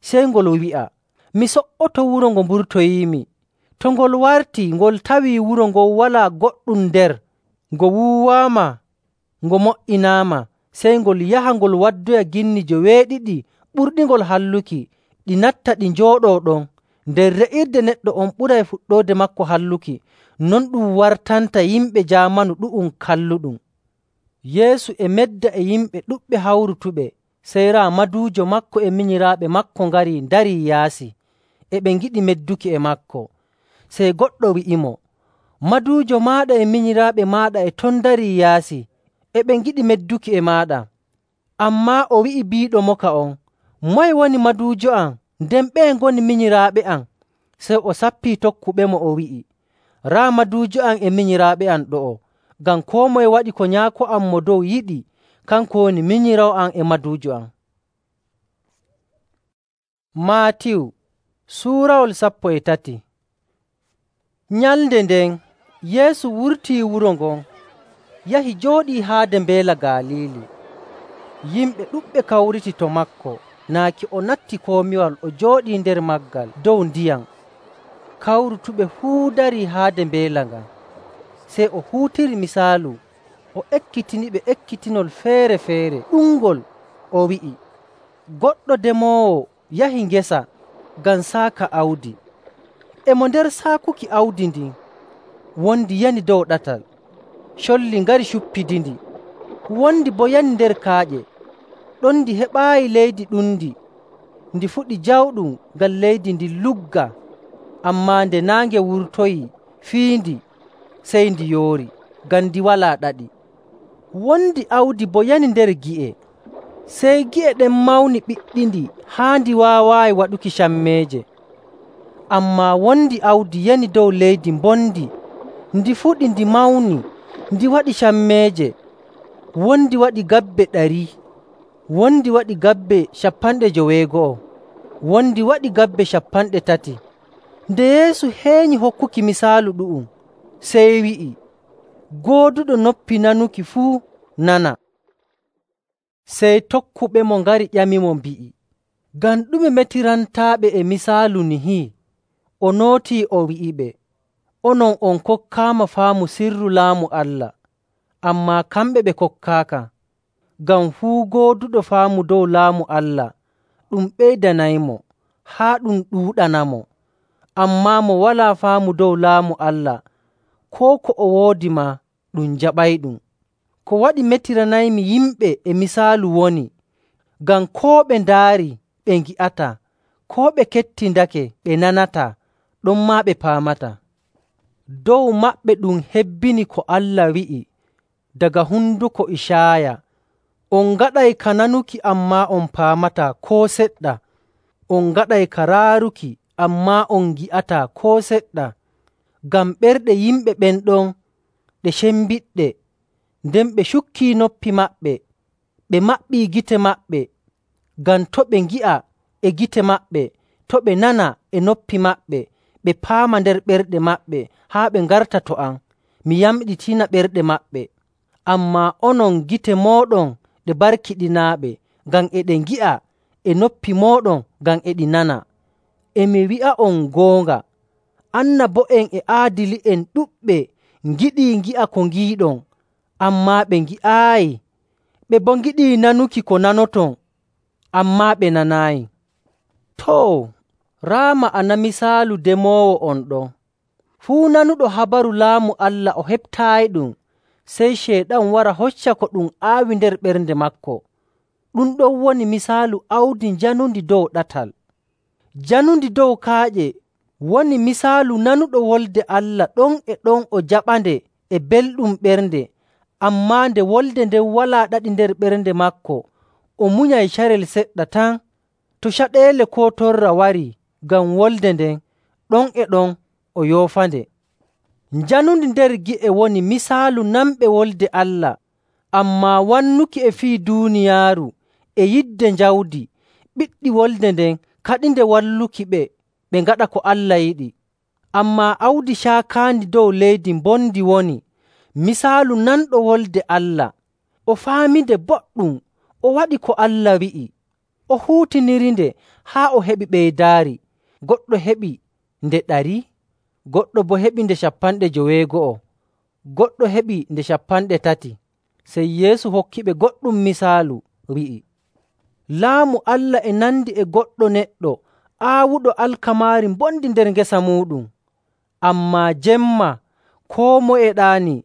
S1: sey ngol wi'a, ‘Mi so''oto wuro ngo mburtoyiimi.’ To ngol wartii, ngol tawii wuro ngon walaa goɗɗum nder, ngo wuuwaama, ngo mo''inaama, sey ngol yaha ngol waddoya ginni joweeɗiɗi ɓurɗingol halluki, ɗi natta ɗi njooɗoo ɗon. Nder re'irde neɗɗo on ɓuray fuɗɗoode maako halluki. Non ɗum wartanta yimɓe jaamanu ɗu'um kalluɗum.” Yeesu e medda e yimɓe ɗuɗɓe hawrutuɓe, sey raa maduujo maako e minyiraaɓe maako ngarii ndarii yaasi, e ɓe ngiɗi medduki e maako. Sey goɗɗo wi'imo, “Maduujo maaɗa e minyiraaɓe maaɗa e ton ndarii yaasi, e ɓe ngiɗi medduki e maaɗa.” Ammaa o wi'i biiɗomoka on, “Moye woni maduujo am, nden ɓeye ngoni minyiraaɓe am?” Sey o sappii tokkuɓemo o wi'i, “Raa maduujo am e minyiraaɓe am ɗo'o, ngam koo moye waɗi ko Nyaako am Mo Dow yiɗi, kanko woni minyiraawo am e maduujo am.” Maatiyu suurawol sappo e tati. Nyalnde nden Yeesu wurtii wuro ngon, yahi jooɗii haade Mbeela Galiili. Yimɓe ɗuɗɓe kawriti to maako, naaki o natti komiwal o jooɗii nder maggal dow ndiyam. Kawrutuɓe fuu darii haade mbeela ngan. Sey o huutiri misaalu, o ekkitiniɓe ekkitinol feere‑feere ɗuɗngol, o wi'i, “Goɗɗo demoowo yahi ngesa ngam saaka awdi. E mo nder saakuki awdi ndin, wondi yani dow ɗatal. Colli ngari cuppidindi, wondi boo yani nder kaaƴe. Ɗon ndi heɓaayi leydi ɗundi, ndi fuɗi jawɗum ngam leydi ndin lugga. Ammaa nde naange wurtoyii fiindi, sey ndi yoori, ngam ndi walaa ɗaɗi. Wondi awdi boo yani nder gi'e, sey gi'e ɗen mawni ɓiɗɗindi haa ndi waawaayi waɗuki cammeeje. Ammaa wondi awdi yani dow leydi mbondi, ndi fuɗi ndi mawni, ndi waɗi cammeeje. Wondi waɗi gabbe ɗari, wondi waɗi gabbe capanɗe joweego'o, wondi waɗi gabbe capanɗe tati.” Nde Yeesu heenyi hokkuki misaalu ɗu'um, sey wi'i, “Gooduɗo noppi nanuki fuu nana.” Sey tokkuɓemo ngari ƴamimo mbi'i, “Ngam ɗume metirantaaɓe e misaalu nihi?” O nootii o wi'iɓe, “Onon on kokkaama faamu sirru Laamu Allah, ammaa kamɓe ɓe kokkaaka. Ngam fuu gooduɗo faamu dow Laamu Allah, ɗum ɓeydanaymo haa ɗum ɗuuɗanamo. Ammaa mo walaa faamu dow Laamu Allah, koo ko o woodi maa ɗum jaɓayɗum.” Ko waɗi metiranaymi yimɓe e misaalu woni, ngam koo ɓe ndaari ɓe ngi'ataa, koo ɓe kettindake ɓe nanataa, ɗonmaa ɓe paamataa. Dow maɓɓe ɗum hebbini ko Allah wi'i daga hunduko Icaaya, “On ngaɗay ka nanuki, ammaa on paamataa koo seɗɗa. On ngaɗay ka raaruki, ammaa on ngi'ataa koo seɗɗa. Ngam ɓerɗe yimɓe ɓen ɗon ɗe cembiɗɗe, nden ɓe cukkii noppi maɓɓe, ɓe maɓɓii gite maɓɓe, ngam to' ɓe ngi'a e gite maɓɓe, to' ɓe nana e noppi maɓɓe, ɓe paama nder ɓerɗe maɓɓe haa ɓe ngarta to am, mi yamɗitina ɓerɗe maɓɓe. Ammaa onon gite mooɗon ɗe barkiɗinaaɓe, ngam e ɗe ngi'a, e noppi mooɗon ngam e ɗi nana. E mi wi'a'on goonga, annabo'en e aadili'en ɗuɗɓe ngiɗii ngi'a ko ngiiɗon, ammaa ɓe ngi'aayi. Ɓe boo ngiɗii nanuki ko nanoton, ammaa ɓe nanaayi. Too, raa ma'ana misaalu demoowo on ɗon. Fuu nanuɗo habaru Laamu Allah o heɓtaayiɗum, sey Ceyɗan wara hocca ko ɗum aawi nder ɓernde maako. Ɗum ɗon woni misaalu awdi njanundi dow ɗatal. Janundi dow kaaƴe woni misaalu nanuɗo wolde Allah ɗon e ɗon o jaɓande e belɗum ɓernde, ammaa nde wolde nden walaa ɗaɗi nder ɓernde maako, o munyay carel seɗɗa tan. To caɗeele koo torra warii ngam wolde nden, ɗon e ɗon o yoofande. Njanundi nder gi'e woni misaalu namɓe Wolde Allah, ammaa wannuki e fii duuniyaaru e yidde jawdi ɓiɗɗi wolde nden kaɗinde wallukiɓe ɓe ngaɗa ko Allah yiɗi. Ammaa awdi caakaandi dow leydi mbondi woni misaalu nanɗo Wolde Allah. O faaminde boɗɗum, o waɗi ko Allah wi'i, o huutinirinde haa o heɓi ɓeydaari. Goɗɗo heɓi nde ɗari, goɗɗo boo heɓi nde cappanɗe joweego'o, goɗɗo heɓi nde cappanɗe tati. Sey Yeesu hokkiɓe goɗɗum misaalu, wi'i, “Laamu Allah e nandi e goɗɗo neɗɗo aawuɗo alkamaari mbondi nder ngesa muuɗum. Ammaa jemma koo moye ɗaanii,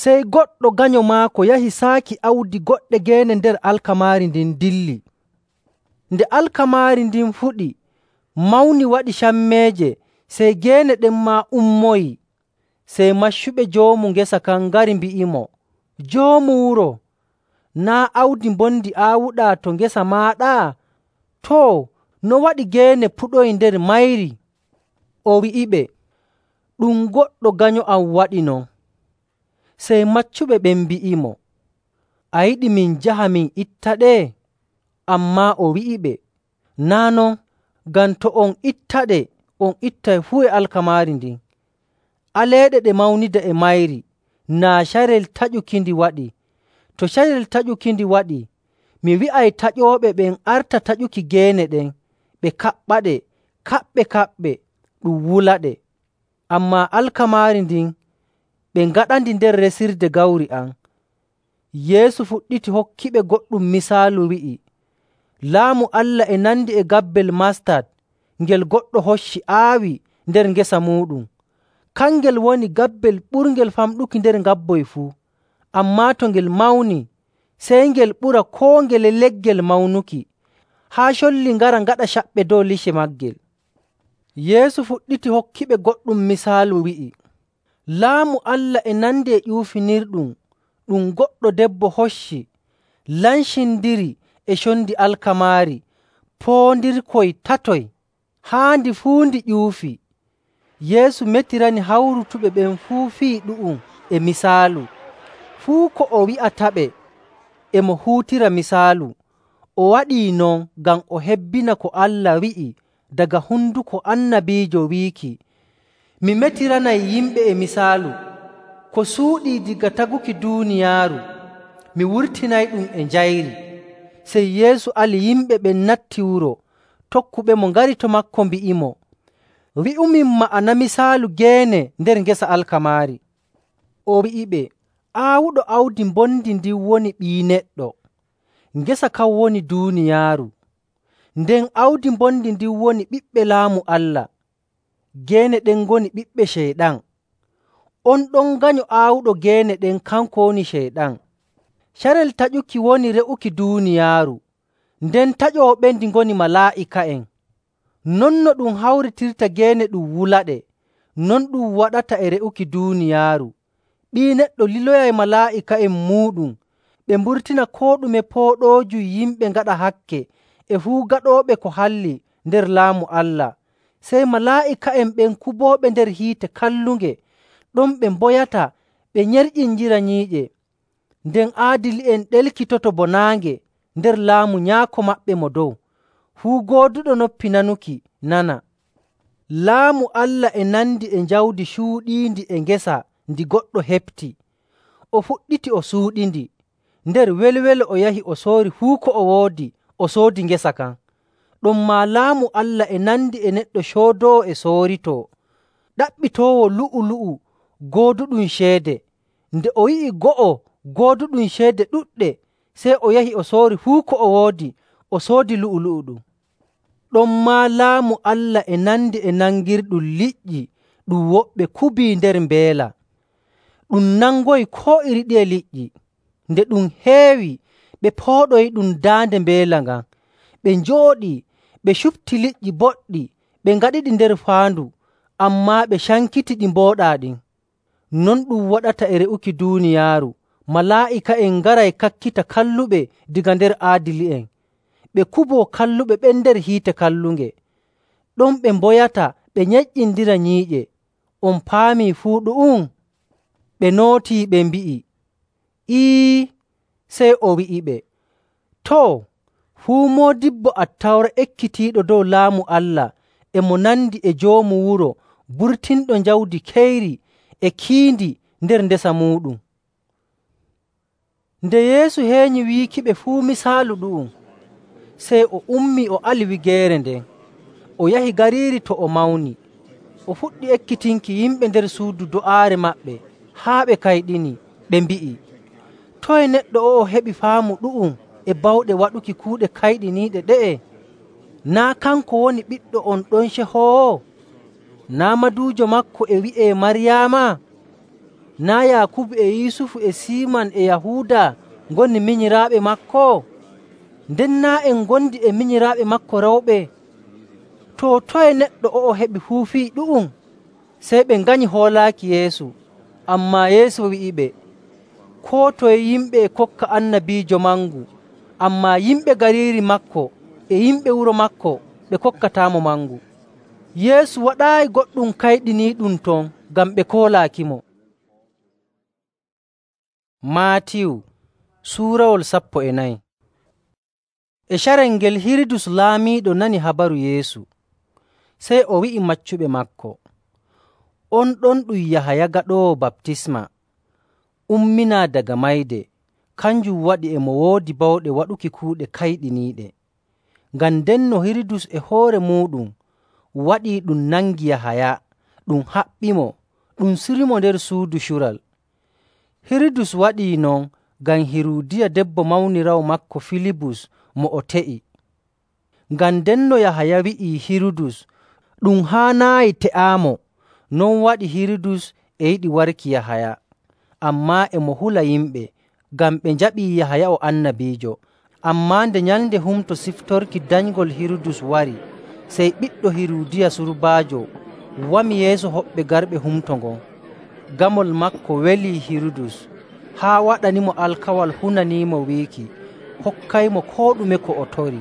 S1: sey goɗɗo ganyo maako yahi saaki awdi goɗɗe geene nder alkamaari ndin dilli. Nde alkamaari ndin fuɗi, mawni waɗi cammeeje, sey geene ɗen maa ummoyii. Sey maccuɓe joomu ngesa kan ngari mbi'imo, ‘Joomu wuro, naa' awdi mbondi aawuɗaa to ngesa maaɗa? Too, no waɗi geene puɗoyi nder mayri?’ O wi'iɓe, ‘Ɗum goɗɗo ganyo am waɗi non.’ Sey maccuɓe ɓen mbi'imo, ‘A yiɗi min njaha min ittaɗe?’ Ammaa o wi'iɓe, ‘Naa' non, ngam to on ittaɗe, on ittay fuu e alkamaari ndin. Aleeɗe ɗe mawnida e mayri, naa carel taƴukindi waɗi. To carel taƴukindi waɗii, mi wi'ay taƴooɓe ɓen arta taƴuki geene ɗen, ɓe kaɓɓaɗe kaɓɓe‑kaɓɓe ɗum wulaɗe. Ammaa alkamaari ndin ɓe ngaɗandi nder resirde gawri am.’ Yeesu fuɗɗiti hokkiɓe goɗɗum misaalu, wi'i, “Laamu Allah e nandi e gabbel mastat ngel goɗɗo hocci aawi nder ngesa muuɗum. Kangel woni gabbel ɓurngel famɗuki nder ngabboy fuu. Ammaa to ngel mawni, sey ngel ɓura koo ngele leggel mawnuki, haa colli ngara ngaɗa caɓɓe dow lice maagel.” Yeesu fuɗɗiti hokkiɓe goɗɗum misaalu, wi'i, “Laamu Allah e nandi e ƴuufinirɗum ɗum goɗɗo debbo hocci, lancindiri e condi alkamaari poondirkoy tatoy, haa ndi fuu ndi ƴuufi.” Yeesu metirani hawrutuɓe ɓen fuu fii ɗu'um e misaalu. Fuu ko o wi'ataɓe e mo huutira misaalu. O waɗii non ngam o hebbina ko Allah wi'i daga honduko annabiijo wiiki, “Mi metiranay yimɓe e misaalu. Ko suuɗii daga taguki duuniyaaru, mi wurtinayɗum e njayri.” Sey Yeesu ali yimɓe ɓen natti wuro. Tokkuɓemo ngari to maako mbi'imo, “Wi'umin ma'ana misaalu geene nder ngesa alkamaari.” O wi'iɓe, “Aawuɗo awdi mbondi ndin woni Ɓii Neɗɗo. Ngesa kan woni duuniyaaru. Nden awdi mbondi ndin woni ɓiɓɓe Laamu Allah. Geene ɗen ngoni ɓiɓɓe Ceyɗan. On ɗon ganyo aawuɗo geene ɗen kanko woni Ceyɗan. Carel taƴuki woni re'uki duuniyaaru, nden taƴooɓendi ngoni malaa'ika'en. Non no ɗum hawritirta geene ɗum wulaɗe, non ɗum waɗata e re'uki duuniyaaru. Ɓii Neɗɗo liloyay malaa'ika'en muuɗum ɓe mburtina koo ɗume pooɗoojum yimɓe ngaɗa hakke e fuu gaɗooɓe ko halli nder Laamu Allah. Sey malaa'ika'en ɓen kubooɓe nder hiite kallunge, ɗon ɓe mboyata ɓe nyerƴinjira nyiiƴe. Nden aadili'en ɗelkitoto bo naange nder laamu Nyaako maɓɓe mo dow. Fuu gooduɗo noppi nanuki, nana. Laamu Allah e nandi e jawdi cuuɗiindi e ngesa ndi goɗɗo heɓti. O fuɗɗiti o suuɗindi. Nder welwelo o yahi o soori fuu ko o woodi, o soodi ngesa kan. Ɗonmaa Laamu Allah e nandi e neɗɗo coodoowo e sooritoo, ɗaɓɓitoowo lu'ulu'u gooduɗum ceede. Nde o yi'i go'o gooduɗum ceede ɗuɗɗe, sey o yahi o soori fuu ko o woodi, o soodi lu'ulu'u ɗum. Ɗonmaa Laamu Allah e nandi e nangirɗum liƴƴi ɗum woɓɓe kubii nder mbeela. Ɗum nangoyi koo iri ɗiye liƴƴi. Nde ɗum heewi, ɓe pooɗoyiɗum daande mbeela ngan. Ɓe njooɗii, ɓe cupti liƴƴi boɗɗi, ɓe ngaɗiɗi nder faandu, ammaa ɓe cankiti ɗi mbooɗaa ɗin. Non ɗum waɗata e re'uki duuniyaaru. Malaa'ika'en ngaray kakkita kalluɓe daga nder aadili'en. ɓe kuboo kalluɓe ɓen nder hiite kallunge. Ɗon ɓe mboyata ɓe nyeƴƴindira nyiiƴe. On paamii fuu ɗu'um?” Ɓe nootii ɓe mbi'i, “Ii.” Sey o wi'iɓe, “Too, fuu moodibbo Attawra ekkitiiɗo dow Laamu Allah e mo nandi e joomu wuro burtinɗo jawdi keyri e kiindi nder ndesa muuɗum.” Nde Yeesu heenyi wiikiɓe fuu misaalu ɗu'um, sey o ummii o ali wigeere nden. O yahi gariiri to o mawni. O fuɗɗi ekkitinki yimɓe nder suudu do'aare maɓɓe haa ɓe kayɗini, ɓe mbi'i, “Toye neɗɗo o'o heɓi faamu ɗu'um e bawɗe waɗuki kuuɗe kayɗiniiɗe ɗe'e? Naa' kanko woni ɓiɗɗo on ɗon cehoowo? Naa' maduujo maako e wi'ee Maryaama? Naa' Yaakubu e Yusufu e Siiman e Yahuuda ngoni minyiraaɓe maako? Nden naa' en ngondi e minyiraaɓe maako rewɓe? Too, toye neɗɗo o'o heɓi fuu fii ɗu'um?” Sey ɓe nganyi hoolaaki Yeesu. Ammaa Yeesu wi'iɓe, “Koo toye yimɓe e kokka annabiijo mangu, ammaa yimɓe gariiri maako e yimɓe wuro maako ɓe kokkataamo mangu.” Yeesu waɗaayi goɗɗum kayɗiniiɗum ton ngam ɓe koolaakimo. Maatiyu suurawol sappo e nayi. E carel ngel Hirudus laamiiɗo nani habaru Yeesu, sey o wi'i maccuɓe maako, “On ɗon ɗum Yahaya Gaɗoowo Baptisma umminaa daga mayde, kanjum waɗi e mo woodi bawɗe waɗuki kuuɗe kayɗiniiɗe.” Ngam ndenno Hirudus e hoore muuɗum waɗii ɗum nangi Yahaya, ɗum haɓɓimo, ɗum surimo nder suudu cural. Hirudus waɗii non ngam Hiruudiya debbo mawniraawo maako Filibus mo o te'i. Ngam ndenno Yahaya wi'ii Hirudus ɗum haanaayi te'aamo, non waɗi Hirudus e yiɗi warki Yahaya. Ammaa e mo hula yimɓe, ngam ɓe njaɓii Yahaya o annabiijo. Ammaa nde Nyalnde Humto Siftorki danyngol Hirudus wari, sey ɓiɗɗo Hiruudiya surbaajo wami yeeso hoɓɓe garɓe humto ngon. Gamol maako welii Hirudus, haa waɗanimo alkawal hunaniimo wiiki hokkaymo koo ɗume ko o tori.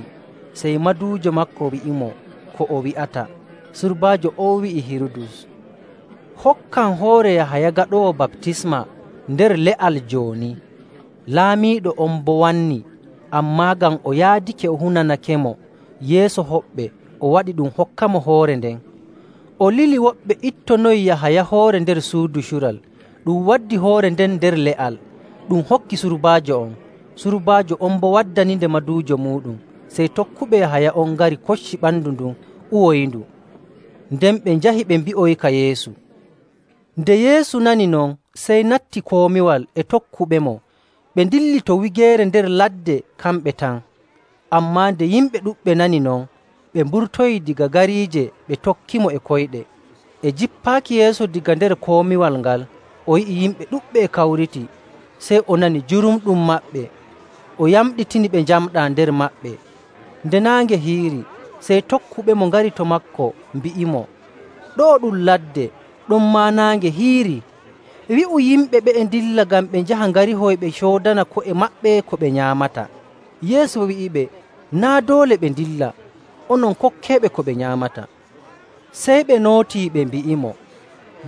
S1: Sey maduujo maako wi'imo ko o wi'ata. Surbaajo on wi'i Hirudus, “Hokkam hoore Yahaya Gaɗoowo Baptisma nder le'al jooni.” Laamiiɗo on boo wanni, ammaa ngam o yaadake o hunanakemo yeeso hoɓɓe, o waɗi ɗum hokkamo hoore nden. O lili woɓɓe ittonoyi Yahaya hoore nder suudu cural, ɗum waddi hoore nden nder le'al, ɗum hokki surbaajo on. Surbaajo on boo waddaninde maduujo muuɗum. Sey tokkuɓe Yahaya on ngari kocci ɓandu ndun uwoyindu. Nden ɓe njahi ɓe mbi'oyika Yeesu. Nde Yeesu nani non, sey natti komiwal e tokkuɓemo, ɓe ndilli to wigeere nder ladde kamɓe tan. Ammaa nde yimɓe ɗuɗɓe nani non, ɓe mburtoyi daga gariije ɓe tokkimo e koyɗe. E jippaaki Yeesu daga nder komiwal ngal, o yi'i yimɓe ɗuɗɓe e kawriti, sey o nani jurumɗum maɓɓe. O yamɗitini ɓe njamɗaa nder maɓɓe. Nde naange hiiri, sey tokkuɓemo ngari to maako mbi'imo, “Ɗo'o ɗum ladde, ɗonmaa naange hiiri. Wi'u yimɓe ɓe'e ndilla ngam ɓe njaha ngarihoy ɓe coodana ko'e maɓɓe ko ɓe nyaamata.” Yeesu wi'iɓe, “Naa' doole ɓe ndilla, onon kokkeeɓe ko ɓe nyaamata.” Sey ɓe nootii ɓe mbi'imo,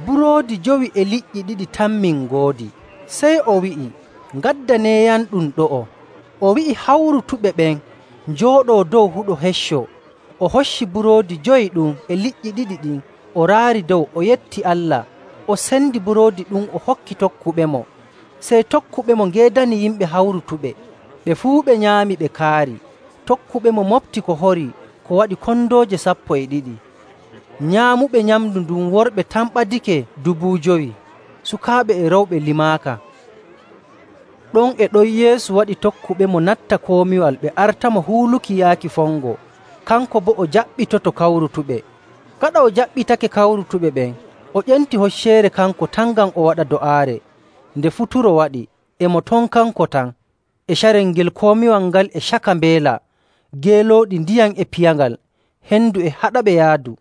S1: “Buroodi jowi e liƴƴi ɗiɗi tan min ngoodi.” Sey o wi'i, “Ngaddaneeyamɗum ɗo'o.” O wi'i hawrutuɓe ɓen njooɗoo dow huɗo hecco. O hocci buroodi jowi ɗum e liƴƴi ɗiɗi ɗin, o raari dow, o yetti Allah, o sendi buroodi ɗum o hokki tokkuɓemo. Sey tokkuɓemo ngeedani yimɓe hawrutuɓe. Ɓe fuu ɓe nyaami ɓe kaari. Tokkuɓemo mofti ko hori ko waɗi kondooje sappo e ɗiɗi. Nyaamuɓe nyamndu ndun worɓe tan ɓadike dubu jowi, sukaaɓe e rewɓe limaaka. Ɗon e ɗon Yeesu waɗi tokkuɓemo natta komiwal ɓe artamo huuluki yaaki fongo, kanko boo o jaɓɓitoto kawrutuɓe. Gaɗa o jaɓɓitake kawrutuɓe ɓen, o ƴenti hocceere kanko tan ngam o waɗa do'aare. Nde futuro waɗi, e mo ton kanko tan, e carel ngel komiwal ngal e caka mbeela, geelooɗi ndiyam e piyangal, hendu e haɗaɓe yaadu.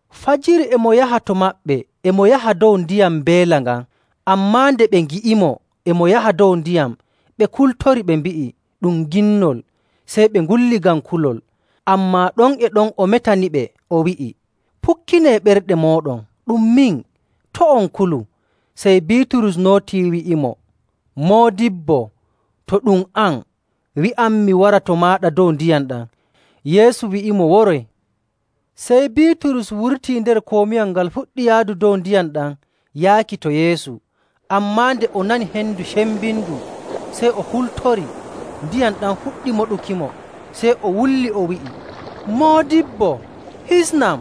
S1: Fajiri e mo yaha to maɓɓe, e mo yaha dow ndiyam mbeela ngan. Ammaa nde ɓe ngi'imo e mo yaha dow ndiyam, ɓe kultori ɓe mbi'i, “Ɗum ginnol.” Sey ɓe ngulli ngam kulol. Ammaa ɗon e ɗon o metaniɓe, o wi'i, “Pukkinee ɓerɗe mooɗon, ɗum min, to' on kulu.” Sey Biiturus nootii wi'imo, “Moodibbo, to ɗum an, wi'am mi wara to maaɗa dow ndiyam ɗam.” Yeesu wi'imo, “Woroy.” Sey Biiturus wurtii nder komiwal ngal fuɗɗi yaadu dow ndiyam ɗam yaaki to Yeesu. Ammaa nde o nani hendu cembindu, sey o hultori, ndiyam ɗam fuɗɗi moɗukimo. Sey o wulli, o wi'i, “Moodibbo, hisnam!”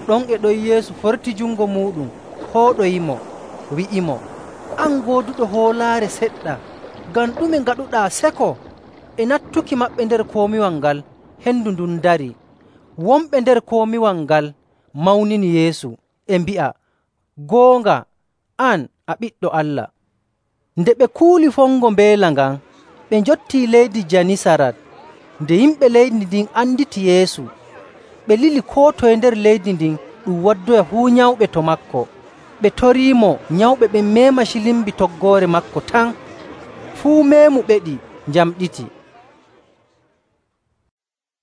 S1: Ɗon e ɗon Yeesu forti jungo muuɗum hooɗoyimo, wi'imo, “An gooduɗo hoolaare seɗɗa, ngam ɗume ngaɗuɗaa seko?” E nattuki maɓɓe nder komiwal ngal, hendu ndun darii. Wonɓe nder komiwal ngal mawnini Yeesu, e mbi'a, “Goonga, an a Ɓiɗɗo Allah.” Nde ɓe kuuli fongo mbeela ngan, ɓe njottii leydi Janisarat. Nde yimɓe leydi ndin anditi Yeesu, ɓe lili koo toye nder leydi ndin ɗum waddoya fuu nyawɓe to maako. Ɓe toriimo nyawɓe ɓen meema cilimbi toggoore maako tan. Fuu meemu ɓeɗi njamɗiti.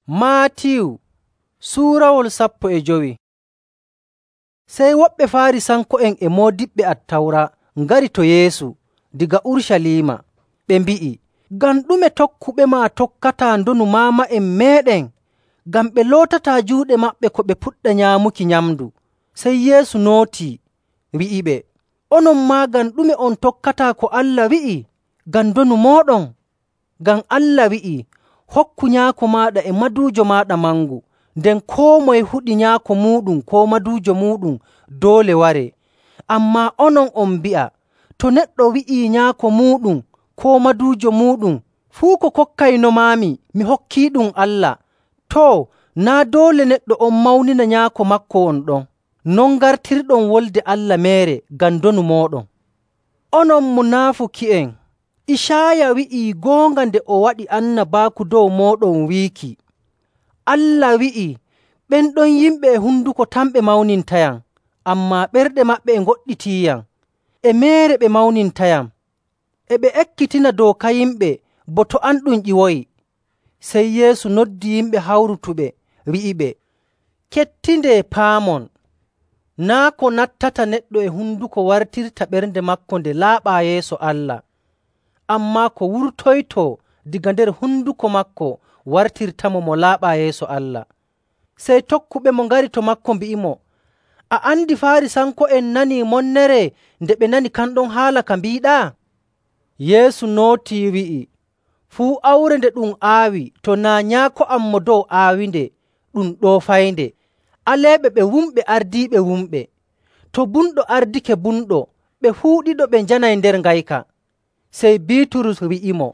S1: Maatiyu suurawol sappo e jowi. Sey woɓɓe Faarisanko'en e moodiɓɓe Attawra ngari to Yeesu diga Urucaliima. Ɓe mbi'i, “Ngam ɗume tokkuɓema tokkataa ndonu maama'en meeɗen?” Ngam ɓe lootataa juuɗe maɓɓe ko ɓe puɗɗa nyaamuki nyamndu. Sey Yeesu nootii, wi'iɓe, “Onon maa ngam ɗume on tokkataa ko Allah wi'i ngam ndonu mooɗon? Ngam Allah wi'ii, ‘Hokku nyaako maaɗa e maduujo maaɗa mangu,’ nden koo moye huɗi nyaako muuɗum koo maduujo muuɗum doole waree. Ammaa onon on mbi'a, ‘To neɗɗo wi'ii nyaako muuɗum koo maduujo muuɗum, fuu ko kokkaynomaami mi hokkiiɗum Allah,’ too, naa' doole neɗɗo on mawnina nyaako maako won ɗon. Non ngartirɗon wolde Allah meere ngam ndonu mooɗon. Onon munaafuki'en! Icaaya wi'ii goonga nde o waɗi annabaaku dow mooɗon wiiki, Allah wi'ii, ‘Ɓen ɗon yimɓe e honduko tan ɓe mawnintayam, ammaa ɓerɗe maɓɓe e ngoɗɗitiiyam. E meere ɓe mawnintayam, e ɓe ekkitina dooka yimɓe bo to an ɗum ƴiwoyi.’” Sey Yeesu noddi yimɓe hawrutuɓe, wi'iɓe, “Kettindee paamon. Naa' ko nattata neɗɗo e honduko wartirta ɓernde maako nde laaɓaa yeeso Allah, ammaa ko wurtoytoo daga nder honduko maako wartirtamo mo laaɓaa yeeso Allah.” Sey tokkuɓemo ngari to maako mbi'imo, “A andi Faarisanko'en nanii monnere nde ɓe nani kanɗon haala ka mbiiɗaa?” Yeesu nootii wi'i, “Fuu awre nde ɗum aawi to naa' Nyaako am mo dow aawinde, ɗum ɗoofaynde. Aleeɓe ɓe wumɓe ardiiɓe wumɓe. To bumɗo ardike bumɗo, ɓe fuu ɗiɗo ɓe njanay nder ngayka.” Sey Biiturus wi'imo,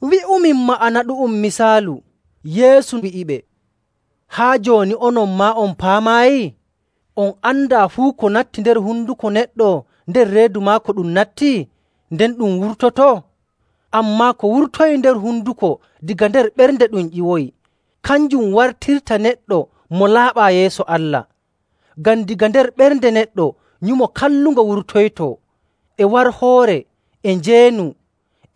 S1: “Wi'umin ma'ana ɗu'um misaalu.” Yeesu wi'iɓe, “Haa jooni onon maa on paamaayi? On andaa fuu ko natti nder honduko neɗɗo nder reedu maako ɗum natti, nden ɗum wurtotoo? Ammaa ko wurtoyi nder honduko daga nder ɓernde ɗum ƴiwoyi, kanjum wartirta neɗɗo mo laaɓaa yeeso Allah. Ngam daga nder ɓernde neɗɗo nyumo kallungo wurtoytoo, e warhoore, e njeenu,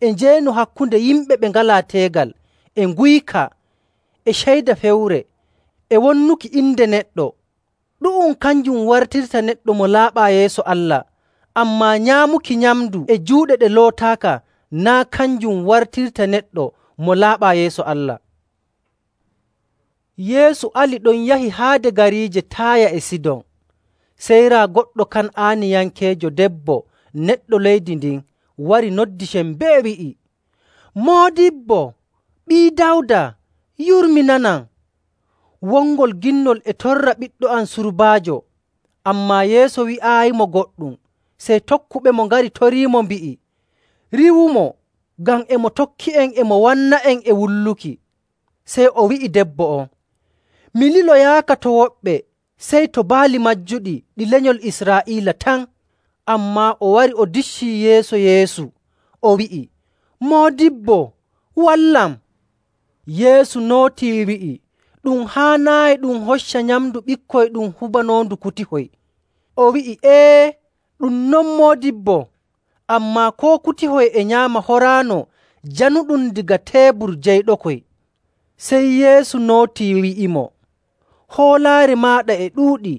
S1: e njeenu hakkunde yimɓe ɓe ngalaa teegal, e nguyka, e ceyda fewre, e wonnuki inde neɗɗo. Ɗu'um kanjum wartirta neɗɗo mo laaɓaa yeeso Allah. Ammaa nyaamuki nyamndu e juuɗe ɗe lootaaka naa' kanjum wartirta neɗɗo mo laaɓaa yeeso Allah.” Yeesu ali ɗon yahi haade gariije Taaya e Sidon. Sey raa goɗɗo Kan'aaniyankeejo debbo neɗɗo leydi ndin wari noddi sembee wi'i, “Moodibbo, Ɓii Dawda, yurminanam! Wongol ginnol e torra ɓiɗɗo am surbaajo.” Ammaa Yeesu wi'aayimo goɗɗum. Sey tokkuɓemo ngari toriimo mbi'i, “Riiwumo, ngam e mo tokki'en e mo wanna'en e wulluki.” Sey o wi'i debbo on, “Mi liloyaaka to woɓɓe, sey to baali majjuɗi ɗi lenyol Israa'iila tan.” Ammaa o wari o diccii yeeso Yeesu, o wi'i, “Moodibbo, wallam!” Yeesu nootii wi'i, “Ɗum haanaayi ɗum hocca nyamndu ɓikkoy ɗum hubanoondu kutihoy.” O wi'i, “Ee, ɗum non Moodibbo, ammaa koo kutihoy e nyaama horaano januɗum daga teebur jeyɗokoy.” Sey Yeesu nootii wi'imo, “Hoolaare maaɗa e ɗuuɗi.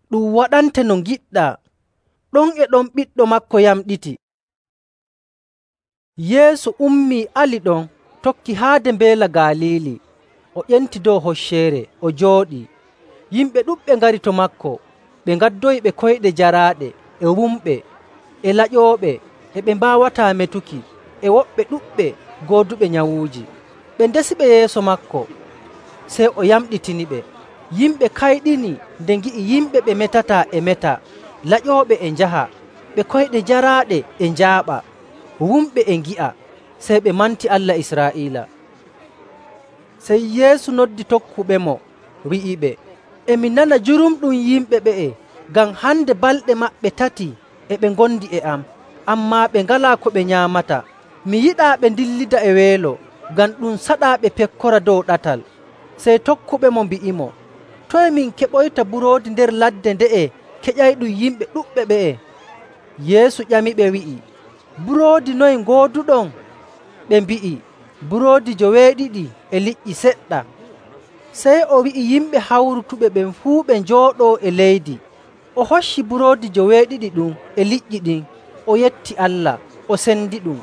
S1: Ɗum waɗante no ngiɗɗaa.” Ɗon e ɗon ɓiɗɗo maako yamɗiti. Yeesu ummii ali ɗon, tokki haade Mbeela Galiili. O ƴenti dow hocceere, o jooɗii. Yimɓe ɗuɗɓe ngari to maako. Ɓe ngaddoyi ɓe koyɗe jaraaɗe, e wumɓe, e laƴooɓe, e ɓe mbaawataa metuki, e woɓɓe ɗuɗɓe gooduɓe nyawuuji. Ɓe ndesiɓe yeeso maako, sey o yamɗitiniɓe. Yimɓe kayɗini nde ngi'i yimɓe ɓe metataa e meta, laƴooɓe e njaha, ɓe koyɗe jaraaɗe e njaaɓa, wumɓe e ngi'a, sey ɓe manti Allah Israa'iila. Sey Yeesu noddi tokkuɓemo, wi'iɓe, “E mi nana jurumɗum yimɓe ɓe'e, ngam hande balɗe maɓɓe tati e ɓe ngondi e am, ammaa ɓe ngalaa ko ɓe nyaamata. Mi yiɗaa ɓe ndillida e weelo, ngam ɗum saɗaa ɓe pekkora dow ɗatal.” Sey tokkuɓemo mbi'imo, “Toye min keɓoyta buroodi nder ladde nde'e keƴayɗum yimɓe ɗuɗɓe ɓe'e?” Yeesu ƴamiɓe wi'i, “Buroodi noye ngooduɗon?” Ɓe mbi'i, “Buroodi joweeɗiɗi e liƴƴi seɗɗa.” Sey o wi'i yimɓe hawrutuɓe ɓen fuu ɓe njooɗoo e leydi. O hocci buroodi joweeɗiɗi ɗum e liƴƴi ɗin, o yetti Allah, o sendiɗum,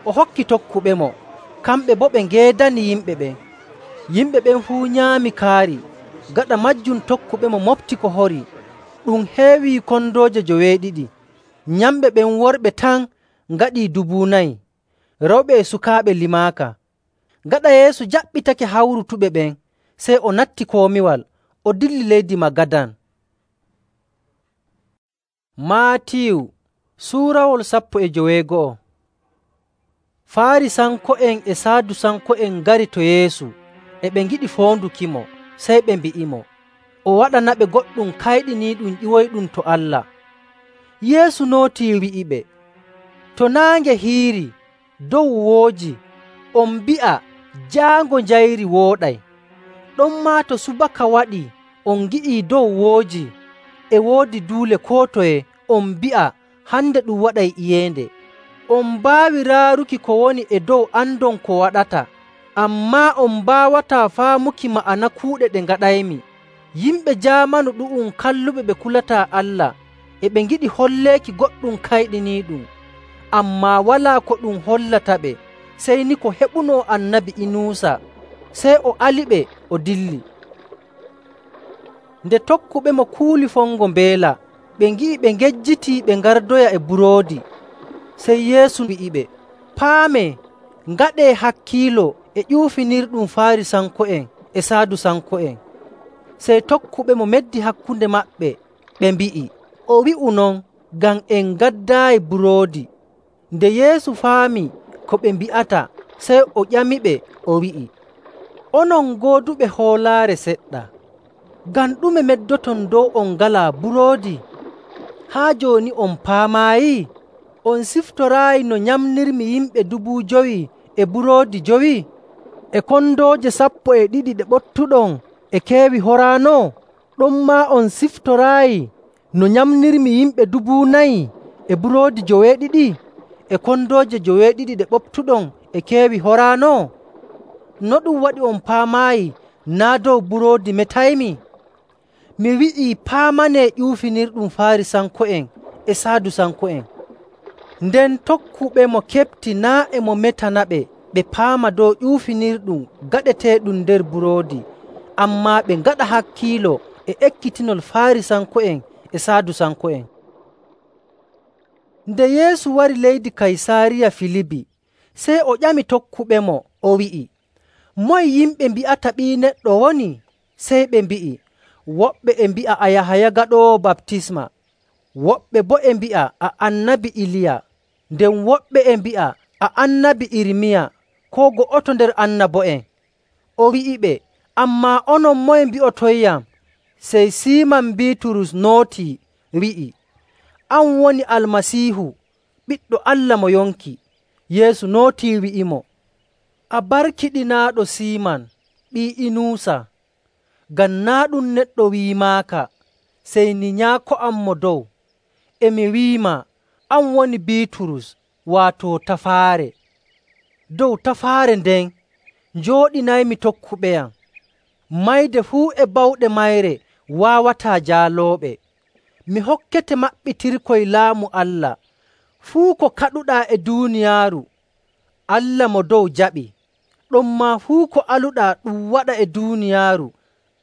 S1: o hokki tokkuɓemo, kamɓe boo ɓe ngeedani yimɓe ɓen. Yimɓe ɓen fuu nyaami kaari. Gaɗa maajum tokkuɓemo moɓti ko hori. Ɗum heewii kondooje joweeɗiɗi. Nyamɓe ɓen worɓe tan ngaɗii dubu nayi, rewɓe e sukaaɓe limaaka. Gaɗa Yeesu jaɓɓitake hawrutuɓe ɓen, sey o natti komiwal, o dilli leydi Magadan. Maatiyu suurawol sappo e joweego'o. Faarisanko'en e Saadusanko'en ngari to Yeesu, e ɓe ngiɗi foondukimo. Sey ɓe mbi'imo, o waɗanaɓe goɗɗum kayɗiniiɗum ƴiwoyɗum to Allah. Yeesu nootii wi'iɓe, “To naange hiirii, dow wooji, on mbi'a, ‘Jaango njayri wooɗay.’ Ɗonmaa to subaka waɗii, on ngi'ii dow wooji, e woodi duule koo toye, on mbi'a, ‘Hande ɗum waɗay iyeende.’ On mbaawi raaruki ko woni e dow andon ko waɗata, ammaa on mbaawataa faamuki ma'ana kuuɗe ɗe ngaɗaymi. Yimɓe jaamanu ɗu'um kalluɓe ɓe kulataa Allah, e ɓe ngiɗi holleeki goɗɗum kayɗiniiɗum, ammaa walaa ko ɗum hollataɓe, sey ni ko heɓunoo Annabi Inuusa.” Sey o aliɓe, o dilli. Nde tokkuɓemo kuuli fongo mbeela, ɓe ngi'i ɓe ngejjitii ɓe ngardoya e buroodi. Sey Yeesu wi'iɓe, “Paamee, ngaɗee hakkiilo e ƴuufinirɗum Faarisanko'en e Saadusanko'en.” Sey tokkuɓemo meddi hakkunde maɓɓe, ɓe mbi'i, “O wi'u non ngam en ngaddaayi buroodi.” Nde Yeesu faami ko ɓe mbi'ata, sey o ƴamiɓe, o wi'i, “Onon gooduɓe hoolaare seɗɗa, ngam ɗume meddoton dow on ngalaa buroodi? Haa jooni on paamaayi? On siftoraayi no nyamnirmi yimɓe dubu jowi e buroodi jowi? E kondooje sappo e ɗiɗi ɗe ɓottuɗon e keewi horaano? Ɗonmaa on siftoraayi no nyamnirmi yimɓe dubu nayi e buroodi joweeɗiɗi? E kondooje joweeɗiɗi ɗe ɓoftuɗon e keewi horaano? No ɗum waɗi on paamaayi naa' dow buroodi metaymi? Mi wi'ii paamanee ƴuufinirɗum Faarisanko'en e Saadusanko'en.” Nden tokkuɓemo keɓti naa' e mo metanaɓe ɓe paama dow ƴuufinirɗum gaɗeteeɗum nder buroodi, ammaa ɓe ngaɗa hakkiilo e ekkitinol Faarisanko'en e Saadusanko'en. Nde Yeesu wari leydi Kaysaariya Filibi, sey o ƴami tokkuɓemo, o wi'i, “Moye yimɓe mbi'ata Ɓii Neɗɗo woni?” Sey ɓe mbi'i, “Woɓɓe e mbi'a a Yahaya Gaɗoowo Baptisma, woɓɓe boo e mbi'a a Annabi Iliya, nden woɓɓe e mbi'a a Annabi Irmiya koo go'oto nder annabo'en.” O wi'iɓe, “Ammaa onon moye mbi'otoyyam?” Sey Siiman Biiturus nootii, wi'i, “An woni Almasiihu, Ɓiɗɗo Allah mo yonki.” Yeesu nootii wi'imo, “A barkiɗinaaɗo Siiman, ɓii Inuusa, ngam naa' ɗum neɗɗo wi'imaaka, sey ni Nyaako am Mo Dow. E mi wi'imaa, an woni Biiturus, waato tafaare. Dow tafaare nden njooɗinaymi tokkuɓeyam. Mayde fuu e bawɗe mayre waawataa jaalooɓe. Mi hokkete maɓɓitirkoy laamu Allah. Fuu ko kaɗuɗaa e duuniyaaru, Allah mo dow jaɓi. Ɗonmaa fuu ko aluɗaa ɗum waɗa e duuniyaaru,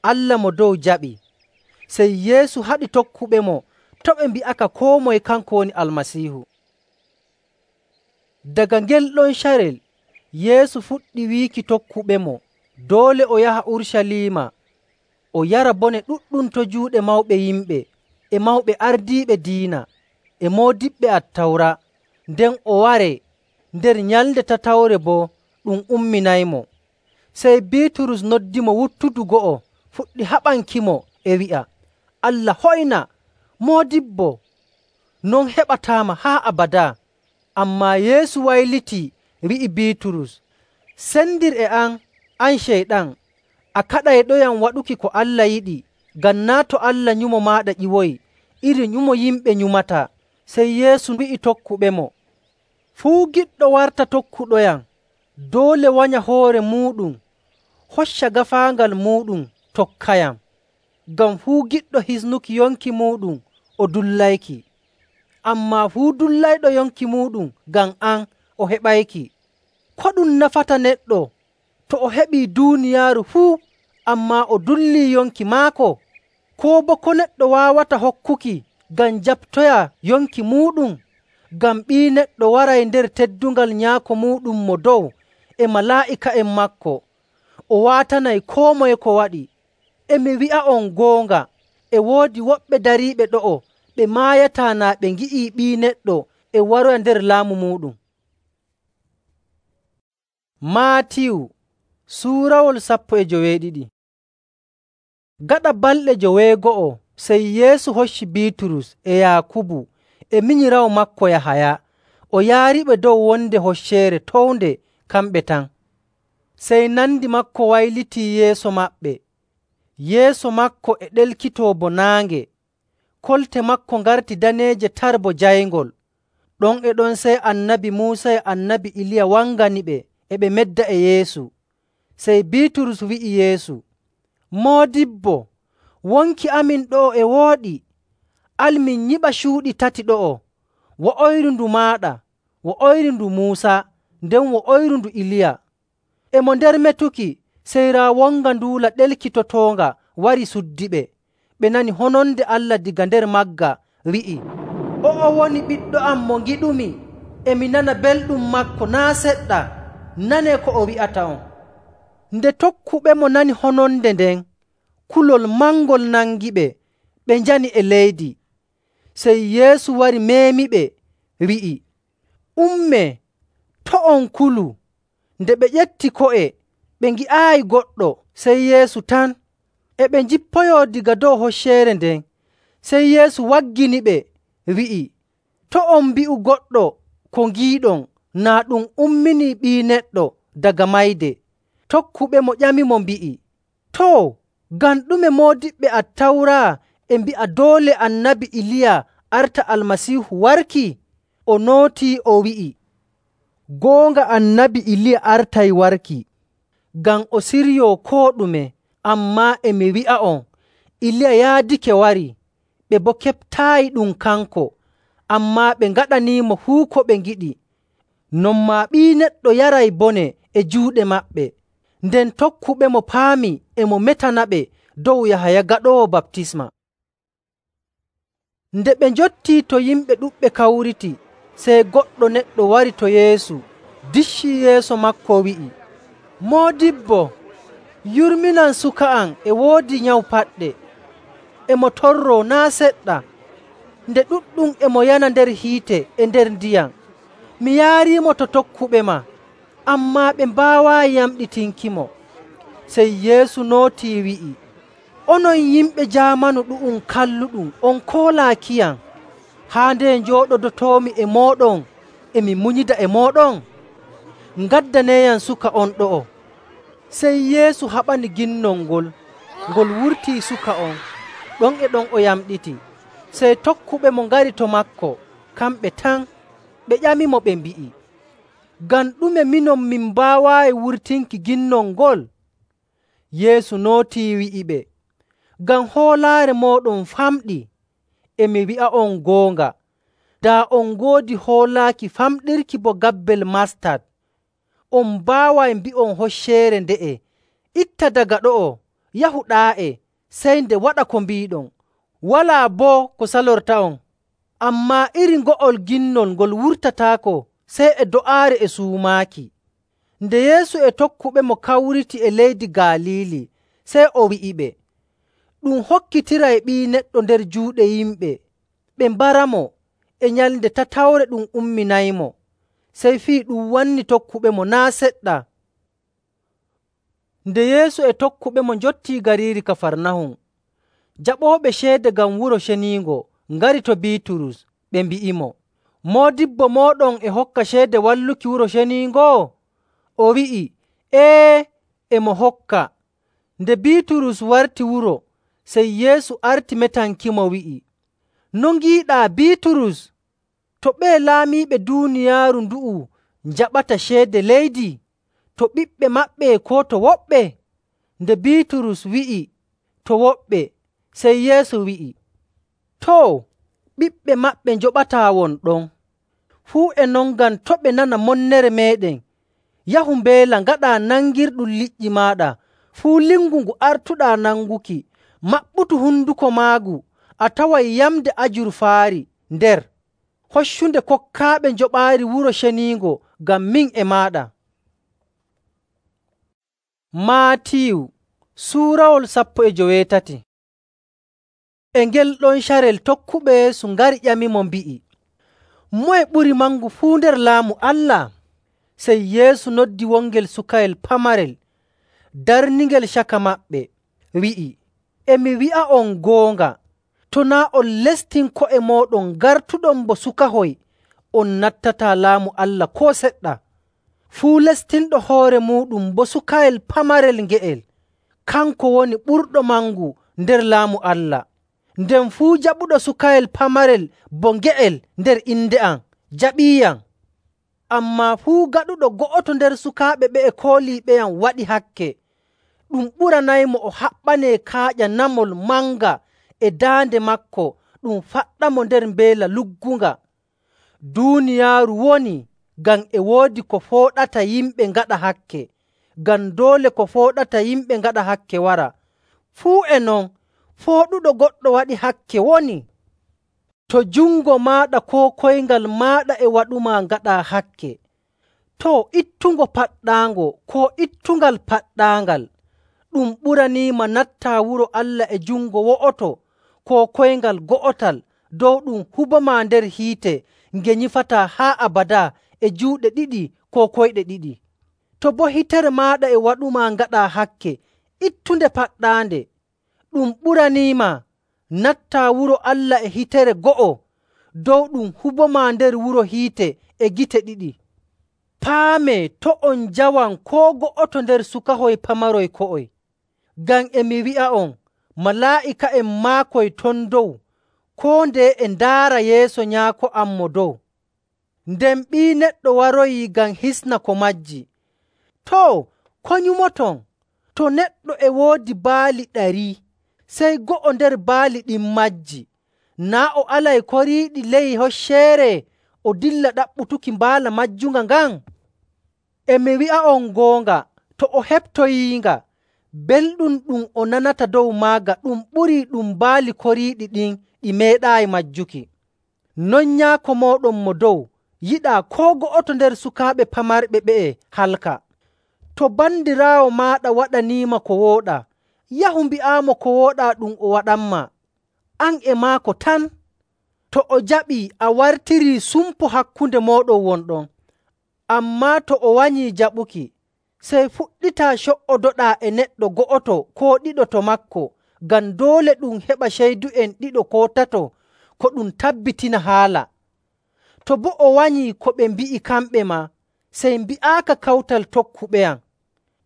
S1: Allah mo dow jaɓi.” Sey Yeesu haɗi tokkuɓemo to' ɓe mbi'aka koo moye kanko woni Almasiihu. Daga ngel ɗon carel Yeesu fuɗɗi wiiki tokkuɓemo doole o yaha Urucaliima o yara bone ɗuɗɗum to juuɗe mawɓe yimɓe e mawɓe ardiiɓe diina e moodiɓɓe Attawra, nden o waree nder nyalnde tatawre boo ɗum umminaymo. Sey Biiturus noddimo wuttudu go'o fuɗɗi haɓankimo e wi'a, “Allah hoyna, Moodibbo, non heɓataama haa abadaa.” Ammaa Yeesu waylitii wi'i Biiturus, “Sendir e am, an Ceyɗan! A kaɗayɗoyam waɗuki ko Allah yiɗi, ngam naa' to Allah nyumo maaɗa ƴiwoyi iri nyumo yimɓe nyumataa.” Sey Yeesu wi'i tokkuɓemo, “Fuu giɗɗo warta tokkuɗoyam, doole wanya hoore muuɗum, hocca gaafaangal muuɗum tokkayam. Ngam fuu giɗɗo hisnuki yonki muuɗum o dullayki. Ammaa fuu dullayɗo yonki muuɗum ngam am o heɓayki. Ko ɗum nafata neɗɗo to o heɓii duuniyaaru fuu, ammaa o dullii yonki maako? Koo boo ko neɗɗo waawata hokkuki ngam jaɓtoya yonki muuɗum? Ngam Ɓii Neɗɗo waray nder teddungal Nyaako muuɗum Mo Dow e malaa'ika'en maako. O waatanay koo moye ko waɗi. E mi wi'a'on goonga, e woodi woɓɓe dariiɓe ɗo'o ɓe maayataa naa ɓe ngi'ii Ɓii Neɗɗo e waroya nder laamu muuɗum.” Maatiyu suurawol sappo e joweeɗiɗi. Gaɗa balɗe joweego'o sey Yeesu hocci Biiturus e Yaakubu e minyiraawo maako Yahaya o yaariɓe dow wonde hocceere townde kamɓe tan. Sey nandi maako waylitii yeeso maɓɓe. Yeeso maako e ɗelkitoo bo naange, kolte maako ngarti daneeje tar bo jayngol. Ɗon e ɗon sey Annabi Muusa e Annabi Iliya wanganiɓe e ɓe medda e Yeesu. Sey Biiturus wi'i Yeesu, “Moodibbo, wonki amin ɗo'o e wooɗi. Al min nyiɓa cuuɗi tati ɗo'o, wo'oyru ndu maaɗa, wo'oyru ndu Muusa, nden wo'oyru ndu Iliya.” E mo nder metuki, sey raa wonga nduula ɗelkitotoonga wari suddiɓe. Ɓe nani hononde Allah daga nder magga wi'i, “O'o woni Ɓiɗɗo am mo ngiɗumi, e mi nana belɗum maako naa' seɗɗa. Nanee ko o wi'ata on.” Nde tokkuɓemo nani hononde nden, kulol mangol nangiɓe, ɓe njani e leydi. Sey Yeesu wari meemiɓe, wi'i, “Ummee, to' on kulu.” Nde ɓe ƴetti ko'e, ɓe ngi'aayi goɗɗo, sey Yeesu tan. E ɓe njippoyoo daga dow hocceere nden, sey Yeesu wagginiɓe, wi'i, “To' on mbi'u goɗɗo ko ngiiɗon naa ɗum umminii Ɓii Neɗɗo daga mayde.” Tokkuɓemo ƴamimo mbi'i, “Too, ngam ɗume moodiɓɓe Attawra e mbi'a doole Annabi Iliya arta Almasiihu warki?” O nootii o wi'i, “Goonga Annabi Iliya artay warki, ngam o siryoo koo ɗume. Ammaa e mi wi'a'on, Iliya yaadake warii, ɓe boo keɓtaayi ɗum kanko, ammaa ɓe ngaɗaniimo fuu ko ɓe ngiɗi. Non maa Ɓii Neɗɗo yaray bone e juuɗe maɓɓe.” Nden tokkuɓemo paami e mo metanaɓe dow Yahaya Gaɗoowo Baptisma. Nde ɓe njottii to yimɓe ɗuɗɓe kawriti, sey goɗɗo neɗɗo wari to Yeesu, diccii yeeso maako wi'i, “Moodibbo, yurminan suka am e woodi nyawu paɗɗe. E mo torroo naa' seɗɗa, nde ɗuɗɗum e mo yana nder hiite e nder ndiyam. Mi yaariimo to tokkuɓe ma, ammaa ɓe mbaawaayi yamɗitinkimo.” Sey Yeesu nootii wi'i, “Onon yimɓe jaamanu ɗu'um kalluɗum, on koolaakiyam. Haa nde njooɗodotoomi e mooɗon e mi munyida e mooɗon? Ngaddaneeyam suka on ɗo'o.” Sey Yeesu haɓani ginnol ngol, ngol wurtii suka on. Ɗon e ɗon o yamɗiti. Sey tokkuɓemo ngari to maako, kamɓe tan. Ɓe ƴamimo ɓe mbi'i, Ngam ɗume minon min mbaawaayi wurtinki ginnol ngol?” Yeesu nootii wi'iɓe, “Ngam hoolaare mooɗon famɗi. E mi wi'a'on goonga, daa on ngoodi hoolaaki famɗirki bo gabbel mastad, on mbaaway mbi'on hocceere nde'e, ‘Itta daga ɗo'o, yahu ɗaa'e,’ sey nde waɗa ko mbiiɗon. Walaa boo ko salorta'on. Ammaa iri ngo'ol ginnol ngol wurtataako sey e do'aare e suumaaki.” Nde Yeesu e tokkuɓemo kawriti e leydi Galiili, sey o wi'iɓe, “Ɗum hokkitiray Ɓii Neɗɗo nder juuɗe yimɓe, ɓe mbaramo, e nyalnde tatawre ɗum umminaymo.” Sey fii ɗum wanni tokkuɓemo naa' seɗɗa. Nde Yeesu e tokkuɓemo njottii gariiri Kafarnahum, jaɓooɓe ceede ngam Wuro Ceniingo ngari to Biiturus, ɓe mbi'imo, “Moodibbo mooɗon e hokka ceede walluki Wuro Ceniingo?” O wi'i, “Ee, e mo hokka.” Nde Biiturus warti wuro, sey Yeesu arti metankimo wi'i, “No ngiiɗaa, Biiturus? To ɓee laamiiɓe duuniyaaru ndu'u njaɓata ceede leydi, to ɓiɓɓe maɓɓe koo to woɓɓe?” Nde Biiturus wi'i, “To woɓɓe.” Sey Yeesu wi'i, “Too, ɓiɓɓe maɓɓe njoɓataa won ɗon. Fuu e non ngam to' ɓe nana monnere meeɗen, yahu mbeela ngaɗaa nangirɗum liƴƴi maaɗa. Fuu lingu ngu artuɗaa nanguki, maɓɓutu honduko maagu, a taway yamnde ajurfaari nder. Hoccunde kokkaaɓe njoɓaari Wuro Ceniingo ngam min e maaɗa.” Maatiyu suurawol sappo e joweetati. E ngel ɗon carel tokkuɓe Yeesu ngari ƴamimo mbi'i, “Moye ɓuri mangu fuu nder Laamu Allah?” Sey Yeesu noddi wongel sukayel pamarel, darningel caka maɓɓe, wi'i, “E mi wi'a'on goonga, to naa' on lestin ko'e mooɗon ngartuɗon bo sukahoy, on nattataa Laamu Allah koo seɗɗa. Fuu lestinɗo hoore muuɗum bo sukayel pamarel nge'el, kanko woni ɓurɗo mangu nder Laamu Allah. Nden fuu jaɓuɗo sukayel pamarel bo nge'el nder inde am, jaɓiiyam. Ammaa fuu gaɗuɗo go'oto nder sukaaɓe ɓe'e kooliiɓeyam waɗi hakke, ɗum ɓuranaymo o haɓɓanee kaaƴa namol manga e daande maako ɗum faɗɗamo nder mbeela luggunga. Duuniyaaru woni ngam e woodi ko fooɗata yimɓe ngaɗa hakke, ngam doole ko fooɗata yimɓe ngaɗa hakke wara. Fuu e non, fooɗuɗo goɗɗo waɗi hakke woni. To jungo maaɗa koo koyngal maaɗa e waɗumaa ngaɗaa hakke, too, ittungo paɗɗaango koo ittungal paɗɗaangal. Ɗum ɓuraniima nattaa wuro Allah e jungo wo'oto koo koyngal go'otal dow ɗum hubomaa nder hiite nge nyifataa haa abadaa e juuɗe ɗiɗi koo koyɗe ɗiɗi. To boo hitere maaɗa e waɗumaa ngaɗaa hakke, ittunde paɗɗaande. Ɗum ɓuraniima nattaa wuro Allah e hitere go'o dow ɗum hubomaa nder wuro hiite e gite ɗiɗi. Paamee to' on njawan koo go'oto nder sukahoy pamaroy ko'oy. Ngam e mi wi'a'on, malaa'ika'en maakoy ton dow koo ndeye e ndaara yeeso Nyaako am Mo Dow. Nden Ɓii Neɗɗo waroyii ngam hisna ko majji. Too, ko nyumoton? To neɗɗo e woodi baali ɗari, sey go'o nder baali ɗin majji, naa' o alay koriiɗi ley hocceere o dilla ɗaɓɓutuki mbaala majjunga ngan? E mi wi'a'on goonga, to o heɓtoyiinga, belɗum ɗum o nanata dow maaga ɗum ɓurii ɗum baali koriiɗi ɗin ɗi meeɗaayi majjuki. Non Nyaako mooɗon Mo Dow yiɗaa koo go'oto nder sukaaɓe pamarɓe ɓe'e halka. To bandiraawo maaɗa waɗaniima ko wooɗaa, yahu mbi'aamo ko wooɗaa ɗum o waɗanmaa. An e maako tan. To o jaɓii, a wartirii sumpo hakkunde mooɗon wonɗon. Ammaa to o wanyii jaɓuki, sey fuɗɗitaa co''odoɗaa e neɗɗo go'oto koo ɗiɗo to maako, ngam doole ɗum heɓa ceydu'en ɗiɗo koo tato ko ɗum tabbitina haala. To boo o wanyii ko ɓe mbi'i kamɓe maa, sey mbi'aaka kawtal tokkuɓeyam.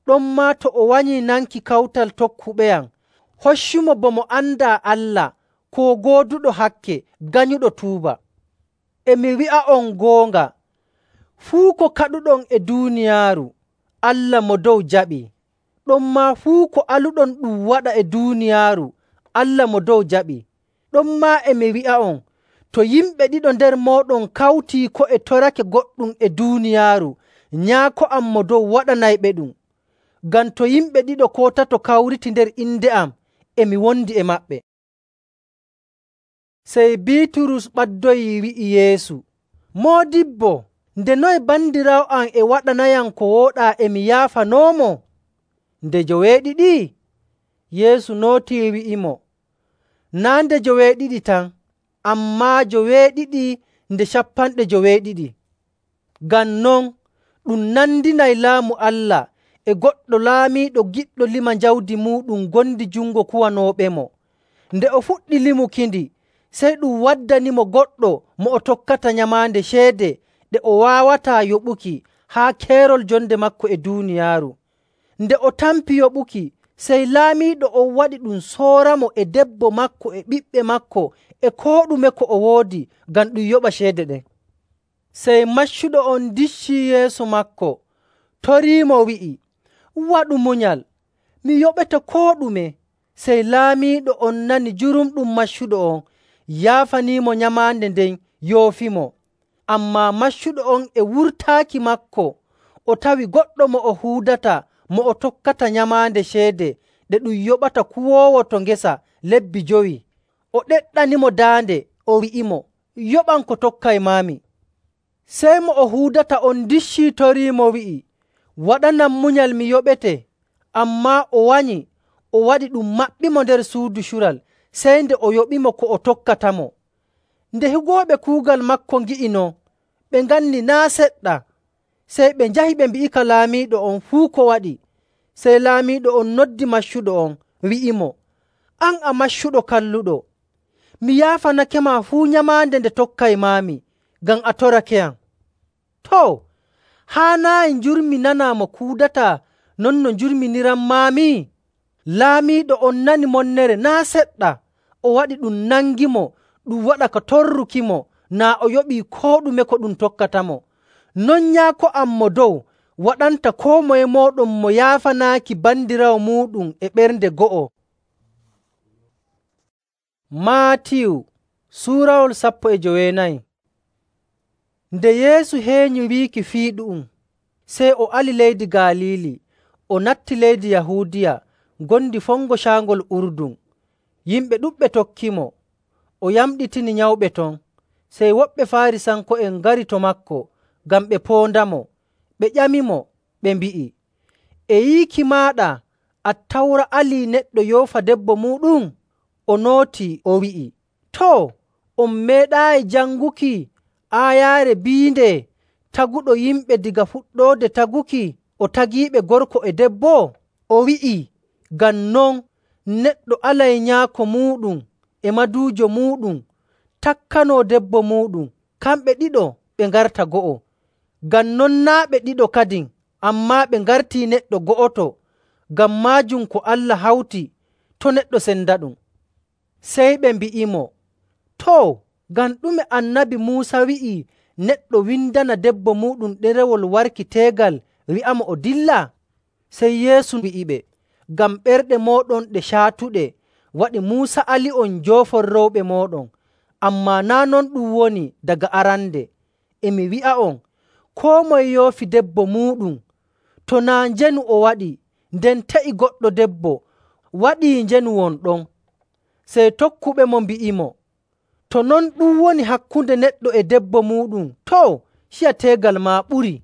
S1: Ɗonmaa to o wanyii nanki kawtal tokkuɓeyam, hoccumo bo mo andaa Allah koo gooduɗo hakke ganyuɗo tuuba. E mi wi'a'on goonga, Fuu ko kaɗuɗon e duuniyaaru, Allah mo dow jaɓii. Ɗonmaa fuu ko aluɗon ɗum waɗa e duuniyaaru, Allah mo dow jaɓii. Ɗonmaa e mi wi'a'on, to yimɓe ɗiɗo nder mooɗon kawtii ko'e torake goɗɗum e duuniyaaru, Nyaako am mo dow waɗanayɓeɗum. Ngam to yimɓe ɗiɗo koo tato kawriti nder inde am, e mi wondi e maɓɓe.” Sey Biiturus ɓaddoyii wi'i Yeesu, “Moodibbo, nde noye bandiraawo am e waɗanayam ko wooɗaa e mi yaafanoomo? Nde joweeɗiɗi?” Yeesu nootii wi'imo, “Naa' nde joweeɗiɗi tan, ammaa joweeɗiɗi nde cappanɗe joweeɗiɗi. Ngam non, ɗum nandinay Laamu Allah e goɗɗo laamiiɗo giɗɗo lima jawdi muuɗum ngondi jungo kuwanooɓemo. Nde o fuɗɗi limukindi, sey ɗum waddanimo goɗɗo mo o tokkata nyamaande ceede ɗe o waawataa yoɓuki haa keerol jonde maako e duuniyaaru. Nde o tampi yoɓuki, sey laamiiɗo on waɗi ɗum sooramo e debbo maako e ɓiɓɓe maako e koo ɗume ko o woodi ngam ɗum yoɓa ceede ɗen. Sey maccuɗo on diccii yeeso maako, toriimo wi'i, ‘Waɗu munyal, mi yoɓete koo ɗume.’ Sey laamiiɗo on nani jurumɗum maccuɗo on, yaafaniimo nyamaande nden, yoofimo. Ammaa maccuɗo on e wurtaaki maako, o tawi goɗɗo mo o huudata mo o tokkata nyamaande ceede ɗe ɗum yoɓata kuwoowo to ngesa lebbi jowi. O ɗeɗɗanimo daande, o wi'imo, ‘Yoɓam ko tokkaymaami.’ Sey mo o huudata on diccii toriimo wi'i, ‘Waɗanam munyal mi yoɓete.’ Ammaa o wanyi, o waɗi ɗum maɓɓimo nder suudu cural, sey nde o yoɓimo ko o tokkatamo. Nde higooɓe kuugal maako ngi'i non, ɓe nganni naa' seɗɗa. Sey ɓe njahi ɓe mbi'ika laamiiɗo on fuu ko waɗi. Sey laamiiɗo on noddi maccuɗo on, wi'imo, ‘An a maccuɗo kalluɗo, mi yaafanakema fuu nyamaande nde tokkaymaami, ngam a torakeyam. Too, haanaayi njurmi nanaa mo kuudataa non no njurminiranmaami?’ Laamiiɗo on nani monnere naa' seɗɗa, o waɗi ɗum nangimo ɗum waɗa ka torrukimo naa o yoɓii koo ɗume ko ɗum tokkatamo. Non Nyaako am Mo Dow waɗanta koo moye mooɗon mo yaafanaaki bandiraawo muuɗum e ɓernde go'o.” Maatiyu suurawol sappo e joweenayi. Nde Yeesu heenyi wiiki fii ɗu'um, sey o ali leydi Galiili, o natti leydi Yahuudiya ngondi fongo Caangol Urdun. Yimɓe ɗuɗɓe tokkimo, o yamɗitini nyawɓe ton. Sey woɓɓe Faarisanko'en ngari to maako ngam ɓe poondamo. Ɓe ƴamimo, ɓe mbi'i, “E yiiki maaɗa Attawra alii neɗɗo yoofa debbo muuɗum?” O nootii, o wi'i, “Too, on meeɗaayi janguki aayaare biinde, ‘Taguɗo yimɓe daga fuɗɗoode taguki, o tagiiɓe gorko e debbo?’” O wi'ii, “Ngam non, neɗɗo alay nyaako muuɗum e maduujo muuɗum, takkanoo debbo muuɗum, kamɓe ɗiɗo ɓe ngarta go'o.” Ngam non naa' ɓe ɗiɗo kadin, ammaa ɓe ngartii neɗɗo go'oto. Ngam maajum ko Allah hawti, to' neɗɗo sendaɗum. Sey ɓe mbi'imo, “Too, ngam ɗume Annabi Muusa wi'ii neɗɗo windana debbo muuɗum ɗerewol warki teegal wi'amo o dilla?” Sey Yeesu wi'iɓe, “Ngam ɓerɗe mooɗon ɗe caatuɗe waɗi Muusa ali'on njoofon rewɓe mooɗon. Ammaa naa' non ɗum woni daga arande. E mi wi'a'on, koo moye yoofi debbo muuɗum, to naa' njenu o waɗi, nden te'i goɗɗo debbo, waɗii njenu won ɗon.” Sey tokkuɓemo mbi'imo, “To non ɗum woni hakkunde neɗɗo e debbo muuɗum, too, ciya teegal maa ɓurii.”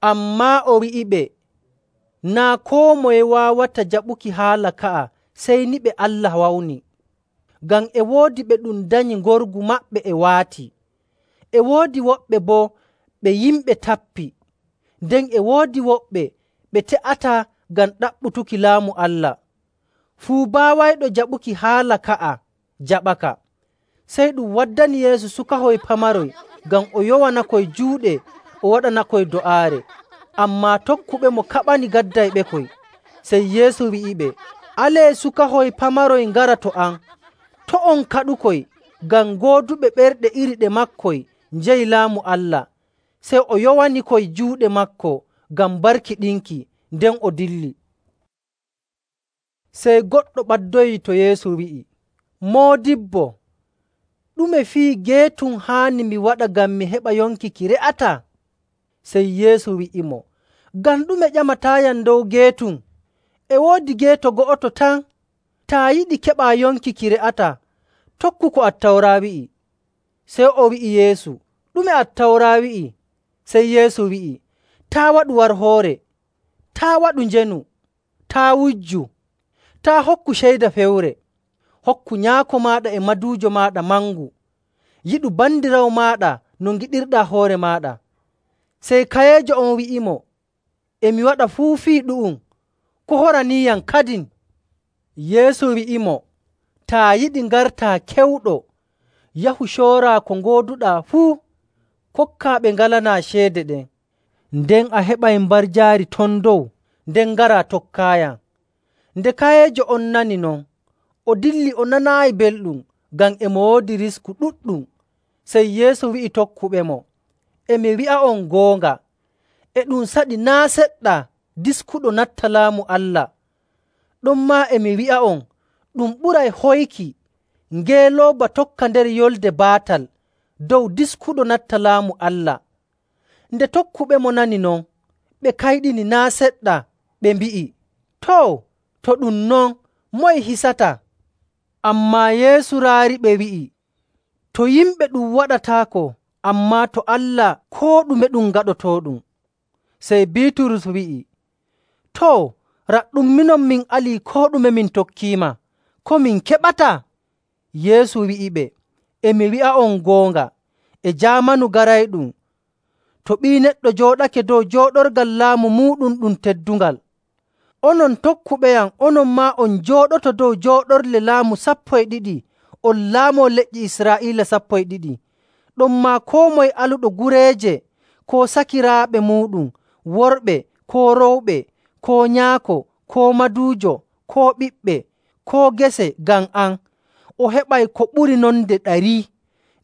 S1: Ammaa o wi'iɓe, “Naa' koo moye waawata jaɓuki haala ka'a sey ni ɓe Allah wawni. Ngam e woodi ɓe ɗum danyi ngorgu maɓɓe e waati, e woodi woɓɓe boo ɓe yimɓe tappi, nden e woodi woɓɓe ɓe te'ataa ngam ɗaɓɓutuki Laamu Allah. Fuu baawayɗo jaɓuki haala ka'a jaɓaka.” Sey ɗum waddani Yeesu sukahoy pamaroy ngam o yowanakoy juuɗe o waɗanakoy do'aare. Ammaa tokkuɓemo kaɓani gaddayɓekoy. Sey Yeesu wi'iɓe, “Alee sukahoy pamaroy ngara to am. To' on kaɗukoy, ngam gooduɓe ɓerɗe iri ɗe maakoy njeyi Laamu Allah.” Sey o yowani koy juuɗe maako ngam barkiɗinki, nden o dilli. Sey goɗɗo ɓaddoyii to Yeesu wi'i, “Moodibbo, ɗume fii geetum haani mi waɗa ngam mi heɓa yonki ki re'ataa?” Sey Yeesu wi'imo, “Ngam ɗume ƴamataayam dow geetum? E woodi geeto go'oto tan. Taa yiɗi keɓaa yonki ki re'ataa, tokku ko Attawra wi'i.” Sey o wi'i Yeesu, “Ɗume Attawra wi'i?” Sey Yeesu wi'i, “Taa' waɗu warhoore, taa' waɗu njenu, taa' wujju, taa' hokku ceyda fewre, hokku nyaako maaɗa e maduujo maaɗa mangu, yiɗu bandiraawo maaɗa no ngiɗirɗaa hoore maaɗa.” Sey kayeejo on wi'imo, “E mi waɗa fuu fii ɗu'um. Ko horaniiyam kadin?” Yeesu wi'imo, “Taa yiɗi ngartaa kewɗo, yahu cooraa ko ngooduɗaa fuu, kokkaa ɓe ngalanaa ceede ɗen. Nden a heɓay mbarjaari ton dow, nden ngaraa tokkaayam.” Nde kayeejo on nani non, o dilli o nanaayi belɗum, ngam e mo woodi risku ɗuɗɗum. Sey Yeesu wi'i tokkuɓemo, “E mi wi'a'on goonga, e ɗum saɗi naa' seɗɗa diskuɗo natta Laamu Allah. Ɗonmaa e mi wi'a'on, ɗum ɓuray hoyki ngeelooba tokka nder yolde baatal dow diskuɗo natta Laamu Allah.” Nde tokkuɓemo nani non, ɓe kayɗini naa' seɗɗa, ɓe mbi'i, “Too, to ɗum non, moye hisataa?” Ammaa Yeesu raariɓe wi'i, “To yimɓe ɗum waɗataako, ammaa to Allah koo ɗume ɗum gaɗotooɗum.” Sey Biiturus wi'i, “Too, raɗɗum minon min alii koo ɗume min tokkiima, ko min keɓataa?” Yeesu wi'iɓe, “E mi wi'a'on goonga, e jaamanu garayɗum, to Ɓii Neɗɗo jooɗake dow jooɗorgal laamu muuɗum ɗum teddungal, onon tokkuɓeyam, onon maa on njooɗoto dow jooɗorle laamu sappo e ɗiɗi, on laamoo leƴƴi Israa'iila sappo e ɗiɗi. Ɗonmaa koo moye aluɗo gureeje koo sakiraaɓe muuɗum, worɓe koo rowɓe, koo nyaako koo maduujo, koo ɓiɓɓe, koo gese ngam am, o heɓay ko ɓuri non nde ɗarii,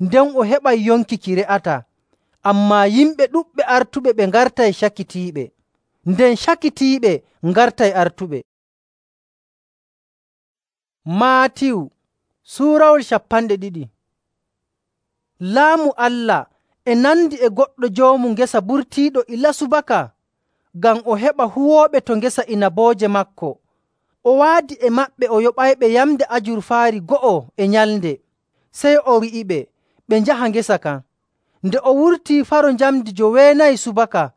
S1: nden o heɓay yonki ki re'ataa. Ammaa yimɓe ɗuɗɓe artuɓe ɓe ngartay cakitiiɓe, nden cakitiiɓe ngartay artuɓe.” Maatiyu suurawol cappanɗe ɗiɗi. Laamu Allah e nandi e goɗɗo joomu ngesa burtiiɗo ilaa subaka ngam o heɓa huwooɓe to ngesa inabooje maako. O waadi e maɓɓe o yoɓayɓe yamnde ajurfaari go'o e nyalnde. Sey o wi'iɓe ɓe njaha ngesa kan. Nde o wurtii faro njamndi joweenayi subaka,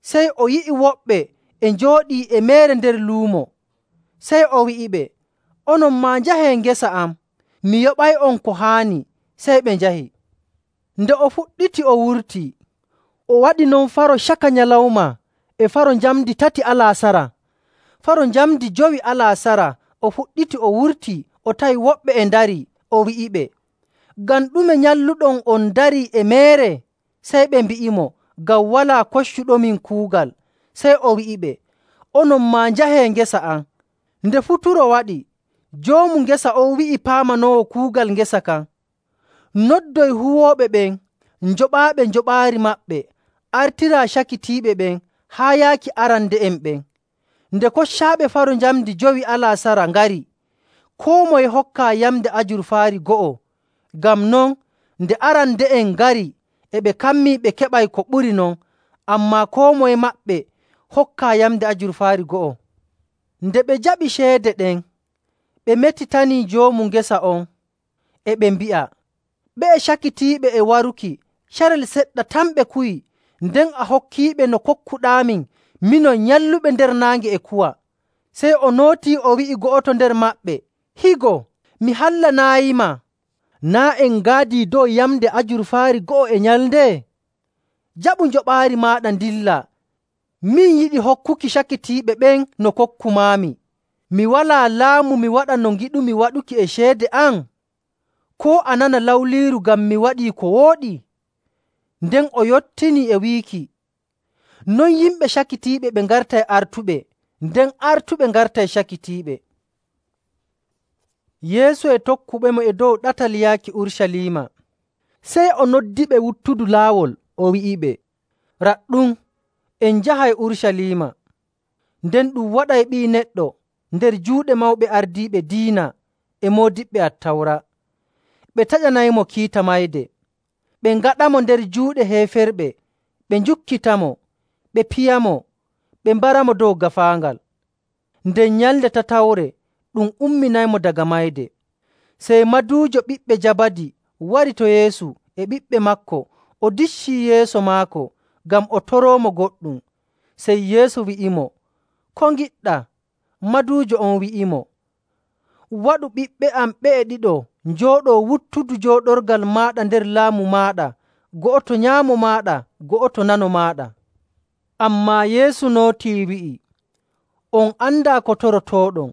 S1: sey o yi'i woɓɓe e njooɗii e meere nder luumo. Sey o wi'iɓe, “Onon maa njahee ngesa am, mi yoɓay'on ko haani.” Sey ɓe njahi. Nde o fuɗɗiti o wurtii, o waɗi non faro caka nyalawma e faro njamndi tati alaasara. Faro njamndi jowi alaasara o fuɗɗiti o wurtii o tawi woɓɓe e ndarii. O wi'iɓe, “Ngam ɗume nyalluɗon on ndarii e meere?” Sey ɓe mbi'imo, “Ngam walaa koccuɗomin kuugal.” Sey o wi'iɓe, “Onon maa njahee ngesa am.” Nde futuro waɗi, joomu ngesa on wi'i paamanoowo kuugal ngesa kan, “Noddoy huwooɓe ɓen njoɓaaɓe njoɓaari maɓɓe, artiraa cakitiiɓe ɓen haa yaaki arande'en ɓen.” Nde koccaaɓe faro njamndi jowi alaasara ngari, koo moye hokkaa yamnde ajurfaari go'o. Ngam non, nde arande'en ngari e ɓe kammii ɓe keɓay ko ɓuri non, ammaa koo moye maɓɓe hokkaa yamnde ajurfaari go'o. Nde ɓe jaɓi ceede ɗen, ɓe metitanii joomu ngesa on, e ɓe mbi'a, “Ɓe'e cakitiiɓe e waruki, carel seɗɗa tan ɓe kuwi, nden a hokkiiɓe no kokkuɗaamin minon nyalluɓe nder naange e kuwa.” Sey o nootii o wi'i go'oto nder maɓɓe, “Higo, mi hallanaayima, naa' en ngaadii dow yamnde ajurfaari go'o e nyalnde? Jaɓu njoɓaari maaɗa ndilla. Min yiɗi hokkuki cakitiiɓe ɓen no kokkumaami. Mi walaa laamu mi waɗa no ngiɗumi waɗuki e ceede am? Koo a nana lawliiru ngam mi waɗii ko wooɗi?” Nden o yottinii e wiiki, “Non yimɓe cakitiiɓe ɓe ngartay artuɓe, nden artuɓe ngartay cakitiiɓe.” Yeesu e tokkuɓemo e dow ɗatal yaaki Urucaliima. Sey o noddiɓe wuttudu laawol, o wi'iɓe, Raɗɗum en njahay Urucaliima, nden ɗum waɗay Ɓii Neɗɗo nder juuɗe mawɓe ardiiɓe diina e moodiɓɓe Attawra. Ɓe taƴanaymo kiita mayde, ɓe ngaɗamo nder juuɗe heeferɓe, ɓe njukkitamo, ɓe piyamo, ɓe mbaramo dow gaafaangal. Nden nyalnde tatawre ɗum umminaymo daga mayde. Sey maduujo ɓiɓɓe Jabadi wari to Yeesu e ɓiɓɓe maako, o diccii yeeso maako ngam o toroomo goɗɗum. Sey Yeesu wi'imo, “Ko ngiɗɗaa?” Maduujo on wi'imo, “Waɗu ɓiɓɓe am ɓe'e ɗiɗo njooɗoo wuttudu jooɗorgal maaɗa nder laamu maaɗa, go'oto nyaamo maaɗa, go'oto nano maaɗa.” Ammaa Yeesu nootii wi'i, “On andaa ko torotooɗon.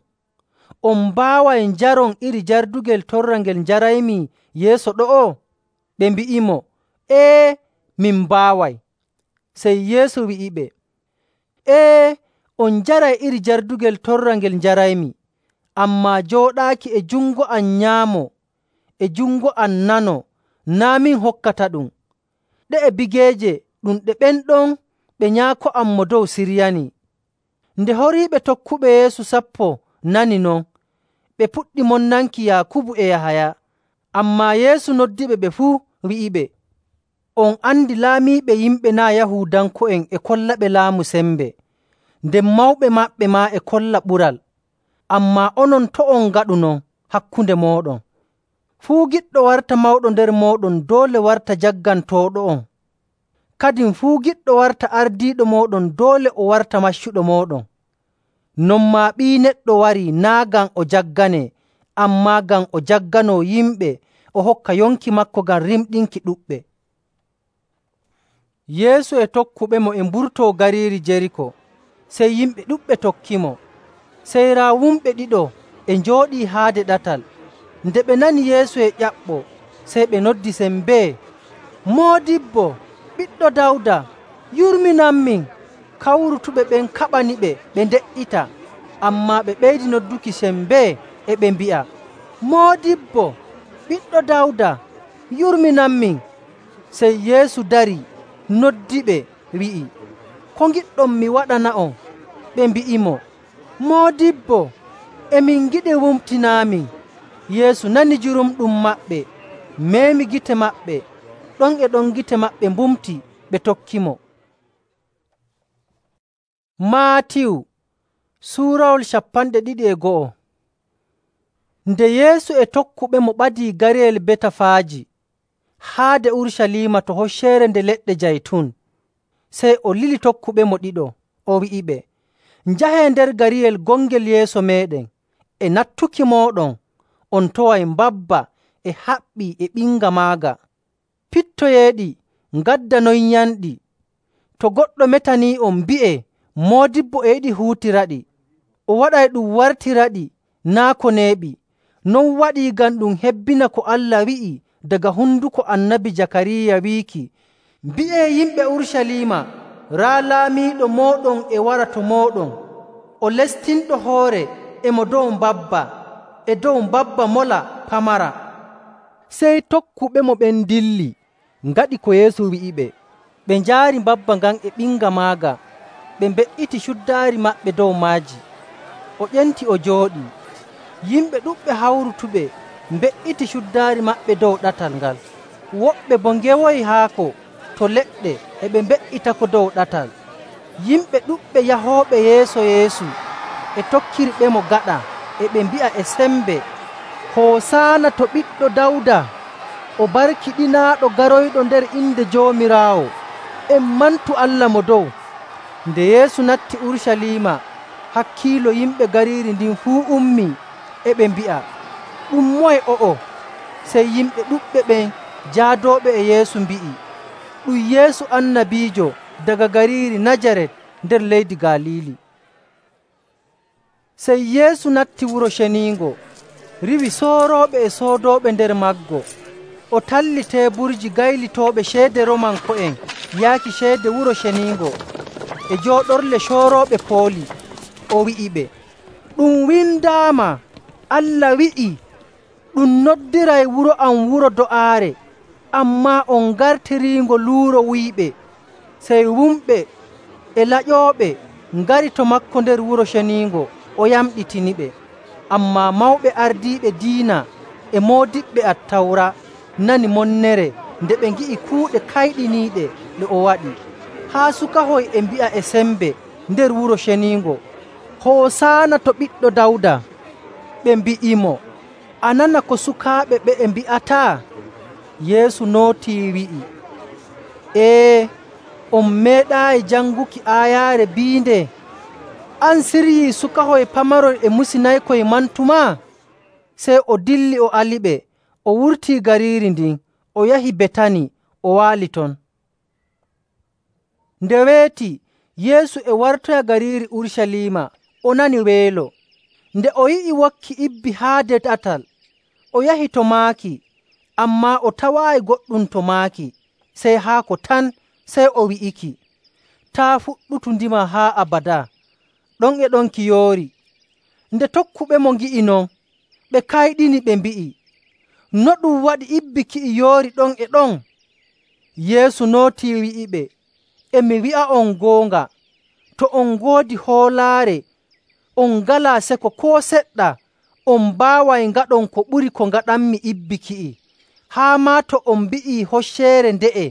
S1: On mbaaway njaron iri jardugel torra ngel njaraymi yeeso ɗo'o?” Ɓe mbi'imo, “Ee, min mbaaway.” Sey Yeesu wi'iɓe, “Ee, on njaray iri jardugel torra ngel njaraymi, ammaa jooɗaaki e jungo am nyaamo e jungo am nano naa' min hokkataɗum. Ɗe'e bigeeje ɗum ɗe ɓen ɗon ɓe Nyaako am Mo Dow siryanii.” Nde horiiɓe tokkuɓe Yeesu sappo nani non, ɓe puɗɗi monnanki Yaakubu e Yahaya. Ammaa Yeesu noddiɓe ɓe fuu, wi'iɓe, “On andi laamiiɓe yimɓe naa' Yahuudanko'en e kollaɓe laamu sembe, nden mawɓe maɓɓe maa e kolla ɓural. Ammaa onon to' on ngaɗu non hakkunde mooɗon. Fuu giɗɗo warta mawɗo nder mooɗon doole warta jaggantooɗo'on. Kadin fuu giɗɗo warta ardiiɗo mooɗon doole o warta maccuɗo mooɗon. Non maa Ɓii Neɗɗo warii naa' ngam o jagganee, ammaa ngam o jagganoo yimɓe o hokka yonki maako ngam rimɗinki ɗuɗɓe.” Yeesu e tokkuɓemo e mburtoo gariiri Jeriko, sey yimɓe ɗuɗɓe tokkimo. Sey raa wumɓe ɗiɗo e njooɗii haade ɗatal. Nde ɓe nani Yeesu e ƴaɓɓoo, sey ɓe noddi sembee, “Moodibbo, Ɓiɗɗo Dawda, yurminanmin!” Kawrutuɓe ɓen kaɓaniɓe ɓe nde''ita, ammaa ɓe ɓeydi nodduki sembee e ɓe mbi'a, “Moodibbo, Ɓiɗɗo Dawda, yurminanmin!” Sey Yeesu darii, noddiɓe, wi'i, “Ko ngiɗɗon mi waɗana'on?” Ɓe mbi'imo, “Moodibbo, e min ngiɗi wumtinaamin.” Yeesu nani jurumɗum maɓɓe, meemi gite maɓɓe. Ɗon e ɗon gite maɓɓe mbumti, ɓe tokkimo. Maatiyu suurawol cappanɗe ɗiɗi e go'o. Nde Yeesu e tokkuɓemo ɓadii gariyel Betafaaji haade Urucaliima to Hocceere Nde Leɗɗe Jaytun, sey o lili tokkuɓemo ɗiɗo, o wi'iɓe, “Njahee nder gariyel gongel yeeso meeɗen. E nattuki mooɗon on toway mbabba e haɓɓi e ɓinga maaga. Pittoyeeɗi ngaddanonyanɗi. To goɗɗo metanii'on, mbi'ee, ‘Moodibbo e yiɗi huutiraɗi.’ O waɗay ɗum wartiraɗi naa' ko neeɓi. Non waɗii ngam ɗum hebbina ko Allah wi'i daga honduko Annabi Jakariya wiiki, ‘Mbi'ee yimɓe Urucaliima, raa laamiiɗo mooɗon e wara to mooɗon, o lestinɗo hoore e mo dow mbabba, e dow mbabba mola pamara.’” Sey tokkuɓemo ɓen dilli, ngaɗi ko Yeesu wi'iɓe. Ɓe njaari mbabba ngan e ɓinga maaga, ɓe mbe''iti cuddaari maɓɓe dow maaji. O ƴenti o jooɗii. Yimɓe ɗuɗɓe hawrutuɓe mbe''iti cuddaari maɓɓe dow ɗatal ngal. Woɓɓe boo ngewoyi haako to leɗɗe e ɓe mbe''itako dow ɗatal. Yimɓe ɗuɗɓe yahooɓe yeeso Yeesu e tokkirɓemo gaɗa e ɓe mbi'a e sembe, “Hoosaana to Ɓiɗɗo Dawda! O barkiɗinaaɗo garoyɗo nder inde Joomiraawo! En mantu Allah Mo Dow!” Nde Yeesu natti Urucaliima, hakkiilo yimɓe gariiri ndin fuu ummii, e ɓe mbi'a, “Ɗum moye o'o?” Sey yimɓe ɗuɗɓe ɓen jaadooɓe e Yeesu mbi'i, “Ɗum Yeesu annabiijo daga gariiri Najaret nder leydi Galiili.” Sey Yeesu natti Wuro Ceniingo, riiwi soorooɓe e soodooɓe nder maggo. O talli teeburji gaylitooɓe ceede Roomanko'en yaaki ceede Wuro Ceniingo e jooɗorle coorooɓe pooli. O wi'iɓe, “Ɗum windaama, Allah wi'ii, ‘Ɗum noddiray wuro am wuro do'aare,’ ammaa on ngartiriingo luuro wuyɓe.” Sey wumɓe e laƴooɓe ngari to maako nder Wuro Ceniingo o yamɗitiniɓe. Ammaa mawɓe ardiiɓe diina e moodiɓɓe Attawra nani monnere nde ɓe ngi'i kuuɗe kayɗiniiɗe ɗe o waɗi. Haa sukahoy e mbi'a e sembe nder Wuro Ceniingo, “Hoosaana to ɓiɗɗo Dawda!” Ɓe mbi'imo, “A nana ko sukaaɓe ɓe'e mbi'ataa?” Yeesu nootii wi'i, “Ee, on meeɗaayi janguki aayaare biinde, ‘An siryii sukahoy pamaroy e musinaykoy mantumaa?’” Sey o dilli o aliɓe, o wurtii gariiri ndin, o yahi Betani, o waali ton. Nde weeti, Yeesu e wartoya gariiri Urucaliima, o nani weelo. Nde o yi'i wokki ibbi haade ɗatal, o yahi to maaki, ammaa o tawaayi goɗɗum to maaki, sey haako tan. Sey o wi'iki, “Taa' fuɗɗutu ndima haa abadaa.” Ɗon e ɗon ki yoori. Nde tokkuɓemo ngi'i non, ɓe kayɗini, ɓe mbi'i, “No ɗum waɗi ibbi ki'i yoori ɗon e ɗon?” Yeesu nootii wi'iɓe, “E mi wi'a'on goonga, to on ngoodi hoolaare, on ngalaa seko koo seɗɗa, on mbaaway ngaɗon ko ɓuri ko ngaɗanmi ibbi ki'i. Haa maa to on mbi'ii hocceere nde'e,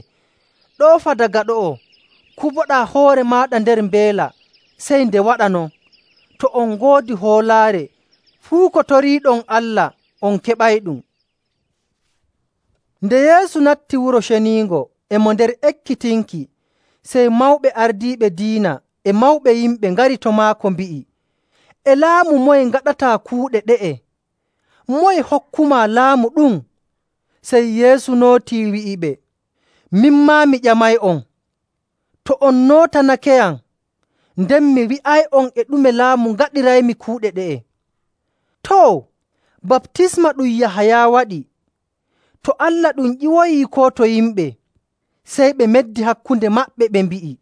S1: ‘Ɗoofa daga ɗo'o, kuboɗaa hoore maaɗa nder mbeela,’ sey nde waɗa non. To on ngoodi hoolaare, fuu ko toriiɗon Allah, on keɓayɗum.” Nde Yeesu natti Wuro Ceniingo e mo nder ekkitinki, sey mawɓe ardiiɓe diina e mawɓe yimɓe ngari to maako mbi'i, “E laamu moye ngaɗataa kuuɗe ɗe'e? Moye hokkumaa laamu ɗum?” Sey Yeesu nootii wi'iɓe, “Min maa mi ƴamay'on, to on nootanakeyam, nden mi wi'ay'on e ɗume laamu ngaɗiraymi kuuɗe ɗe'e. Too, baptisma ɗum Yahaya waɗi, to Allah ɗum ƴiwoyii koo to yimɓe?” Sey ɓe meddi hakkunde maɓɓe ɓe mbi'i,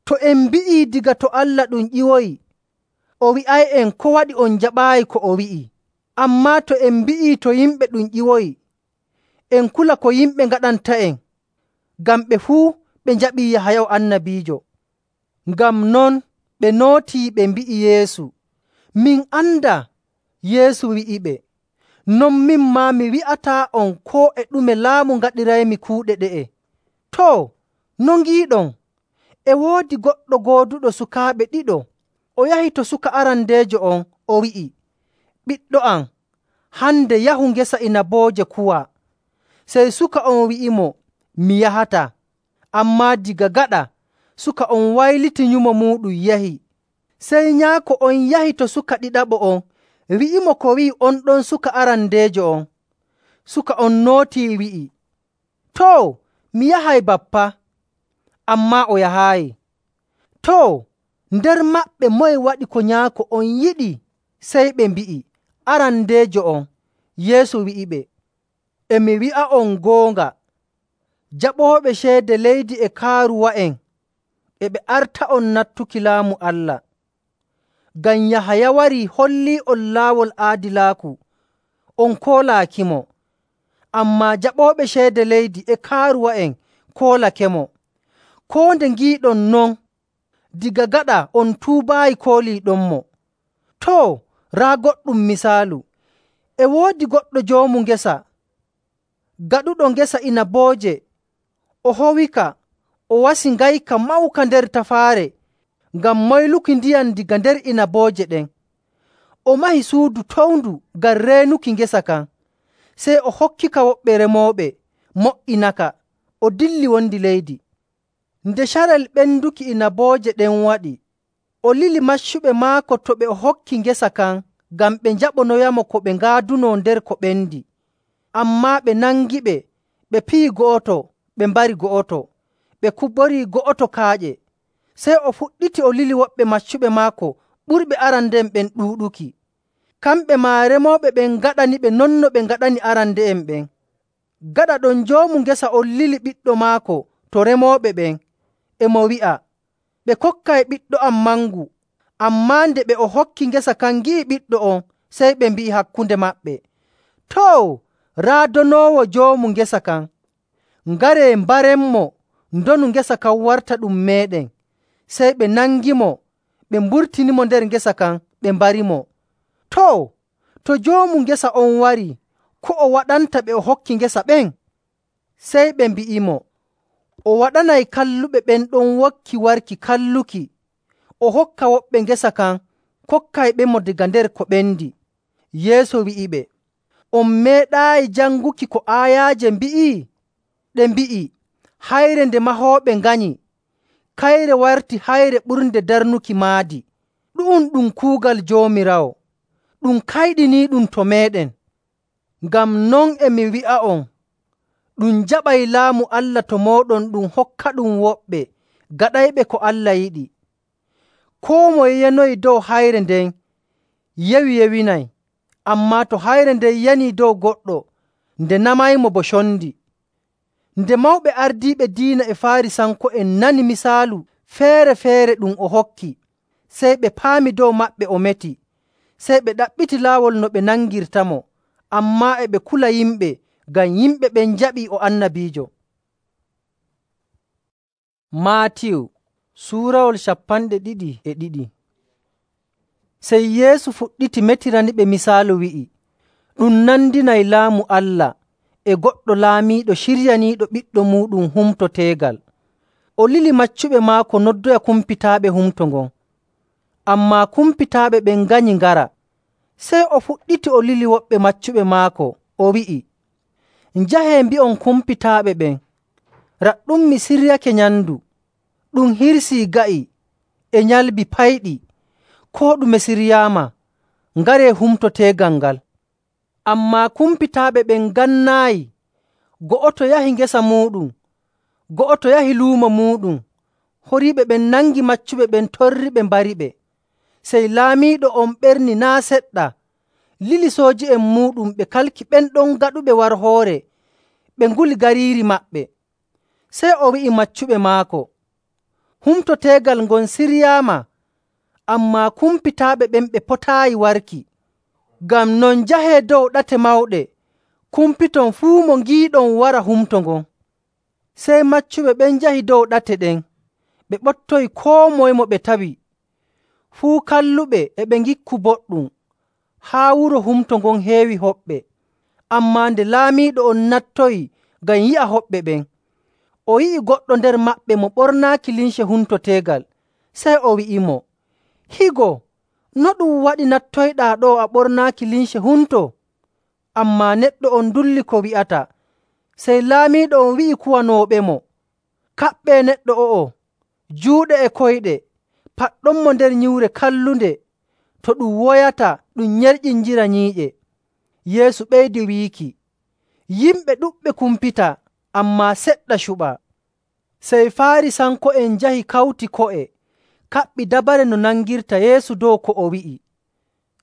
S1: “To en mbi'ii daga to Allah ɗum ƴiwoyi, o wi'ay'en ko waɗi on njaɓaayi ko o wi'i. Ammaa to en mbi'ii to yimɓe ɗum ƴiwoyi, en kula ko yimɓe ngaɗanta'en, ngam ɓe fuu ɓe njaɓii Yahaya annabiijo.” Ngam non ɓe nootii ɓe mbi'i Yeesu, “Min andaa.” Yeesu wi'iɓe, “Non min maa mi wi'ataa'on koo e ɗume laamu ngaɗiraymi kuuɗe ɗe'e. Too, no ngiiɗon? E woodi goɗɗo gooduɗo sukaaɓe ɗiɗo. O yahi to suka arandeejo on, o wi'i, ‘Ɓiɗɗo am, hande yahu ngesa inabooje kuwaa.’ Sey suka on wi'imo, ‘Mi yahataa.’ Ammaa daga gaɗa suka on wayliti nyumo muuɗum yahi. Sey nyaako on yahi to suka ɗiɗaɓo on, wi'imo ko wi'i on ɗon suka arandeejo on. Suka on nootii wi'i, ‘Too, mi yahay, bappa.’ Ammaa o yahaayi. Too, nder maɓɓe moye waɗi ko nyaako on yiɗi?” Sey ɓe mbi'i, “Arandeejo on.” Yeesu wi'iɓe, “E mi wi'a'on goonga, jaɓooɓe ceede leydi e kaaruwa'en e ɓe arta'on nattuki Laamu Allah. Ngam Yahaya warii hollii'on laawol aadilaaku, on koolaakimo. Ammaa jaɓooɓe ceede leydi e kaaruwa'en koolakemo. Koo nde ngiiɗon non, daga gaɗa on tuubaayi kooliiɗonmo. Too, raa goɗɗum misaalu. E woodi goɗɗo joomu ngesa, gaɗuɗo ngesa inabooje. O howika, o wasi ngayka mawka nder tafaare ngam moyluki ndiyam daga nder inabooje ɗen. O mahi suudu towndu ngam reenuki ngesa kan. Sey o hokkika woɓɓe remooɓe, mo''inaka, o dilli wondi leydi. Nde carel ɓenduki inabooje ɗen waɗi, o lili maccuɓe maako to ɓe o hokki ngesa kan ngam ɓe njaɓonoyamo ko ɓe ngaadunoo nder ko ɓendi. Ammaa ɓe nangiɓe, ɓe piyi go'oto, ɓe mbari go'oto, ɓe kuborii go'oto kaaƴe. Sey o fuɗɗiti o lili woɓɓe maccuɓe maako ɓurɓe arande'en ɓen ɗuuɗuki. Kamɓe maa remooɓe ɓen ngaɗaniɓe non no ɓe ngaɗani arande'en ɓen. Gaɗa ɗon joomu ngesa on lili ɓiɗɗo maako to remooɓe ɓen, e mo wi'a, ‘Ɓe kokkay ɓiɗɗo am mangu.’ Ammaa nde ɓe o hokki ngesa kan ngi'i ɓiɗɗo on, sey ɓe mbi'i hakkunde maɓɓe, ‘Too, raa donoowo joomu ngesa kan. Ngaree mbarenmo
S2: ndonu ngesa kan warta ɗum meeɗen. Sey ɓe nangimo, ɓe mburtinimo nder ngesa kan, ɓe mbarimo. Too, to joomu ngesa on warii, ko o waɗanta ɓe o hokki ngesa ɓen?” Sey ɓe mbi'imo, “O waɗanay kalluɓe ɓen ɗon wokki warki kalluki, o hokka woɓɓe ngesa kan, kokkayɓemo daga nder ko ɓendi.” Yeesu wi'iɓe, “On meeɗaayi janguki ko aayaaje mbi'i?” Ɗe mbi'i, “Hayre nde mahooɓe nganyi, kayre warti hayre ɓurnde darnuki maadi. Ɗu'um ɗum kuugal Joomiraawo, ɗum kayɗiniiɗum to meeɗen. Ngam non e mi wi'a'on, ɗum jaɓay Laamu Allah to mooɗon ɗum hokkaɗum woɓɓe gaɗayɓe ko Allah yiɗi. Koo moye yanoyi dow hayre nden yewi-yewinay, ammaa to hayre nden yanii dow goɗɗo, nde namaymo bo condi.” Nde mawɓe ardiiɓe diina e Faarisanko'en nani misaalu feere‑feere ɗum o hokki, sey ɓe paami dow maɓɓe o meti. Sey ɓe ɗaɓɓiti laawol no ɓe nangirtamo, ammaa e ɓe kula yimɓe ngam yimɓe ɓen njaɓii o annabiijo. Maatiyu suurawol cappanɗe ɗiɗi e ɗiɗi. Sey Yeesu fuɗɗiti metiraniɓe misaalu wi'i, “Ɗum nandinay Laamu Allah e goɗɗo laamiiɗo ciryaniiɗo ɓiɗɗo muuɗum humto teegal. O lili maccuɓe maako noddoya kumpitaaɓe humto ngon. Ammaa kumpitaaɓe ɓen nganyi ngara. Sey o fuɗɗiti o lili woɓɓe maccuɓe maako, o wi'i, ‘Njahee mbi'on kumpitaaɓe ɓen, raɗɗum mi siryake nyamndu. Ɗum hirsii ga'i e nyalbi payɗi, koo ɗume siryaama. Ngaree humto teegal ngal.’ Ammaa kumpitaaɓe ɓen ngannaayi. Go'oto yahi ngesa muuɗum, go'oto yahi luumo muuɗum. Horiiɓe ɓen nangi maccuɓe ɓen torriɓe mbariɓe. Sey laamiiɗo on ɓerni naa' seɗɗa, lili sooji'en muuɗum ɓe kalki ɓen ɗon gaɗuɓe warhoore, ɓe nguli gariiri maɓɓe. Sey o wi'i maccuɓe maako, ‘Humto teegal ngon siryaama, ammaa kumpitaaɓe ɓen ɓe potaayi warki. Ngam non njahee dow ɗate mawɗe, kumpiton fuu mo ngiiɗon wara humto ngon.’ Sey maccuɓe ɓen njahi dow ɗate ɗen, ɓe ɓottoyi koo moye mo ɓe tawi. Fuu kalluɓe e ɓe ngikku boɗɗum, haa wuro humto ngon heewi hoɓɓe. Ammaa nde laamiiɗo on nattoyi ngam yi'a hoɓɓe ɓen, o yi'i goɗɗo nder maɓɓe mo ɓornaaki limce humto teegal. Sey o wi'imo, ‘Higo, no ɗum waɗi nattoyɗaa ɗo a ɓornaaki limce humto?’ Ammaa neɗɗo on ndulli ko wi'ata. Sey laamiiɗo on wi'i kuwanooɓemo, ‘Kaɓɓee neɗɗo o'o juuɗe e koyɗe, paɗɗonmo nder nyiwre kallunde, to ɗum woyata ɗum nyerƴinjira nyiiƴe.’ Yeesu ɓeydi wiiki, “Yimɓe ɗuɗɓe kumpita, ammaa seɗɗa cuɓaa.” Sey Faarisanko'en njahi kawti ko'e, kaɓɓi dabare no nangirta Yeesu dow ko o wi'i.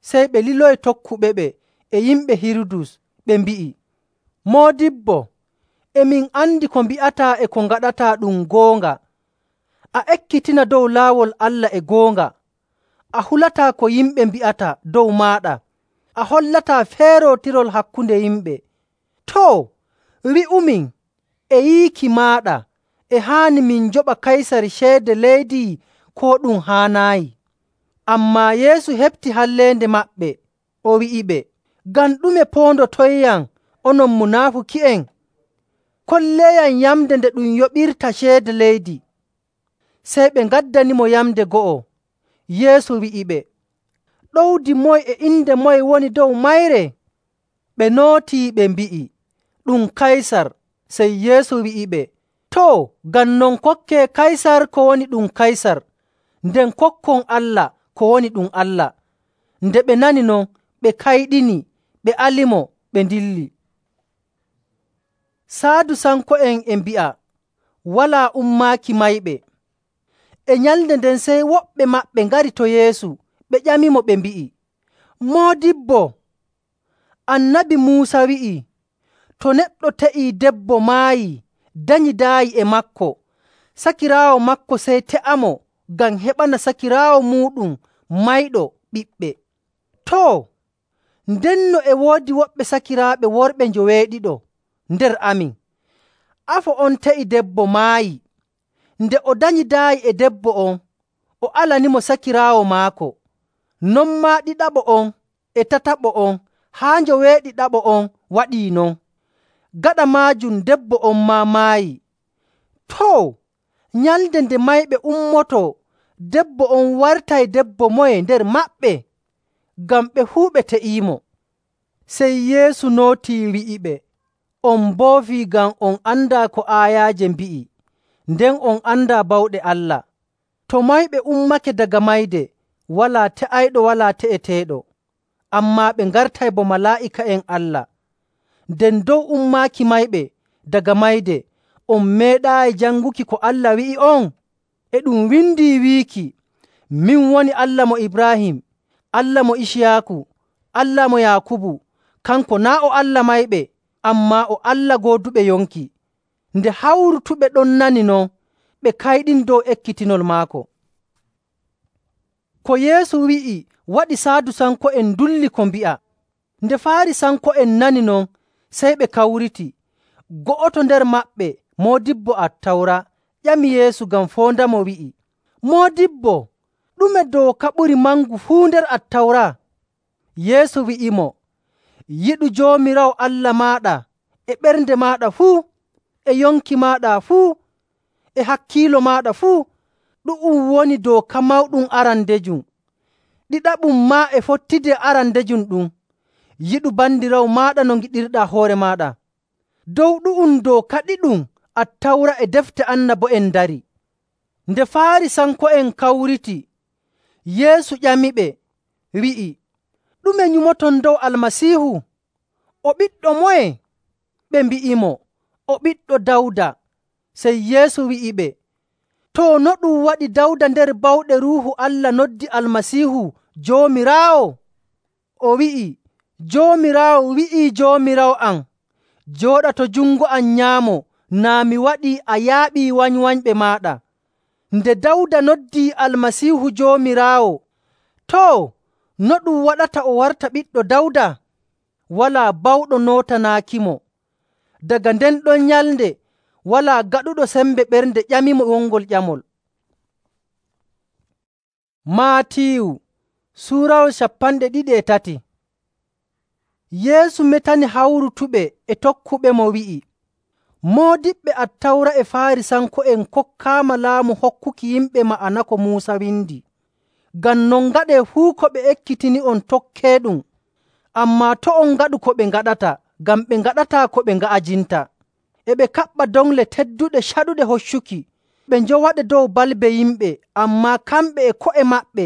S2: Sey ɓe liloyi tokkuɓeɓe e yimɓe Hirudus, ɓe mbi'i, “Moodibbo, e min andi ko mbi'ataa e ko ngaɗataa ɗum goonga. A ekkitina dow laawol Allah e goonga. A hulataa ko yimɓe mbi'ata dow maaɗa. A hollataa feerootirol hakkunde yimɓe. Too, wi'umin, e yiiki maaɗa, e haani min njoɓa Kaysar ceede leydi, koo ɗum haanaayi?” Ammaa Yeesu heɓti halleende maɓɓe, o wi'iɓe, “Ngam ɗume poondotoyyam, onon munaafuki'en? Kolleeyam yamnde nde ɗum yoɓirta ceede leydi.” Sey ɓe ngaddanimo yamnde go'o. Yeesu wi'iɓe, “Ɗowdi moye e inde moye woni dow mayre?” Ɓe nootii ɓe mbi'i, “Ɗum Kaysar.” Sey Yeesu wi'iɓe, “Too, ngam non kokkee Kaysar ko woni ɗum Kaysar, nden kokkon Allah ko woni ɗum Allah.” Nde ɓe nani non, ɓe kayɗini, ɓe alimo, ɓe ndilli. Saadusanko'en e mbi'a walaa ummaaki mayɓe. E nyalnde nden sey woɓɓe maɓɓe ngari to Yeesu, ɓe ƴamimo, ɓe mbi'i, “Moodibbo, Annabi Muusa wi'ii, to neɗɗo te'ii debbo maayii, danyi daayi e maako, sakiraawo maako sey te'amo ngam heɓana sakiraawo muuɗum mayɗo ɓiɓɓe. Too, ndenno e woodi woɓɓe sakiraaɓe worɓe njoweeɗiɗo nder amin. Afo on te'i debbo maayi, Nde o danyidaayi e debbo on, o alanimo sakiraawo maako. Non maa ɗiɗaɓo on e tataɓo on haa njoweeɗiɗaɓo on waɗii non. Gaɗa maajum debbo on maa maayi. Too, nyalnde nde mayɓe ummotoo, debbo on wartay debbo moye nder maɓɓe? Ngam ɓe fuu ɓe te'iimo. Sey Yeesu nootii wi'iɓe, “On mboofii ngam on andaa ko aayaaje mbi'i, nden on andaa bawɗe Allah. To mayɓe ummake daga mayde, walaa te'ayɗo walaa te'eteeɗo, ammaa ɓe ngartay bo malaa'ika'en Allah. Nden dow ummaaki mayɓe daga mayde, on meeɗaayi janguki ko Allah wi'i'on? E ɗum windii wiiki, ‘Min woni Allah mo Ibraahim, Allah mo Iciyaaku, Allah mo Yaakubu.’ Kanko naa' o Allah mayɓe, ammaa o Allah gooduɓe yonki.” Nde hawrutuɓe ɗon nani non, ɓe kayɗini dow ekkitinol maako. Ko Yeesu wi'i waɗi Saadusanko'en ndulli ko mbi'a. Nde Faarisanko'en nani non, sey ɓe kawriti. Go'oto nder maɓɓe, moodibbo Attawra, ƴami Yeesu ngam foondamo, wi'i, “Moodibbo, ɗume dooka ɓuri mangu fuu nder Attawra?” Yeesu wi'imo, “Yiɗu Joomiraawo Allah maaɗa e ɓernde maaɗa fuu, e yonki maaɗa fuu, e hakkiilo maaɗa fuu. Ɗu'um woni dooka mawɗum arandejum. Ɗiɗaɓum maa e fottidi e arandejum ɗum, yiɗu bandiraawo maaɗa no ngiɗirɗaa hoore maaɗa. Dow ɗu'um dooka ɗiɗum Attawra e defte annabo'en ndari.” Nde Faarisanko'en kawriti, Yeesu ƴamiɓe, wi'i, “Ɗume nyumoton dow Almasiihu? O ɓiɗɗo moye?” Ɓe mbi'imo, “O ɓiɗɗo Dawda.” Sey Yeesu wi'iɓe, “Too, no ɗum waɗi Dawda nder bawɗe Ruuhu Allah noddi Almasiihu Joomiraawo? O wi'i, ‘Joomiraawo wi'ii Joomiraawo am, jooɗa to jungo am nyaamo naa mi waɗii a yaaɓii wanywanyɓe maaɗa.’ Nde Dawda noddii Almasiihu Joomiraawo, too, no ɗum waɗata o warta ɓiɗɗo Dawda? Walaa bawɗo nootanaakimo. Daga nden ɗon nyalnde walaa gaɗuɗo sembe ɓernde ƴamimo wongol ƴamol. Maatiyu Suurawol cappanɗe ɗiɗi e tati. Yeesu metani hawrutuɓe e tokkuɓemo wi'i, “Moodiɓɓe Attawra e Faarisanko'en kokkaama laamu hokkuki yimɓe ma'ana ko Muusa windi. Ngam non ngaɗee fuu ko ɓe ekkitini'on tokkeeɗum. Ammaa to' on ngaɗu ko ɓe ngaɗata, ngam ɓe ngaɗataa ko ɓe nga'ajinta. E ɓe kaɓɓa dongle tedduɗe caɗuɗe hoccuki, ɓe njowaɗe dow balbe yimɓe, ammaa kamɓe e ko'e maɓɓe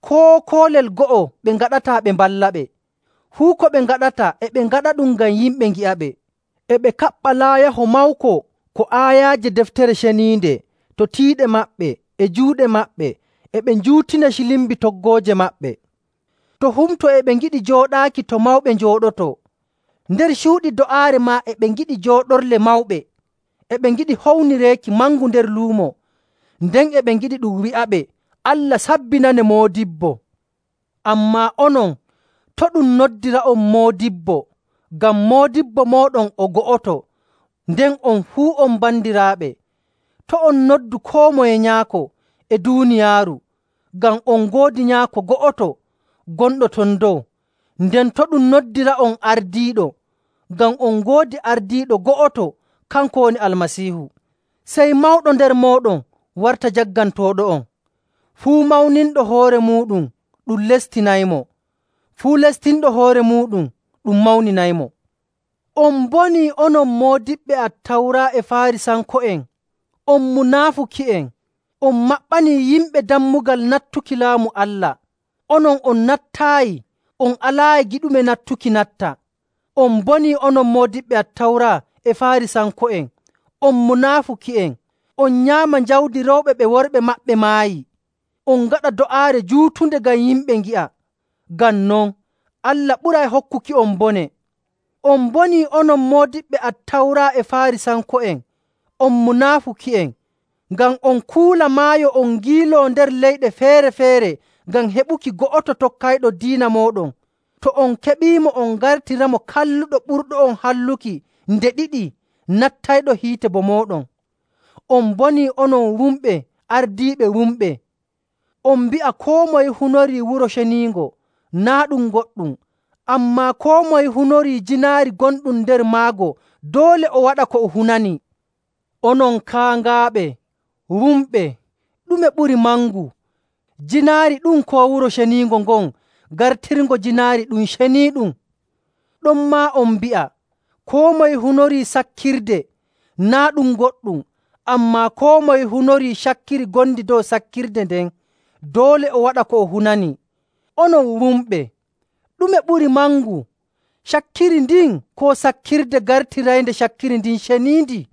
S2: koo koolel go'o ɓe ngaɗataa ɓe mballaɓe. Fuu ko ɓe ngaɗata e ɓe ngaɗaɗum ngam yimɓe ngi'aɓe. E ɓe kaɓɓa laayaho mawko ko aayaaje Deftere Ceniinde to tiiɗe maɓɓe e juuɗe maɓɓe, e ɓe njuutina cilimbi toggooje maɓɓe. To humto e ɓe ngiɗi jooɗaaki to mawɓe njooɗotoo. Nder cuuɗi do'aare maa e ɓe ngiɗi jooɗorle mawɓe. E ɓe ngiɗi hownireeki mangu nder luumo. Nden e ɓe ngiɗi ɗum wi'aɓe, ‘Allah sabbinane moodibbo.’ Ammaa onon, to' ɗum noddira'on moodibbo, ngam moodibbo mooɗon o go'oto, nden on fuu on bandiraaɓe. To' on noddu koo moye nyaako e duuniyaaru, ngam on ngoodi nyaako go'oto gonɗo ton dow. Nden to' ɗum noddira'on ardiiɗo, ngam on ngoodi ardiiɗo go'oto, kanko woni Almasiihu. Sey mawɗo nder mooɗon warta jaggantooɗo'on. Fuu mawninɗo hoore muuɗum ɗum lestinaymo. Fuu lestinɗo hoore muuɗum ɗum mawninaymo. On mbonii onon moodiɓɓe Attawra e Faarisanko'en, on munaafuki'en! On maɓɓanii yimɓe dammugal nattuki Laamu Allah. Onon on nattaayi, on alaayi giɗuɓe nattuki natta. On mbonii onon moodiɓɓe Attawra e Faarisanko'en, on munaafuki'en! On nyaama jawdi rewɓe ɓe worɓe maɓɓe maayi. On ngaɗa do'aare juutunde ngam yimɓe ngi'a. Ngam non, Allah ɓuray hokkuki'on bone. On mbonii onon moodiɓɓe Attawra e Faarisanko'en, on munaafuki'en! Ngam on kuula maayo on ngiiloo nder leyɗe feere‑feere ngam heɓuki go'oto tokkayɗo diina mooɗon. To on keɓiimo, on ngartiramo kalluɗo ɓurɗo on halluki nde ɗiɗi nattayɗo hiite bo mooɗon. On mbonii onon wumɓe ardiiɓe wumɓe! On mbi'a koo moye hunorii Wuro Ceniingo naa' ɗum goɗɗum, ammaa koo moye hunorii jiinaari gonɗum nder maago doole o waɗa ko o hunani. Onon kaaŋaaɓe wumɓe, ɗume ɓuri mangu? Jiinaari ɗum koo Wuro Ceniingo ngon gartirngo jiinaari ɗum ceniiɗum? Ɗonmaa on mbi'a koo moye hunorii sakkirde naa' ɗum goɗɗum, ammaa koo moye hunorii cakkiri ngondi dow sakkirde nden, doole o waɗa ko o hunani. Onon wumɓe, ɗume ɓuri mangu? Cakkiri ndin koo sakkirde gartiraynde cakkiri ndin ceniindi?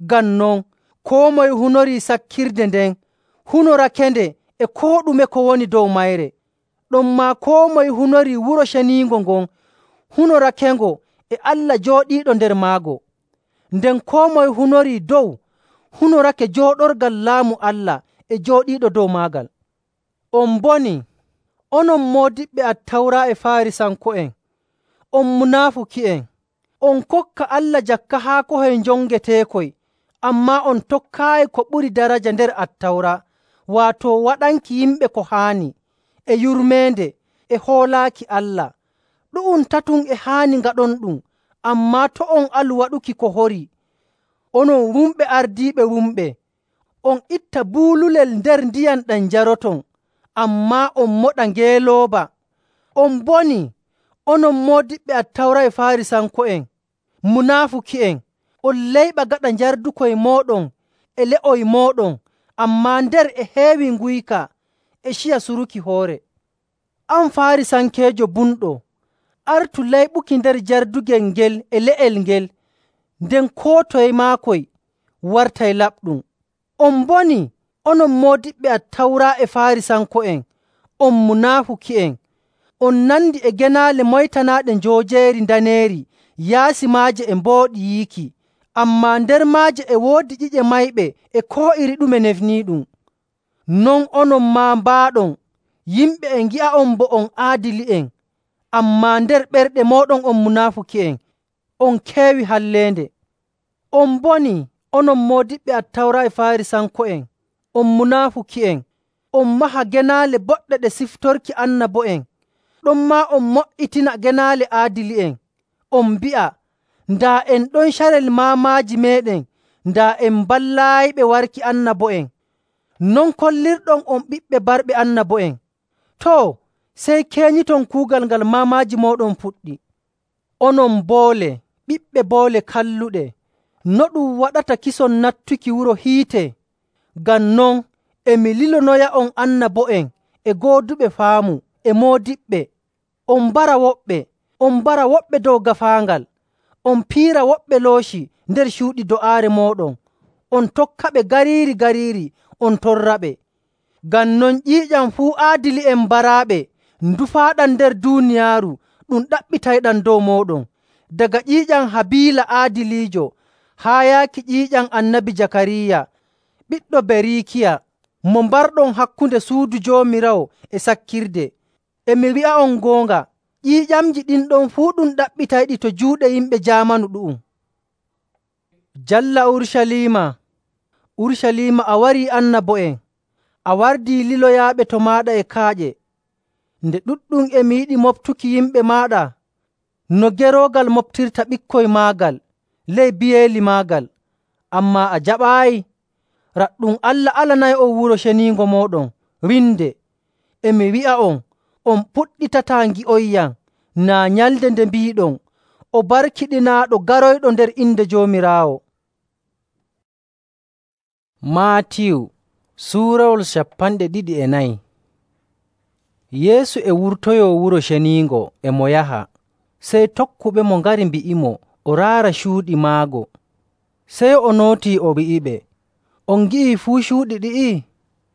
S2: Ngam non, koo moye hunorii sakkirde nden hunorakende e koo ɗume ko woni dow mayre. Ɗonmaa koo moye hunorii Wuro Ceniingo ngon hunorakengo e Allah jooɗiiɗo nder maago. Nden koo moye hunorii dow hunorake jooɗorgal laamu Allah e jooɗiiɗo dow maagal. On mbonii, onon moodiɓɓe Attawra e Faarisanko'en, on munaafuki'en! On kokka Allah jakka haa kohoy njongeteekoy, ammaa on tokkaayi ko ɓuri daraja nder Attawra, waato waɗanki yimɓe ko haani, e yurmeende, e hoolaaki Allah. Ɗu'um tatum e haani ngaɗonɗum, ammaa to' on alu waɗuki ko horii. Onon wumɓe ardiiɓe wumɓe, on itta buululel nder ndiyam ɗam njaroton, ammaa on moɗa ngeelooba. On mbonii, onon moodiɓɓe Attawra e Faarisanko'en, munaafuki'en! On layɓa gaɗa njardukoy mooɗon e le'oy mooɗon, ammaa nder e heewi nguyka e ciya suruki hoore. An Faarisankeejo bumɗo, artu layɓuki nder jardugel ngel e le'el ngel, nden koo toye maakoy wartay laɓɗum. On mbonii, onon moodiɓɓe Attawra e Faarisanko'en, on munaafuki'en! On nandi e genaale moytanaaɗe njoojeeri ndaneeri yaasi maaje e mbooɗi yiiki, ammaa nder maaje e woodi ƴiƴe mayɓe e koo iri ɗume nefniiɗum. Non onon maa mbaaɗon, yimɓe e ngi'a'on bo on aadili'en, ammaa nder ɓerɗe mooɗon on munaafuki'en, on keewi halleende. On mbonii, onon moodiɓɓe Attawra e Faarisanko'en, on munaafuki'en! On maha genaale boɗɗe ɗe siftorki annabo'en, ɗonmaa on mo''itina genaale aadili'en. On mbi'a, daa en ɗon carel maamaaji meeɗen, daa en mballaayiɓe warki annabo'en. Non kollirɗon on ɓiɓɓe barɓe annabo'en. Too, sey keenyiton kuugal ngal maamaaji mooɗon puɗɗi. Onon boole, ɓiɓɓe boole kalluɗe, no ɗum waɗata kison nattuki wuro hiite? Ngam non e mi lilonoya'on annabo'en e gooduɓe faamu e moodiɓɓe. On mbara woɓɓe, on mbara woɓɓe dow gaafaangal, on piira woɓɓe looci nder cuuɗi do'aare mooɗon, on tokkaɓe gariiri gariiri, on torraɓe. Ngam non ƴiiƴam fuu aadili'en mbaraaɓe ndufaaɗam nder duuniyaaru ɗum ɗaɓɓitayɗam dow mooɗon, daga ƴiiƴam Habiila aadiliijo haa yaaki ƴiiƴam Annabi Jakariya, ɓiɗɗo Beriikiya, mo mbarɗon hakkunde suudu Joomiraawo e sakkirde. E mi wi'a'on goonga, ƴiiƴamji ɗin ɗon fuu ɗum ɗaɓɓitayɗi to juuɗe yimɓe jaamanu ɗu'um. Jalla Urucaliima, Urucaliima, a warii annabo'en, a wardii liloyaaɓe to maaɗa e kaaƴe. Nde ɗuɗɗum e mi yiɗi moftuki yimɓe maaɗa no geroogal moftirta ɓikkoy maagal ley biyeeli maagal, ammaa a jaɓaayi. Raɗɗum Allah alanay'on Wuro Ceniingo mooɗon winde. E mi wi'a'on, on puɗɗitataa ngi'oyyam naa nyalnde nde mbiiɗon, o barkiɗinaaɗo garoyɗo nder inde Joomiraawo.
S1: Maatiyu suurawol cappanɗe ɗiɗi e nayi. Yeesu e wurtoyoo Wuro Ceniingo e mo yaha, sey tokkuɓemo ngari mbi'imo o raara cuuɗi maago. Sey o nootii o wi'iɓe, on ngi'ii fuu cuuɗi ɗi'i?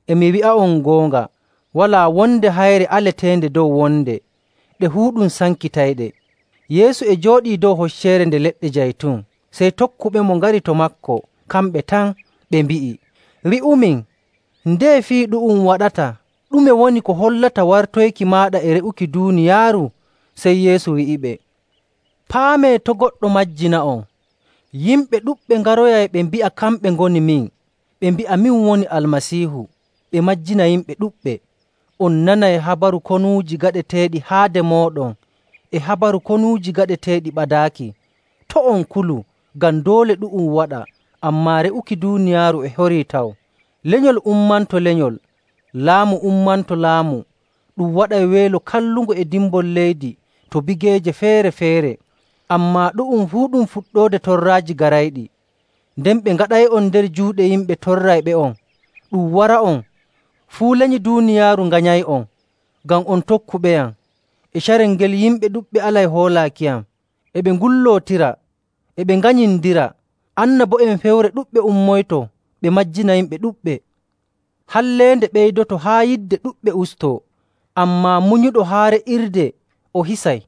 S1: E mi wi'a'on goonga, walaa wonde hayre aleteende dow wonde, ɗe fuu ɗum sankitayɗe. Yeesu e jooɗii dow hocceere nde leɗɗe jaytun, sey tokkuɓemo ngari to maako kamɓe tan, ɓe mbi'i, “Wi'umin, ndeye fii ɗu'um waɗata? Ɗume woni ko hollata wartoyki maaɗa e re'uki duuniyaaru?” Sey Yeesu wi'iɓe, “Paamee to' goɗɗo majjina'on. Yimɓe ɗuɗɓe ngaroyay ɓe mbi'a kamɓe ngoni min,
S2: ɓe mbi'a min woni Almasiihu, ɓe majjina yimɓe ɗuɗɓe. On nanay habaru konuuji gaɗeteeɗi haade mooɗon e habaru konuuji gaɗeteeɗi ɓadaaki. To' on kulu, ngam doole ɗu'um waɗa, ammaa re'uki duuniyaaru e horii taw. Lenyol ummanto lenyol, laamu ummanto laamu. Ɗum waɗay weelo kallungo e dimbol leydi to bigeeje feere‑feere. Ammaa ɗu'um fuu ɗum fuɗɗoode torraaji garayɗi. Nden ɓe ngaɗay'on nder juuɗe yimɓe torrayɓe'on. Ɗum wara'on, fuu lenyi duuniyaaru nganyay'on, ngam on tokkuɓeyam. E carel ngel yimɓe ɗuɗɓe alay hoolaakiyam. E ɓe ngullootira, e ɓe nganyindira. Annabo'en fewre ɗuɗɓe ummoyto, ɓe majjina yimɓe ɗuɗɓe. Halleende ɓeydoto haa yidde ɗuɗɓe ustoo, ammaa munyuɗo haa re'irde o hisay.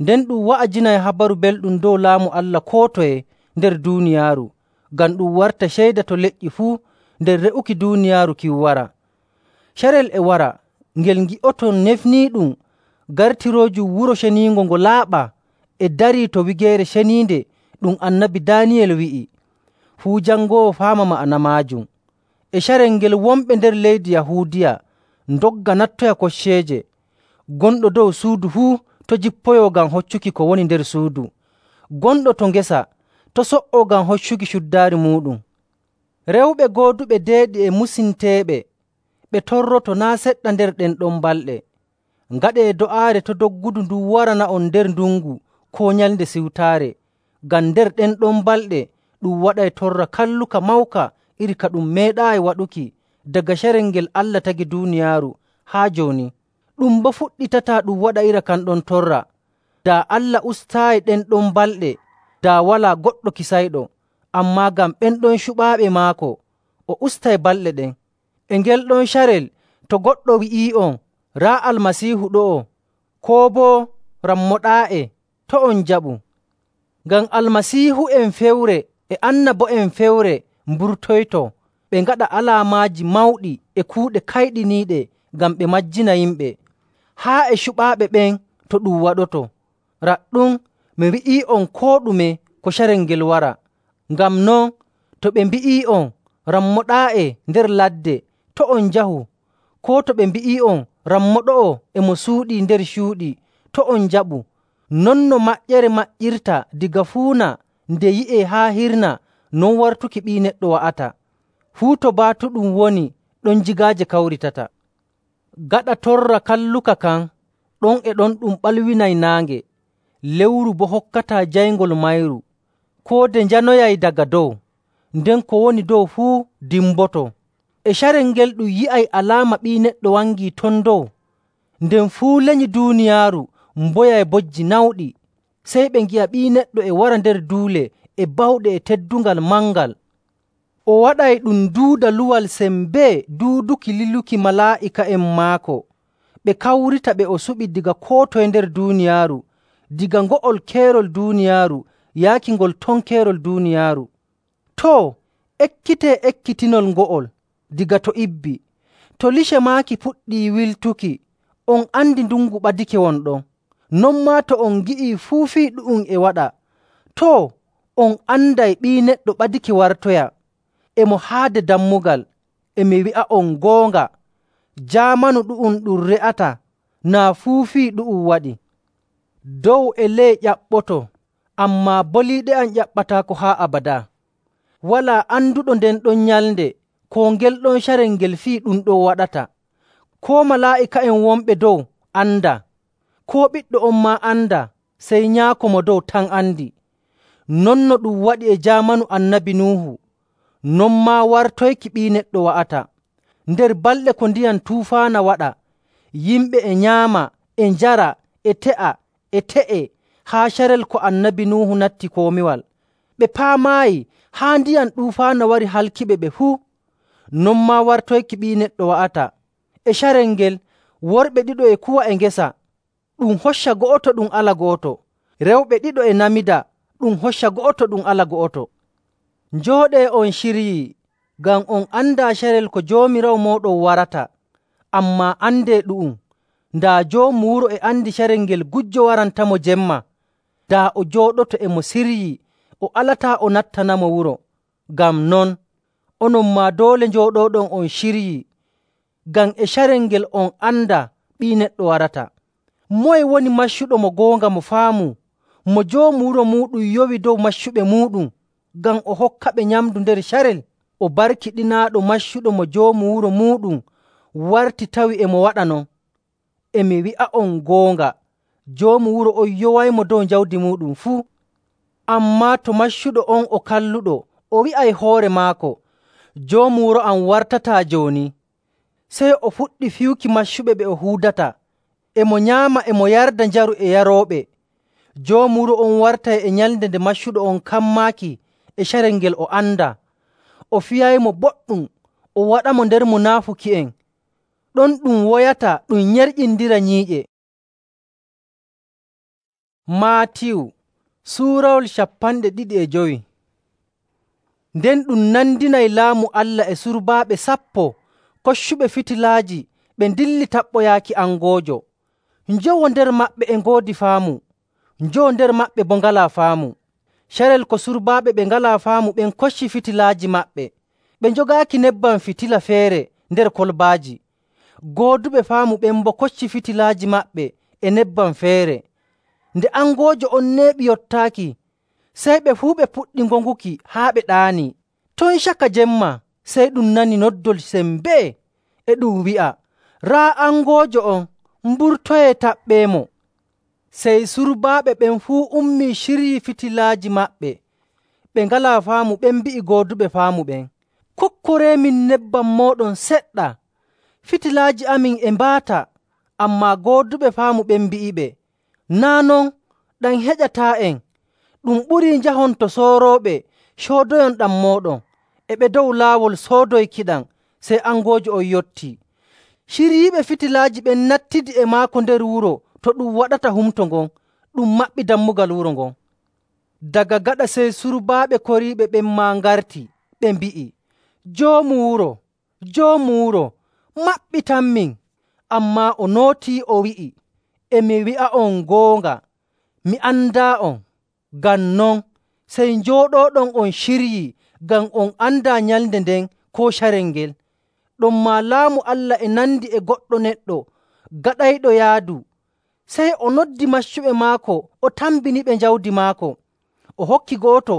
S2: Nden ɗum wa'ajinay habaru belɗum dow Laamu Allah koo toye nder duuniyaaru, ngam ɗum warta ceyda to leƴƴi fuu nder re'uki duuniyaaru kin wara. Carel e wara, ngel ngi'oton nefniiɗum gartiroojum Wuro Ceniingo ngo laaɓa e darii to wigeere ceniinde ɗum Annabi Daaniyel wi'i. Fuu jangoowo faama ma'ana maajum. E carel ngel wonɓe nder leydi Yahuudiya ndogga nattoya kocceeje. Gonɗo dow suudu fuu to' jippoyoo ngam hoccuki ko woni nder suudu. Gonɗo to ngesa to' so''oo ngam hoccuki cuddaari muuɗum. Rewɓe gooduɓe deeɗi e musinteeɓe ɓe torroto naa' seɗɗa nder ɗen ɗon balɗe. Ngaɗee do'aare to' doggudu ndun warana'on nder ndungu koo nyalnde siwtaare, ngam nder ɗen ɗon balɗe ɗum waɗay torra kalluka mawka iri ka ɗum meeɗaayi waɗuki daga carel ngel Allah tagi duuniyaaru haa jooni. Ɗum boo fuɗɗitataa ɗum waɗa ira kan ɗon torra. Daa Allah ustaayi ɗen ɗon balɗe, daa walaa goɗɗo kisayɗo. Ammaa ngam ɓen ɗon cuɓaaɓe maako, o ustay balɗe ɗen. E ngel ɗon carel to goɗɗo wi'ii'on, raa Almasiihu ɗo'o, koo boo rammoɗaa'e, to' on njaɓu. Ngam almasiihu'en fewre e annabo'en fewre mburtoyto, ɓe ngaɗa alaamaaji mawɗi e kuuɗe kayɗiniiɗe ngam ɓe majjina yimɓe, haa e cuɓaaɓe ɓen to ɗum waɗoto. Raɗɗum, mi wi'ii'on koo ɗume ko carel ngel wara. Ngam non, to ɓe mbi'ii'on rammoɗaa'e nder ladde, to' on njahu. Koo to ɓe mbi'ii'on rammoɗo'o e mo suuɗii nder cuuɗi, to' on njaɓu. Non no maƴƴere maƴƴirta diga fuuna nde yi'ee haa hirna, non wartuki Ɓii Neɗɗo wa'ata. Fuu to baatuɗum woni, ɗon jigaaje kawritata. Gaɗa torra kalluka kan, ɗon e ɗon ɗum ɓalwinay naange, lewru boo hokkataa jayngol mayru. Koode njanoyay daga dow, nden ko woni dow fuu dimboto. E carel ngel ɗum yi'ay alaama Ɓii Neɗɗo wangii ton dow, nden fuu lenyi duuniyaaru mboyay bojji nawɗi. Sey ɓe ngi'a Ɓii Neɗɗo e wara nder duule e bawɗe e teddungal mangal. O waɗay ɗum duuda luwal sembee duuduki liluki malaa'ika'en maako. Ɓe kawrita ɓe o suɓi diga koo toye nder duuniyaaru, diga ngo'ol keerol duuniyaaru yaaki ngol ton keerol duuniyaaru. Too, ekkitee ekkitinol ngo'ol diga to ibbi. To lice maaki puɗɗii wiltuki, on andi ndungu ɓadike wonɗon. Non maa to on ngi'ii fuu fii ɗu'um e waɗa, too, on anday Ɓii Neɗɗo ɓadike wartoya. E mo haade dammugal, e mi wi'a'on goonga, jaamanu ɗu'um ɗum re'ata naa fuu fii ɗu'um waɗi. Dow e ley ƴaɓɓoto, ammaa boliiɗe am ƴaɓɓataako haa abadaa. Walaa anduɗo nden ɗon nyalnde koo ngel ɗon carel ngel fii ɗum ɗon waɗata. Koo malaa'ika'en wonɓe dow andaa, koo Ɓiɗɗo on maa andaa, sey Nyaako mo dow tan andi. Non no ɗum waɗi e jaamanu Annabi Nuuhu, non maa wartoyki Ɓii Neɗɗo wa'ata. Nder balɗe ko ndiyam tuufaana waɗa, yimɓe e nyaama, e njara, e te'a, e te'e, haa carel ko Annabi Nuuhu natti komiwal. Ɓe paamaayi haa ndiyam ɗuufaana wari halkiɓe ɓe fuu. Non maa wartoyki Ɓii Neɗɗo wa'ata. E carel ngel, worɓe ɗiɗo e kuwa e ngesa, ɗum hocca go'oto ɗum ala go'oto. Rewɓe ɗiɗo e namida, ɗum hocca go'oto ɗum ala go'oto. Njooɗee on ciryii, ngam on andaa carel ko Joomiraawo mooɗon warata. Ammaa andee ɗu'um, ndaa joomu wuro e andi carel ngel gujjo warantamo jemma. Daa o jooɗoto e mo siryii, o alataa o nattanamo wuro. Ngam non, onon maa doole njooɗooɗon on ciryii, ngam e carel ngel on anda Ɓii Neɗɗo warata. Moye woni maccuɗo mo goonga mo faamu, mo joomu wuro muuɗum yowi dow maccuɓe muuɗum ngam o hokkaɓe nyamndu nder carel? O barkiɗinaaɗo maccuɗo mo joomu wuro muuɗum warti tawi e mo waɗa non. E mi wi'a'on goonga, joomu wuro on yowaymo dow jawdi muuɗum fuu. Ammaa to maccuɗo on o kalluɗo o wi'ay hoore maako, ‘Joomu wuro am wartataa jooni,’ sey o fuɗɗi fiyuki maccuɓe ɓe o huudata, e mo nyaama e mo yarda njaru e yarooɓe. Joomu wuro on wartay e nyalnde nde maccuɗo on kammaaki e carel ngel o andaa. O fiyaymo boɗɗum, o waɗamo nder munaafuki'en. Ɗon ɗum woyata ɗum nyerƴindira nyiiƴe.” Maatiyu suurawol cappanɗe ɗiɗi e jowi. Nden ɗum nandinay Laamu Allah e surbaaɓe sappo koccuɓe fitilaaji ɓe ndilli taɓɓoyaaki angoojo. Njowo nder maɓɓe e ngoodi faamu, njowo nder maɓɓe boo ngalaa faamu. Carel ko surbaaɓe ɓe ngalaa faamu ɓen kocci fitilaaji maɓɓe, ɓe njogaaki nebbam fitila feere nder kolbaaji. Gooduɓe faamu ɓen boo kocci fitilaaji maɓɓe e nebbam feere. Nde angoojo on neeɓi yottaaki, sey ɓe fuu ɓe puɗɗi ngonguki haa ɓe ɗaanii. Ton caka jemma sey ɗum nani noddol sembee e ɗum wi'a, “Raa angoojo on, mburtoyee taɓɓeemo.” Sey surbaaɓe ɓen fuu ummii ciryii fitilaaji maɓɓe. Ɓe ngalaa faamu ɓen mbi'i gooduɓe faamu ɓen, “Kokkoreemin nebbam mooɗon seɗɗa, fitilaaji amin e mbaata.” Ammaa gooduɓe faamu ɓen mbi'iɓe, “Naa' non, ɗam heƴataa'en. Ɗum ɓurii njahon to soorooɓe coodoyon ɗam mooɗon.” E ɓe dow laawol soodoykiɗam, sey angoojo on yottii. Ciryiiɓe fitilaaji ɓen nattidi e maako nder wuro to ɗum waɗata humto ngon, ɗum maɓɓi dammugal wuro ngon. Daga gaɗa sey surbaaɓe koriiɓe ɓen maa ngarti, ɓe mbi'i, “Joomu wuro, joomu wuro, maɓɓitanmin.” Ammaa o nootii o wi'i, “E mi wi'a'on goonga, mi andaa'on. Ngam non, sey njooɗooɗon on ciryii ngam on andaa nyalnde nden koo carel ngel.” Ɗonmaa Laamu Allah e nandi e goɗɗo neɗɗo gaɗayɗo yaadu. Sey o noddi maccuɓe maako o tambiniɓe jawdi maako. O hokki go'oto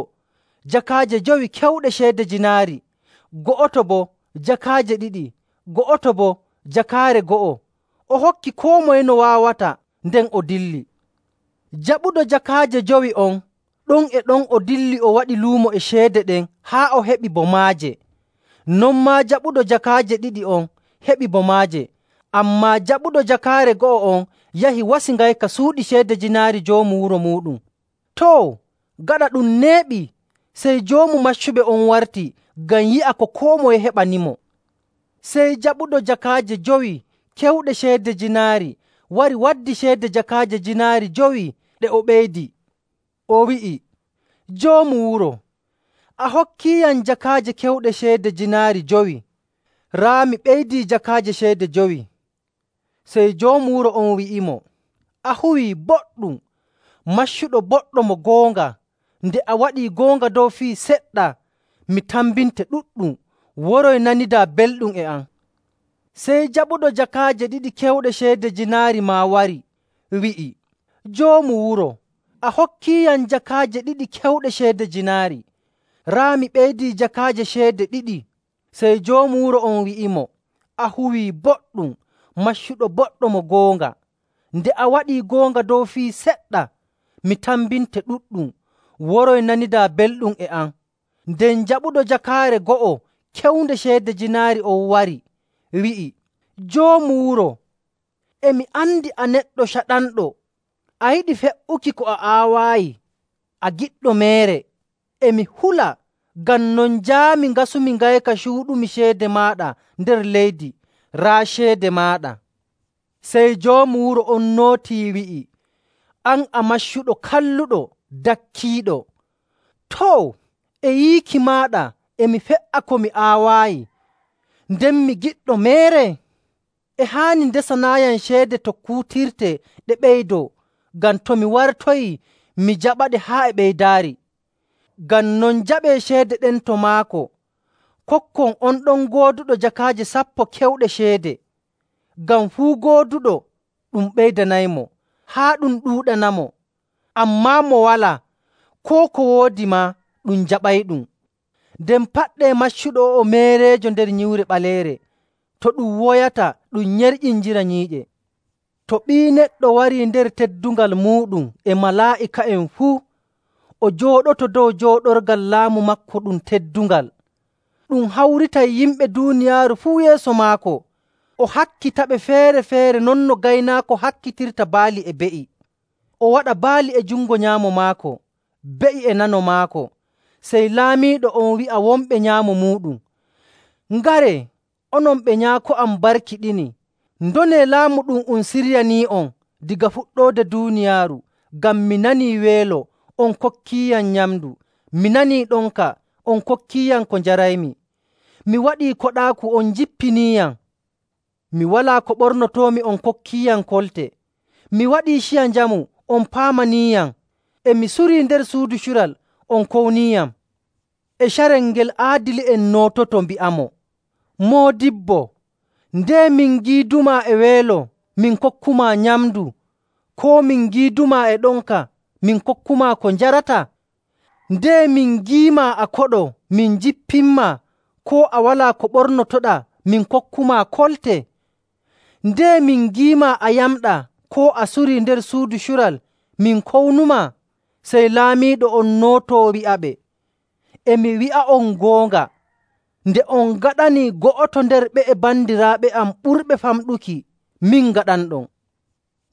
S2: jakaaje jowi kewɗe ceede jiinaari, go'oto boo jakaaje ɗiɗi, go'oto boo jakaare go'o. O hokki koo moye no waawata, nden o dilli. Jaɓuɗo jakaaje jowi on, ɗon e ɗon o dilli o waɗi luumo e ceede ɗen haa o heɓi bo maaje. Non maa jaɓuɗo jakaaje ɗiɗi on heɓi bo maaje. Ammaa jaɓuɗo jakaare go'o on yahi wasi ngayka suuɗi ceede jiinaari joomu wuro muuɗum. Too, gaɗa ɗum neeɓi, sey joomu maccuɓe on warti ngam yi'a ko koo moye heɓanimo. Sey jaɓuɗo jakaaje jowi kewɗe ceede jiinaari wari waddi ceede jakaaje jiinaari jowi ɗe o ɓeydi. O wi'i, ‘Joomu wuro, a hokkiiyam jakaaje kewɗe ceede jiinaari jowi. Raa mi ɓeydii jakaaje ceede jowi.’ Sey joomu wuro on wi'imo, ‘A huwii boɗɗum, maccuɗo boɗɗo mo goonga. Nde a waɗii goonga dow fii seɗɗa, mi tambinte ɗuɗɗum. Woroy nanidaa belɗum e am.’ Sey jaɓuɗo jakaaje ɗiɗi kewɗe ceede jiinaari maa wari, wi'i, ‘Joomu wuro, a hokkiiyam jakaaje ɗiɗi kewɗe ceede jiinaari. Raa mi ɓeydii jakaaje ceede ɗiɗi.’ Sey joomu wuro on wi'imo, ‘A huwii boɗɗum, maccuɗo boɗɗo mo goonga. Nde a waɗii goonga dow fii seɗɗa, mi tambinte ɗuɗɗum. Woroy nanidaa belɗum e am.’ Nden jaɓuɗo jakaare go'o kewnde ceede jiinaari on wari, wi'i, ‘Joomu wuro, e mi andi a neɗɗo caɗanɗo. A yiɗi fe''uki ko a aawaayi, a giɗɗo meere. E mi hula, ngam non njaami ngasumi ngayka cuuɗumi ceede maaɗa nder leydi. Raa ceede maaɗa.’ Sey joomu wuro on nootii wi'i, ‘An a maccuɗo kalluɗo dakkiiɗo. Too, e yiiki maaɗa e mi fe''a ko mi aawaayi, nden mi giɗɗo meere? E haani ndesanaayam ceede to kuutirte ɗe ɓeydoo, ngam to mi wartoyii mi jaɓaɗe haa e ɓeydaari. Ngam non jaɓee ceede ɗen to maako, kokkon on ɗon gooduɗo jakaaje sappo kewɗe ceede. Ngam fuu gooduɗo ɗum ɓeydanaymo, haa ɗum ɗuuɗanamo. Ammaa mo walaa, koo ko woodi maa ɗum jaɓayɗum. Nden paɗɗee maccuɗo o'o meereejo nder nyiwre ɓaleere, to ɗum woyata ɗum nyerƴinjira nyiiƴe. To Ɓii Neɗɗo warii nder teddungal muuɗum e malaa'ika'en fuu, o jooɗoto dow jooɗorgal laamu maako ɗum teddungal. Ɗum hawritay yimɓe duuniyaaru fuu yeeso maako. O hakkitaɓe feere‑feere non no gaynaako hakkitirta baali e be'i. O waɗa baali e jungo nyaamo maako, be'i e nano maako. Sey laamiiɗo on wi'a wonɓe nyaamo muuɗum, ‘Ngaree, onon ɓe Nyaako am barkiɗini, ndonee laamu ɗum um siryanii'on daga fuɗɗoode duuniyaaru. Ngam mi nanii weelo, on kokkiiyam nyamndu. Mi nanii ɗonka, on kokkiiyam ko njaraymi. Mi waɗii koɗaaku, on njippiniiyam. Mi walaa ko ɓornotoomi, on kokkiiyam kolte. Mi waɗii ciya njamu, on paamaniiyam. E mi surii nder suudu cural, on kowniiyam.’ E carel ngel aadili'en noototo mbi'amo, ‘Moodibbo, ndee min ngiidumaa e weelo, min kokkumaa nyamndu, koo min ngiidumaa e ɗonka, min kokkumaa ko njarataa? Ndee min ngiimaa a koɗo, min njippinmaa, koo a walaa ko ɓornotoɗaa, min kokkumaa kolte? Ndee min ngiimaa a yamɗaa, koo a surii nder suudu cural, min kownumaa?’ Sey laamiiɗo on nootoo wi'aɓe, ‘E mi wi'a'on goonga, nde on ngaɗanii go'oto nder ɓe'e bandiraaɓe am ɓurɓe famɗuki, min ngaɗanɗon.’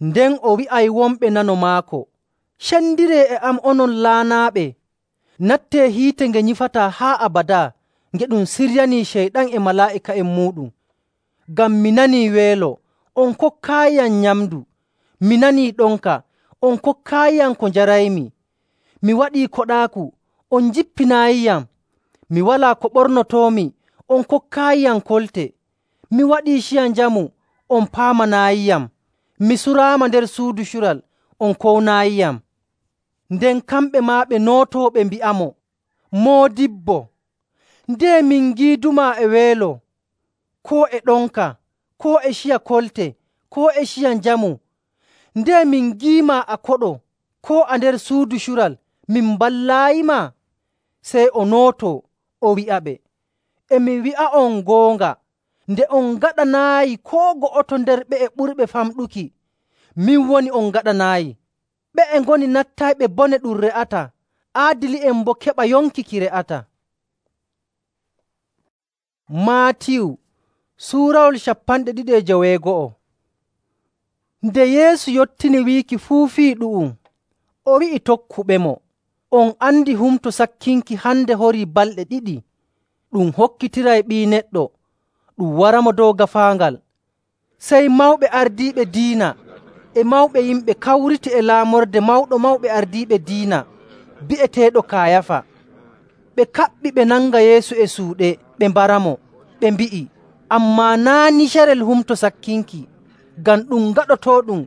S2: Nden o wi'ay wonɓe nano maako, ‘Cendiree e am onon laanaaɓe, nattee hiite nge nyifataa haa abadaa, nge ɗum siryanii Ceyɗan e malaa'ika'en muuɗum. Ngam mi nanii weelo, on kokkaayiyam nyamndu. Mi nanii ɗonka, on kokkaayiyam ko njaraymi. Mi waɗii koɗaaku, on njippinaayiyam. Mi walaa ko ɓornotoomi, on kokkaayiyam kolte. Mi waɗii ciya njamu, on paamanaayiyam. Mi suraama nder suudu cural, on kownaayiyam.’ Nden kamɓe maa ɓe nootoo ɓe mbi'amo, ‘Moodibbo, ndee min ngiidumaa e weelo, koo e ɗonka, koo e ciya kolte, koo e ciya njamu? Ndee min ngiimaa a koɗo, koo a nder suudu cural, min mballaayimaa?’ Sey o nootoo, o wi'aɓe, ‘E mi wi'a'on goonga, nde on ngaɗanaayi koo go'oto nder ɓe'e ɓurɓe famɗuki, min woni on ngaɗanaayi. Ɓe'e ngoni nattayɓe bone ɗum re'ataa, aadili'en boo keɓa yonki ki re'ataa.” Maatiyu suurawol cappanɗe ɗiɗi e joweego'o. Nde Yeesu yottini wiiki fuu fii ɗu'um, o wi'i tokkuɓemo, “On andi Humto Sakkinki hande horii balɗe ɗiɗi. Ɗum hokkitiray Ɓii Neɗɗo, ɗum waramo dow gaafaangal.” Sey mawɓe ardiiɓe diina e mawɓe yimɓe kawriti e laamorde Mawɗo Mawɓe Ardiiɓe Diina bi'eteeɗo Kaayafa. Ɓe kaɓɓi ɓe nanga Yeesu e suuɗe ɓe mbaramo. Ɓe mbi'i, “Ammaa naa' ni carel Humto Sakkinki, ngam ɗum ngaɗotooɗum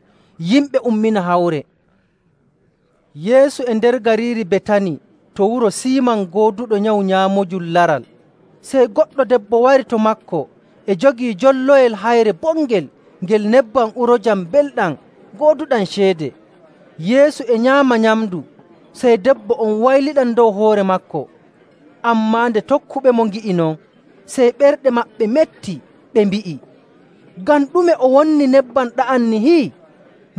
S2: yimɓe ummina hawre.” Yeesu e nder gariiri Betani to wuro Siiman gooduɗo nyawu nyaamojum laral. Sey goɗɗo debbo wari to maako e jogii jolloyel hayre bongel ngel nebbam urojam belɗam gooduɗam ceede. Yeesu e nyaama nyamndu, sey debbo on wayliɗam dow hoore maako. Ammaa nde tokkuɓemo ngi'i non, sey ɓerɗe maɓɓe metti, ɓe mbi'i, “Ngam ɗume o wonni nebbam ɗa'am nihi?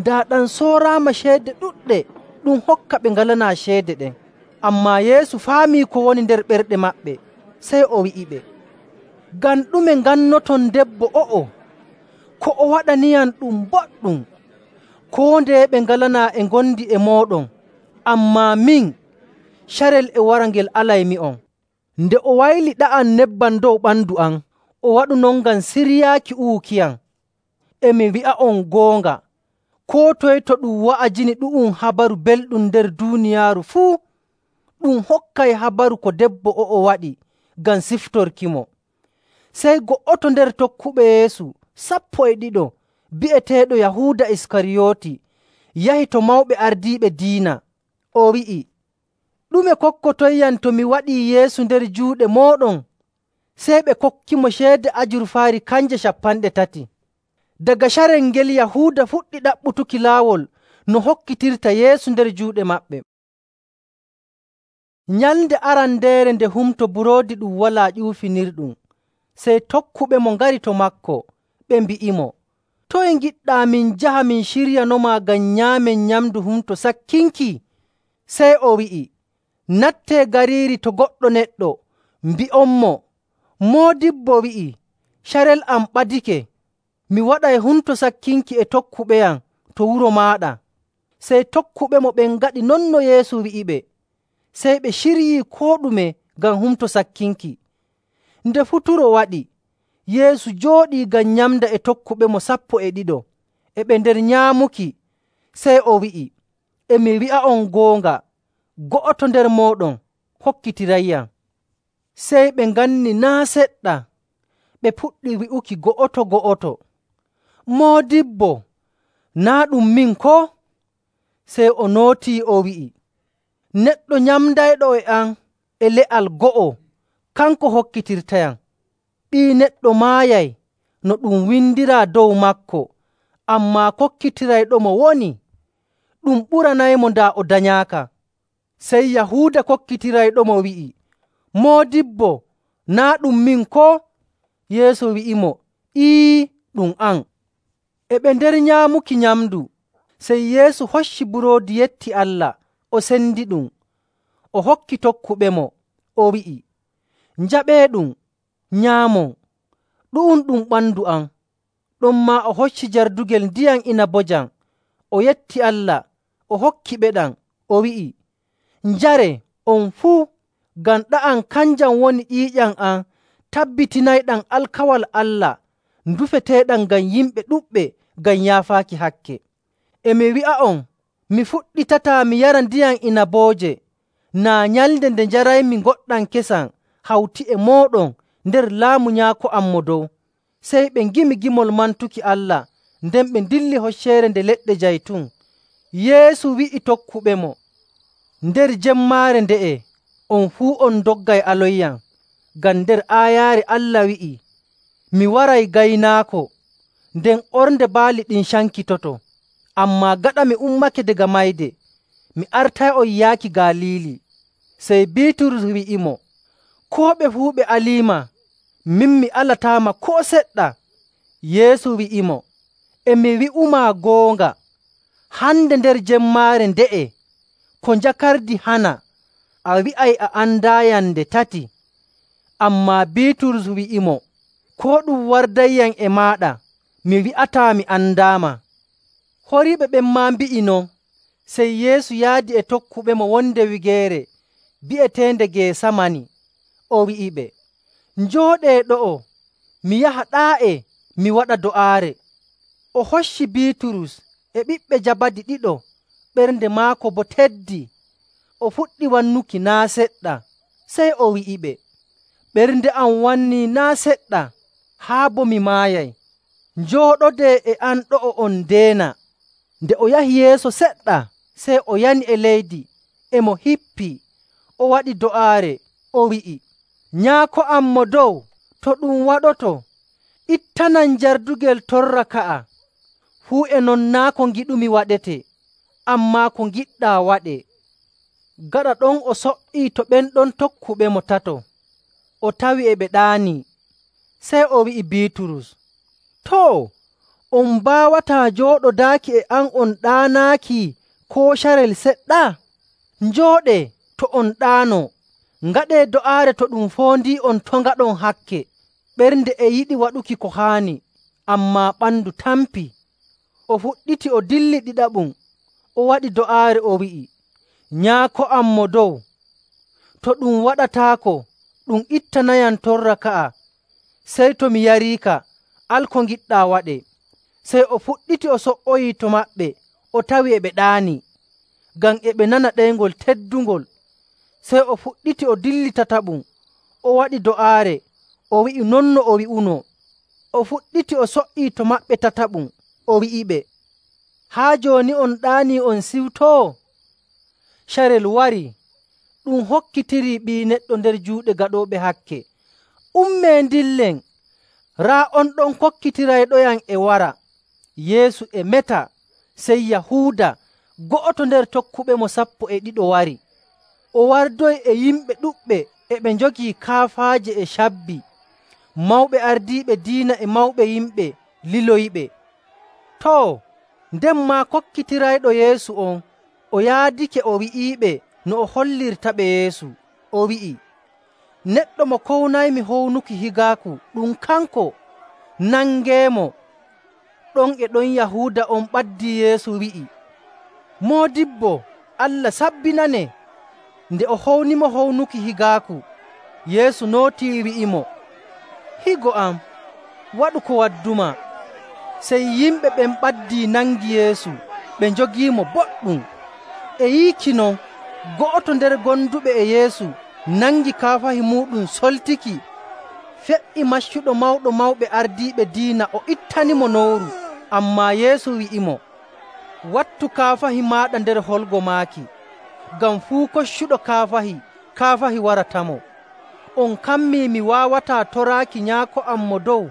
S2: Daa ɗam sooraama ceede ɗuɗɗe ɗum hokka ɓe ngalanaa ceede ɗen.” Ammaa Yeesu faamii ko woni nder ɓerɗe maɓɓe, sey o wi'iɓe, “Ngam ɗume ngannoton debbo o'o? Ko o waɗaniyam ɗum boɗɗum. Koo ndeye ɓe ngalanaa e ngondi e mooɗon, ammaa min, carel e wara ngel alaymi'on. Nde o wayli ɗa'am nebbam dow ɓandu am, o waɗu non ngam siryaaki uwukiyam. E mi wi'a'on goonga, koo toye to ɗum wa'ajini ɗu'um habaru belɗum nder duuniyaaru fuu, ɗum hokkay habaru ko debbo o'o waɗi ngam siftorkimo.” Sey go'oto nder tokkuɓe Yeesu sappo e ɗiɗo, bi'eteeɗo Yahuuda Iskariyooti, yahi to mawɓe ardiiɓe diina. O wi'i, “Ɗume kokkotoyyam to mi waɗii Yeesu nder juuɗe mooɗon?” Sey ɓe kokkimo ceede ajurfaari kanje cappanɗe tati. Daga carel ngel Yahuuda fuɗɗi ɗaɓɓutuki laawol no hokkitirta Yeesu nder juuɗe maɓɓe. Nyalnde arandeere nde Humto Buroodi Ɗum Walaa Ƴuufinirɗum, sey tokkuɓemo ngari to maako, ɓe mbi'imo, “Toye ngiɗɗaa min njaha min ciryanoma ngam nyaamen nyamndu Humto Sakkinki?” Sey o wi'i, “Nattee gariiri to goɗɗo neɗɗo, mbi'onmo, Moodibbo wi'ii, carel am ɓadike. Mi waɗay Humto Sakkinki e tokkuɓeyam to wuro maaɗa.” Sey tokkuɓemo ɓen ngaɗi non no Yeesu wi'iɓe. Sey ɓe ciryii koo ɗume ngam Humto Sakkinki. Nde futuro waɗi, Yeesu jooɗii ngam nyamda e tokkuɓemo sappo e ɗiɗo, e ɓe nder nyaamuki. Sey o wi'i, “E mi wi'a'on goonga, go'oto nder mooɗon hokkitirayyam.” Sey ɓe nganni naa' seɗɗa, ɓe puɗɗi wi'uki go'oto‑go'oto, “Moodibbo, naa' ɗum min koo?” Sey o nootii o wi'i, “Neɗɗo nyamdayɗo e am e le'al go'o, kanko hokkitirtayam. Ɓii Neɗɗo maayay no ɗum windiraa dow maako, ammaa kokkitirayɗomo woni. Ɗum ɓuranaymo daa o danyaaka.” Sey Yahuuda kokkitirayɗomo wi'i, “Moodibbo, naa' ɗum min koo?” Yeesu wi'imo, “Ee, ɗum an.” E ɓe nder nyaamuki nyamndu, sey Yeesu hocci buroodi yetti Allah, o sendiɗum, o hokki tokkuɓemo, o wi'i, “Njaɓeeɗum, nyaamon. Ɗu'um ɗum ɓandu am.” Ɗonmaa o hocci jardugel ndiyam inabojam, o yetti Allah, o hokkiɓeɗam, o wi'i, “Njaree, on fuu, ngam ɗa'am kanjam woni ƴiiƴam am tabbitinayɗam alkawal Allah ndufeteeɗam ngam yimɓe ɗuɗɓe ngam yaafaaki hakke. E mi wi'a'on, mi fuɗɗitataa mi yara ndiyam inabooje naa nyalnde nde njaraymi ngoɗɗam kesam hawti e mooɗon nder laamu Nyaako am Mo Dow.” Sey ɓe ngimi gimol mantuki Allah, nden ɓe ndilli Hocceere Nde Leɗɗe Jaytun. Yeesu wi'i tokkuɓemo, “Nder jemmaare nde'e on fuu on ndoggay aloyyam, ngam nder aayaare Allah wi'ii, ‘Mi waray gaynaako, nden ornde baali ɗin cankitoto.’ Ammaa gaɗa mi ummake daga mayde, mi artay'on yaaki Galiili.” Sey Biiturus wi'imo, “Koo ɓe fuu ɓe aliima, min mi alataama koo seɗɗa.” Yeesu wi'imo, “E mi wi'umaa goonga, hande nder jemmaare nde'e, ko njakardi hana, a wi'ay a andaayam nde tati.” Ammaa Biiturus wi'imo, “Koo ɗum wardayyam e maaɗa, mi wi'ataa mi andaama.” Horiiɓe ɓen maa mbi'i non. Sey Yeesu yaadi e tokkuɓemo wonde wigeere bi'eteende Geesamani. O wi'iɓe, “Njooɗee ɗo'o, mi yaha ɗaa'e mi waɗa do'aare.” O hocci Biiturus e ɓiɓɓe Jabadi ɗiɗo, ɓernde maako boo teddii. O fuɗɗi wannuki naa' seɗɗa. Sey o wi'iɓe, “Ɓernde am wannii naa' seɗɗa, haa boo mi maayay. Njooɗodee e am ɗo'o on ndeena.” Nde o yahi yeeso seɗɗa, sey o yani e leydi, e mo hippii, o waɗi do'aare, o wi'i, “Nyaako am Mo Dow, to ɗum waɗoto, ittanam jardugel torra ka'a. Fuu e non naa' ko ngiɗumi waɗetee, ammaa ko ngiɗɗaa waɗee.” Gaɗa ɗon o so''ii to ɓen ɗon tokkuɓemo tato, o tawi e ɓe ɗaanii. Sey o wi'i Biiturus, “Too, on mbaawataa jooɗodaaki e am on ɗaanaaki koo carel seɗɗa? Njooɗee to on ɗaanoo, ngaɗee do'aare to ɗum foondii'on to' ngaɗon hakke.” Ɓernde e yiɗi waɗuki ko haani, ammaa ɓandu tampii. O fuɗɗiti o dilli ɗiɗaɓum, o waɗi do'aare, o wi'i, “Nyaako am Mo Dow, to ɗum waɗataako, ɗum ittanayam torra ka'a. Sey to mi yariika, al ko ngiɗɗaa waɗee.” Sey o fuɗɗiti o so''oyii to maɓɓe, o tawi e ɓe ɗaanii, ngam e ɓe nana ɗeyngol teddungol. Sey o fuɗɗiti o dilli tataɓum, o waɗi do'aare, o wi'i non no o wi'unoo. O fuɗɗiti o so''ii to maɓɓe tataɓum, o wi'iɓe, “Haa jooni on ɗaanii on siwtoo? Carel warii, ɗum hokkitirii Ɓii Neɗɗo nder juuɗe gaɗooɓe hakke. “Ummee ndillen, raa on ɗon kokkitirayɗoyam e wara.” Yeesu e meta, sey Yahuuda, go'oto nder tokkuɓemo sappo e ɗiɗo wari. O wardoyi e yimɓe ɗuɗɓe e ɓe njogii kaafaaje e cabbi. Mawɓe ardiiɓe diina e mawɓe yimɓe liloyiɓe. Too, nden maa kokkitirayɗo Yeesu on o yaadake o wi'iiɓe no o hollirtaɓe Yeesu. O wi'i, “Neɗɗo mo kownaymi hownuki higaaku, ɗum kanko. Nangeemo.” Ɗon e ɗon Yahuuda on ɓaddii Yeesu wi'i, “Moodibbo, Allah sabbinanee.” Nde o hownimo hownuki higaaku, Yeesu nootii wi'imo, “Higo am, waɗu ko waddumaa.” Sey yimɓe ɓen ɓaddii nangi Yeesu, ɓe njogiimo boɗɗum. E yiiki non, go'oto nder gonduɓe e Yeesu nangi kaafahi muuɗum soltiki, fe''i maccuɗo Mawɗo Mawɓe Ardiiɓe Diina o ittanimo nowru. Ammaa Yeesu wi'imo, “Wattu kaafahi maaɗa nder holgo maaki, ngam fuu koccuɗo kaafahi, kaafahi waratamo. On kammii mi waawataa toraaki Nyaako am mo dow,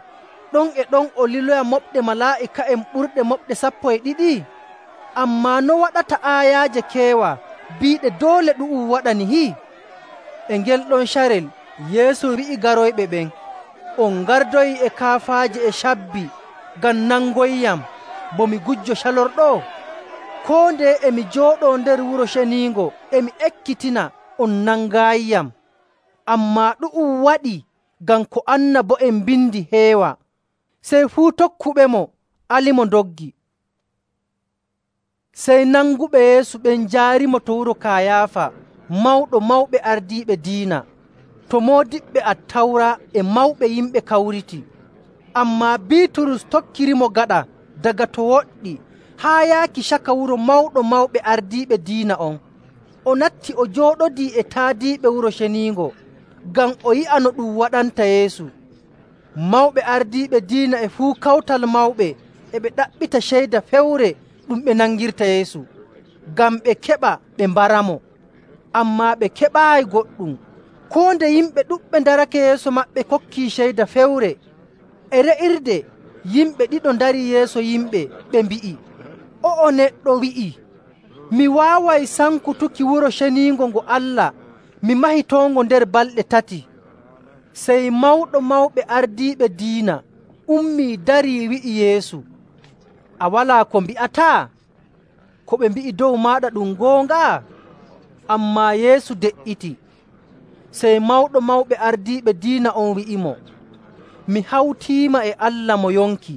S2: ɗon e ɗon o liloya moɓɗe malaa'ika'en ɓurɗe moɓɗe sappo e ɗiɗi? Ammaa no waɗata aayaaje keewa biiɗe doole ɗu'um waɗa nihi?” E ngel ɗon carel Yeesu wi'i garoyɓe ɓen, “On ngardoyii e kaafaaje e cabbi ngam nangoyyam bo mi gujjo calorɗo? Koo ndeye e mi jooɗoo nder Wuro Ceniingo e mi ekkitina, on nangaayiyam. Ammaa ɗu'um waɗii ngam ko annabo'en mbindi heewa.” Sey fuu tokkuɓemo alimo ndoggi. Sey nanguɓe Yeesu ɓen njaarimo to wuro Kayaafa, mawɗo mawɓe ardiiɓe diina, to moodiɓɓe Attawra e mawɓe yimɓe kawriti. Ammaa Biiturus tokkirimo gaɗa daga to woɗɗi haa yaaki caka wuro mawɗo mawɓe ardiiɓe diina on. O natti o jooɗodii e taadiiɓe Wuro Ceniingo ngam o yi'a no ɗum waɗanta Yeesu. Mawɓe ardiiɓe diina e fuu kawtal mawɓe e ɓe ɗaɓɓita ceyda fewre ɗum ɓe nangirta Yeesu, ngam ɓe keɓa ɓe mbaramo. Ammaa ɓe keɓaayi goɗɗum. Koo nde yimɓe ɗuɗɓe ndarake yeeso maɓɓe kokkii ceyda fewre. E re'irde yimɓe ɗiɗo ndarii yeeso yimɓe, ɓe mbi'i, “O'o neɗɗo wi'ii, ‘Mi waaway sankutuki Wuro Ceniingo ngo Allah mi mahitongo nder balɗe tati.’” Sey mawɗo mawɓe ardiiɓe diina ummii darii wi'i Yeesu, “A walaa ko mbi'ataa? Ko ɓe mbi'i dow maaɗa ɗum goonga?” Ammaa Yeesu de''iti. Sey mawɗo mawɓe ardiiɓe diina on wi'imo, “Mi hawtiima e Allah mo yonki.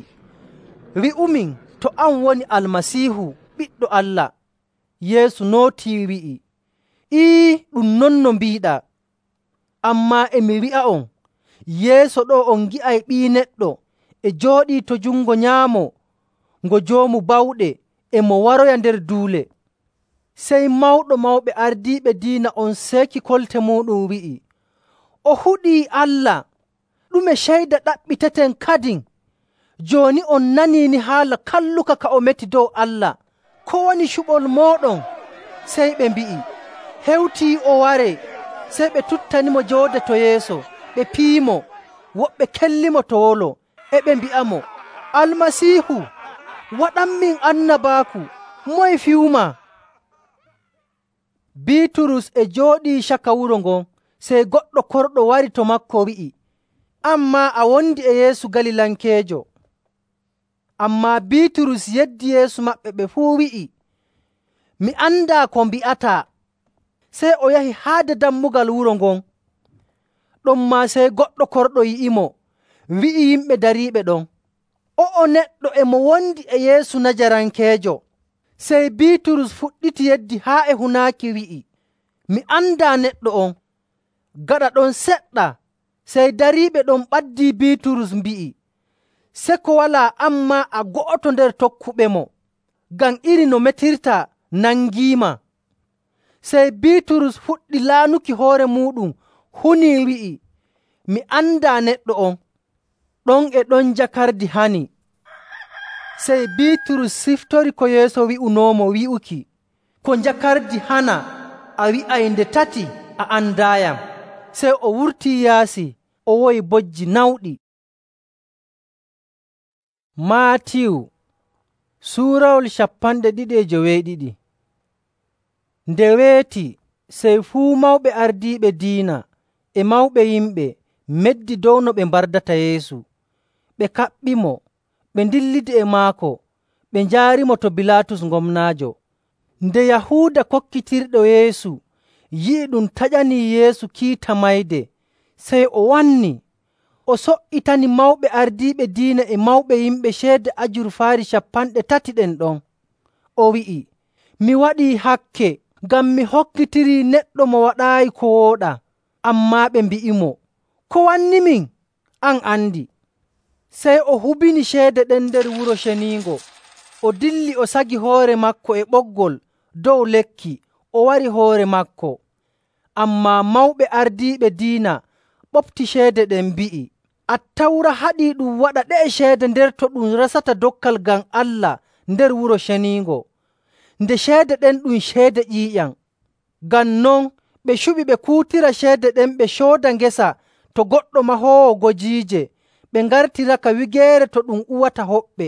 S2: Wi'umin to an woni Almasiihu, Ɓiɗɗo Allah.” Yeesu nootii wi'i, “Ii, ɗum non no mbiiɗaa. Ammaa e mi wi'a'on, yeeso ɗo on ngi'ay Ɓii Neɗɗo e jooɗii to jungo nyaamo ngo Joomu Bawɗe e mo waroya nder duule.” Sey mawɗo mawɓe ardiiɓe diina on seeki kolte muuɗum wi'i, “O huɗii Allah! Ɗume ceyda ɗaɓɓiteten kadin? Jooni on nanii ni haala kalluka ka o meti dow Allah. Ko woni cuɓol mooɗon?” Sey ɓe mbi'i, “Hewtii o waree.” Sey ɓe tuttanimo jooɗa to yeeso, ɓe piyimo. Woɓɓe kellimo to wolo, e ɓe mbi'amo, “Almasiihu, waɗanmin annabaaku, moye fiyumaa?” Biiturus e jooɗii caka wuro ngon, sey goɗɗo korɗo wari to maako wi'i, “An maa a wondi e Yeesu Galilankeejo.” Ammaa Biiturus yeddi yeeso maɓɓe ɓe fuu wi'i, “Mi andaa ko mbi'ataa.” Sey o yahi haade dammugal wuro ngon. Ɗonmaa sey goɗɗo korɗo yi'imo, wi'i yimɓe dariiɓe ɗon, “O'o neɗɗo e mo wondi e Yeesu Najarankeejo.” Sey Biiturus fuɗɗiti yeddi haa e hunaaki wi'i, “Mi andaa neɗɗo on.” Gaɗa ɗon seɗɗa, sey dariiɓe ɗon ɓaddii Biiturus mbi'i, “Seko walaa an maa a go'oto nder tokkuɓemo, ngam iri no metirtaa nangiima.” Sey Biiturus fuɗɗi laanuki hoore muuɗum hunii wi'i, “Mi andaa neɗɗo on.” Ɗon e ɗon jakardi hani. Sey Biiturus siftori ko Yeesu wi'unoomo wi'uki, “Ko jakardi hana, a wi'ay nde tati a andaayam.” Sey o wurtii yaasi o woyi bojji nawɗi. Maatiyu suurawol cappanɗe ɗiɗi e joweeɗiɗi. Nde weeti, sey fuu mawɓe ardiiɓe diina e mawɓe yimɓe meddi dow no ɓe mbardata Yeesu. Ɓe kaɓɓimo, ɓe ndillidi e maako, ɓe njaarimo to Bilaatus gomnaajo. Nde Yahuuda kokkitirɗo Yeesu yi'i ɗum taƴanii Yeesu kiita mayde, sey o wanni. O so''itani mawɓe ardiiɓe diina e mawɓe yimɓe ceede ajurfaari cappanɗe tati ɗen ɗon. O wi'i, “Mi waɗii hakke ngam mi hokkitirii neɗɗo mo waɗaayi ko wooɗaa.” Ammaa ɓe mbi'imo, “Ko wannimin? An andi.” Sey o hubini ceede ɗen nder Wuro Ceniingo. O dilli o sagi hoore maako e ɓoggol dow lekki, o wari hoore maako. Ammaa mawɓe ardiiɓe diina ɓofti ceede ɗen mbi'i, “Attawra haɗii ɗum waɗa ɗe'e ceede nder to ɗum resata dokkal ngam Allah nder Wuro Ceniingo, nde ceede ɗen ɗum ceede ƴiiƴam.” Ngam non ɓe cuɓi ɓe kuutira ceede ɗen ɓe cooda ngesa to goɗɗo mahoowo gojiije, ɓe ngartiraka wigeere to ɗum uwata hoɓɓe.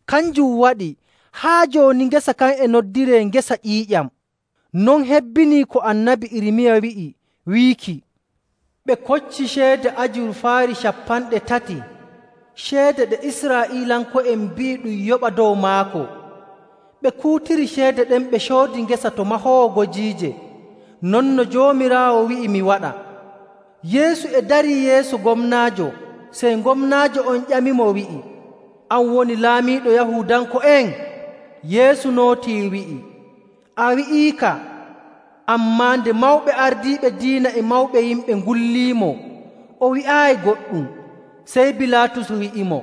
S2: Kanjum waɗi haa jooni ngesa kan e noddiree ngesa ƴiiƴam. Non hebbinii ko Annabi Irmiya wi'i wiiki, “Ɓe kocci ceede ajurfaari cappanɗe tati, ceede ɗe Israa'iilanko'en mbi'i ɗum yoɓa dow maako.” Ɓe kuutiri ceede ɗen ɓe coodi ngesa to mahoowo gojiije, non no Joomiraawo wi'i mi waɗa. Yeesu e darii yeeso gomnaajo, sey gomnaajo on ƴamimo wi'i, “An woni laamiiɗo Yahuudanko'en?” Yeesu nootii wi'i, “A wi'iika.” Ammaa nde mawɓe ardiiɓe diina e mawɓe yimɓe ngulliimo, o wi'aayi goɗɗum. Sey Bilaatus wi'imo,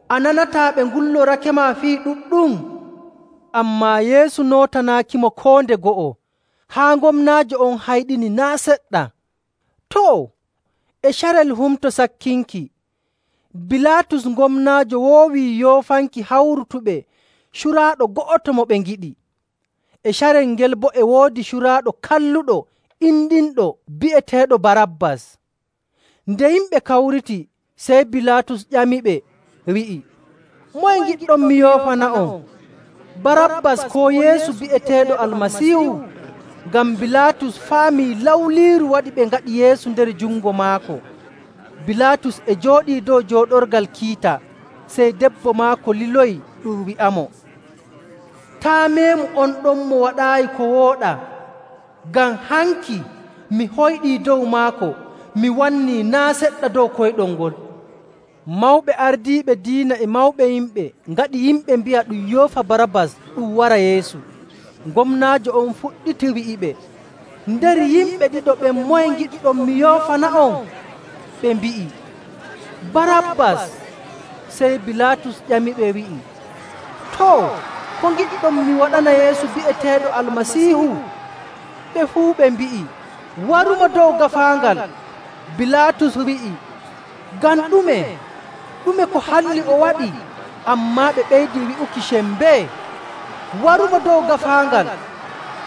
S2: “A nanataa ɓe ngullorakema fii ɗuɗɗum?” Ammaa Yeesu nootanaakimo koo nde go'o, haa gomnaajo on hayɗini naa' seɗɗa. Too, e carel Humto Sakkinki, Bilaatus gomnaajo woowii yoofanki hawrutuɓe curaaɗo go'oto mo ɓe ngiɗi. E carel ngel boo e woodi curaaɗo kalluɗo inɗinɗo bi'eteeɗo Barabbas. Nde yimɓe kawriti, sey Bilaatus ƴamiɓe, wi'i, “Moye ngiɗɗon mi yoofana'on, Barabbas koo Yeesu bi'eteeɗo Almasiihu?” Ngam Bilaatus faamii lawliiru waɗi ɓe ngaɗi Yeesu nder jungo maako. Bilaatus e jooɗii dow jooɗorgal kiita, sey debbo maako liloyi ɗum wi'amo, “Taa' meemu on ɗon mo waɗaayi ko wooɗaa, ngam hanki mi hoyɗii dow maako, mi wannii naa' seɗɗa dow koyɗol ngol.” Mawɓe ardiiɓe diina e mawɓe yimɓe ngaɗi yimɓe mbi'a ɗum yoofa Barabbas ɗum wara Yeesu. Gomnaajo on fuɗɗiti wi'iɓe, “Nder yimɓe ɗiɗo ɓen moye ngiɗɗon mi yoofana'on?” Ɓe mbi'i, “Barabbas.” Sey Bilaatus ƴamiɓe wi'i, “Too, ko ngiɗɗon mi waɗana Yeesu bi'eteeɗo Almasiihu?” Ɓe fuu ɓe mbi'i, “Warumo dow gaafaangal.” Bilaatus wi'i, “Ngam ɗume? Ɗume ko halli o waɗi?” Ammaa ɓe ɓeydi wi'uki sembee, “Warumo dow gaafaangal.”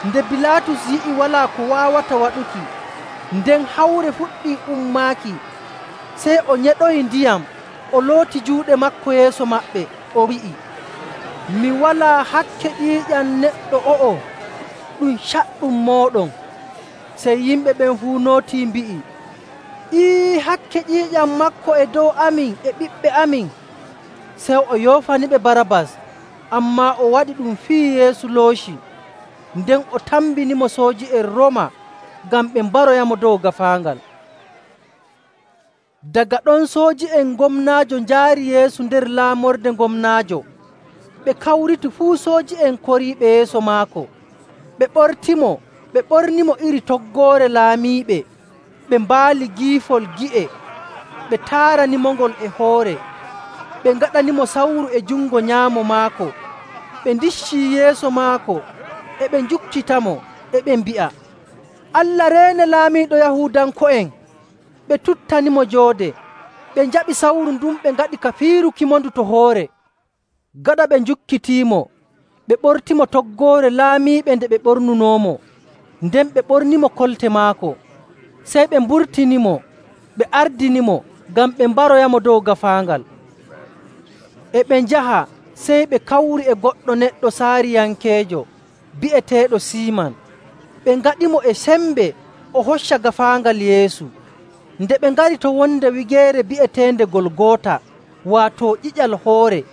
S2: Nde Bilaatus yi'i walaa ko waawata waɗuki, nden hawre fuɗɗii ummaaki, sey o nyeɗoyi ndiyam, o looti juuɗe maako yeeso maɓɓe, o wi'i, “Mi walaa hakke ƴiiƴam neɗɗo o'o, ɗum caɗɗum mooɗon.” Sey yimɓe ɓen fuu nootii mbi'i, “Ii, hakke ƴiiƴam maako e dow amin e ɓiɓɓe amin.” Sey o yoofaniɓe Barabbas, ammaa o waɗi ɗum fii Yeesu looci. Nden o tambinimo sooji'en Rooma ngam ɓe mbaroyamo dow gaafaangal. Daga ɗon sooji'en gomnaajo njaari Yeesu nder laamorde gomnaajo. Ɓe kawriti fuu sooji'en koriiɓe yeeso maako. Ɓe ɓortimo, ɓe ɓornimo iri toggoore laamiiɓe, ɓe mbaali giifol gi'e, ɓe taaranimongol e hoore, ɓe ngaɗanimo sawru e jungo nyaamo maako. Ɓe ndiccii yeeso maako, e ɓe njukkitamo, e ɓe mbi'a, “Allah reene laamiiɗo Yahuudanko'en!” Ɓe tuttanimo joode, ɓe njaɓi sawru ndun ɓe ngaɗi ka fiirukimo-ndu to hoore. Gaɗa ɓe njukkitiimo, ɓe ɓortimo toggoore laamiiɓe nde ɓe ɓornunoomo, nden ɓe ɓornimo kolte maako. Sey ɓe mburtinimo, ɓe ardinimo ngam ɓe mbaroyamo dow gaafaangal. E ɓe njaha, sey ɓe kawri e goɗɗo neɗɗo Saariyankeejo bi'eteeɗo Siiman. Ɓe ngaɗimo e sembe o hocca gaafaangal Yeesu. Nde ɓe ngari to wonde wigeere bi'eteende Golgoota, waato ƴiƴal hoore,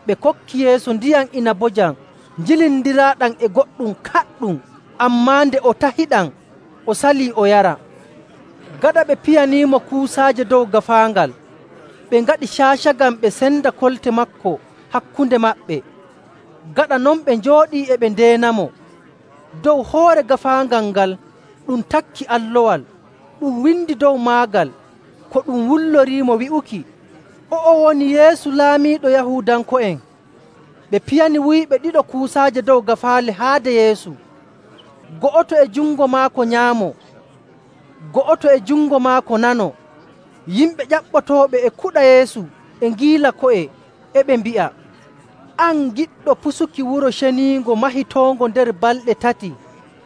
S2: ɓe kokki Yeesu ndiyam inabojam njilindiraaɗam e goɗɗum kaɗɗum, ammaa nde o tahiɗam, o salii o yara. Gaɗa ɓe piyaniimo kuusaaje dow gaafaangal, ɓe ngaɗi caacagam ɓe senda kolte maako hakkunde maɓɓe. Gaɗa non ɓe njooɗii e ɓe ndeenamo. Dow hoore gaafaangal ngal ɗum takki allowal, ɗum windi dow maagal ko ɗum wulloriimo wi'uki, “O'o woni Yeesu Laamiiɗo Yahuudanko'en.” Ɓe piyani wuyɓe ɗiɗo kuusaaje dow gaafaale haade Yeesu, go'oto e jungo maako nyaamo, go'oto e jungo maako nano. Yimɓe ƴaɓɓotooɓe e kuɗa Yeesu e ngiila ko'e, e ɓe mbi'a, “An giɗɗo pusuki wuro ceniingo mahitoongo nder balɗe tati,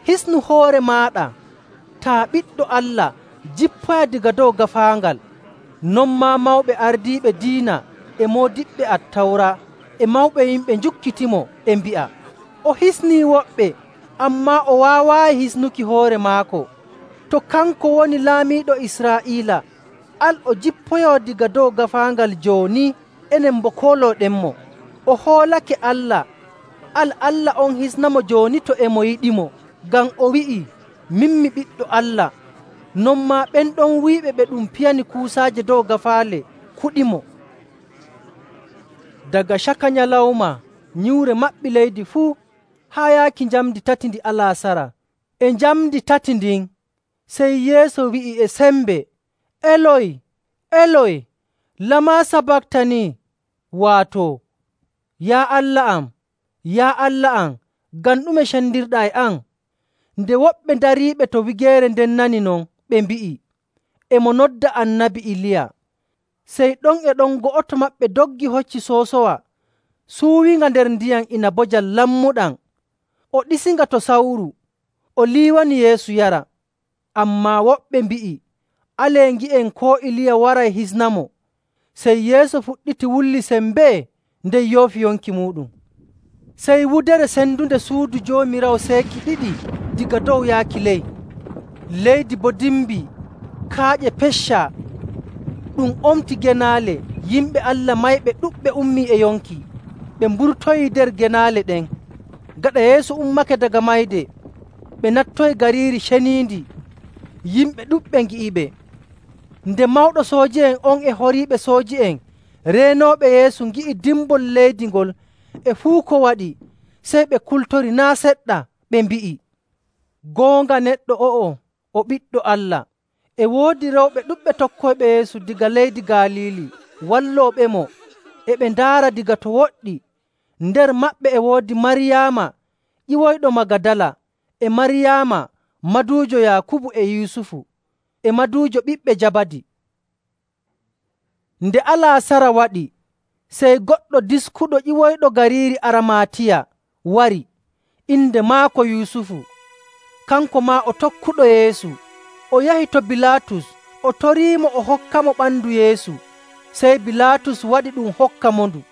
S2: hisnu hoore maaɗa. Taa Ɓiɗɗo Allah, jippoya daga dow gaafaangal.” Non maa mawɓe ardiiɓe diina e moodiɓɓe Attawra e mawɓe yimɓe njukkitimo e mbi'a, “O hisnii woɓɓe, ammaa o waawaayi hisnuki hoore maako. To kanko woni Laamiiɗo Israa'iila, al o jippoyoo daga dow gaafaangal jooni, enen boo koolooɗenmo. O hoolake Allah, al Allah on hisnamo jooni to e mo yiɗimo, ngam o wi'ii, ‘Min mi Ɓiɗɗo Allah.’” Non maa ɓen ɗon wuyɓe ɓe ɗum piyani kuusaaje dow gaafaale kuɗimo. Daga caka nyalawma nyiwre maɓɓi leydi fuu haa yaaki njamndi tati ndi alaasara. E njamndi tati ndin, sey Yeesu wi'i e sembe, “Eloy, Eloy, lamaa sabaktanii?” Waato, “Yaa Allah am, yaa Allah am, ngam ɗume cendirɗaa e am?” Nde woɓɓe dariiɓe to wigeere nden nani non, ɓe mbi'i, “E mo nodda Annabi Iliya.” Sey ɗon e ɗon go'oto maɓɓe doggi hocci soosowa, suuwinga nder ndiyam inabojam lammuɗam, o ɗisinga to sawru, o liiwani Yeesu yara. Ammaa woɓɓe mbi'i, “Alee ngi'en koo Iliya waray hisnamo.” Sey Yeesu fuɗɗiti wulli sembee nden yoofi yonki muuɗum. Sey wudere sendunde suudu Joomiraawo seeki ɗiɗi diga dow yaaki ley. Leydi boo dimbii, kaaƴe peccaa, ɗum omti genaale. Yimɓe Allah mayɓe ɗuɗɓe ummii e yonki, ɓe mburtoyii nder genaale ɗen. Gaɗa Yeesu ummake daga mayde, ɓe nattoyi gariiri ceniindi. Yimɓe ɗuɗɓe ngi'iɓe. Nde mawɗo sooji'en on e horiiɓe sooji'en reenooɓe Yeesu ngi'i dimbol leydi ngol e fuu ko waɗi, sey ɓe kultori naa' seɗɗa, ɓe mbi'i, “Goonga neɗɗo o'o o Ɓiɗɗo Allah.” E woodi rewɓe ɗuɗɓe tokkoyɓe Yeesu daga leydi Galiili wallooɓemo, e ɓe ndaara daga to woɗɗi. Nder maɓɓe e woodi Maryaama ƴiwoyɗo Magadala, e Maryaama maduujo Yaakubu e Yusufu, e maduujo ɓiɓɓe Jabadi. Nde alaasara waɗi, sey goɗɗo diskuɗo ƴiwoyɗo gariiri Aramatiya wari, inde maako Yusufu. Kanko maa o tokkuɗo Yeesu. O yahi to Bilaatus, o toriimo o hokkamo ɓandu Yeesu. Sey Bilaatus waɗi ɗum hokka mo ndu.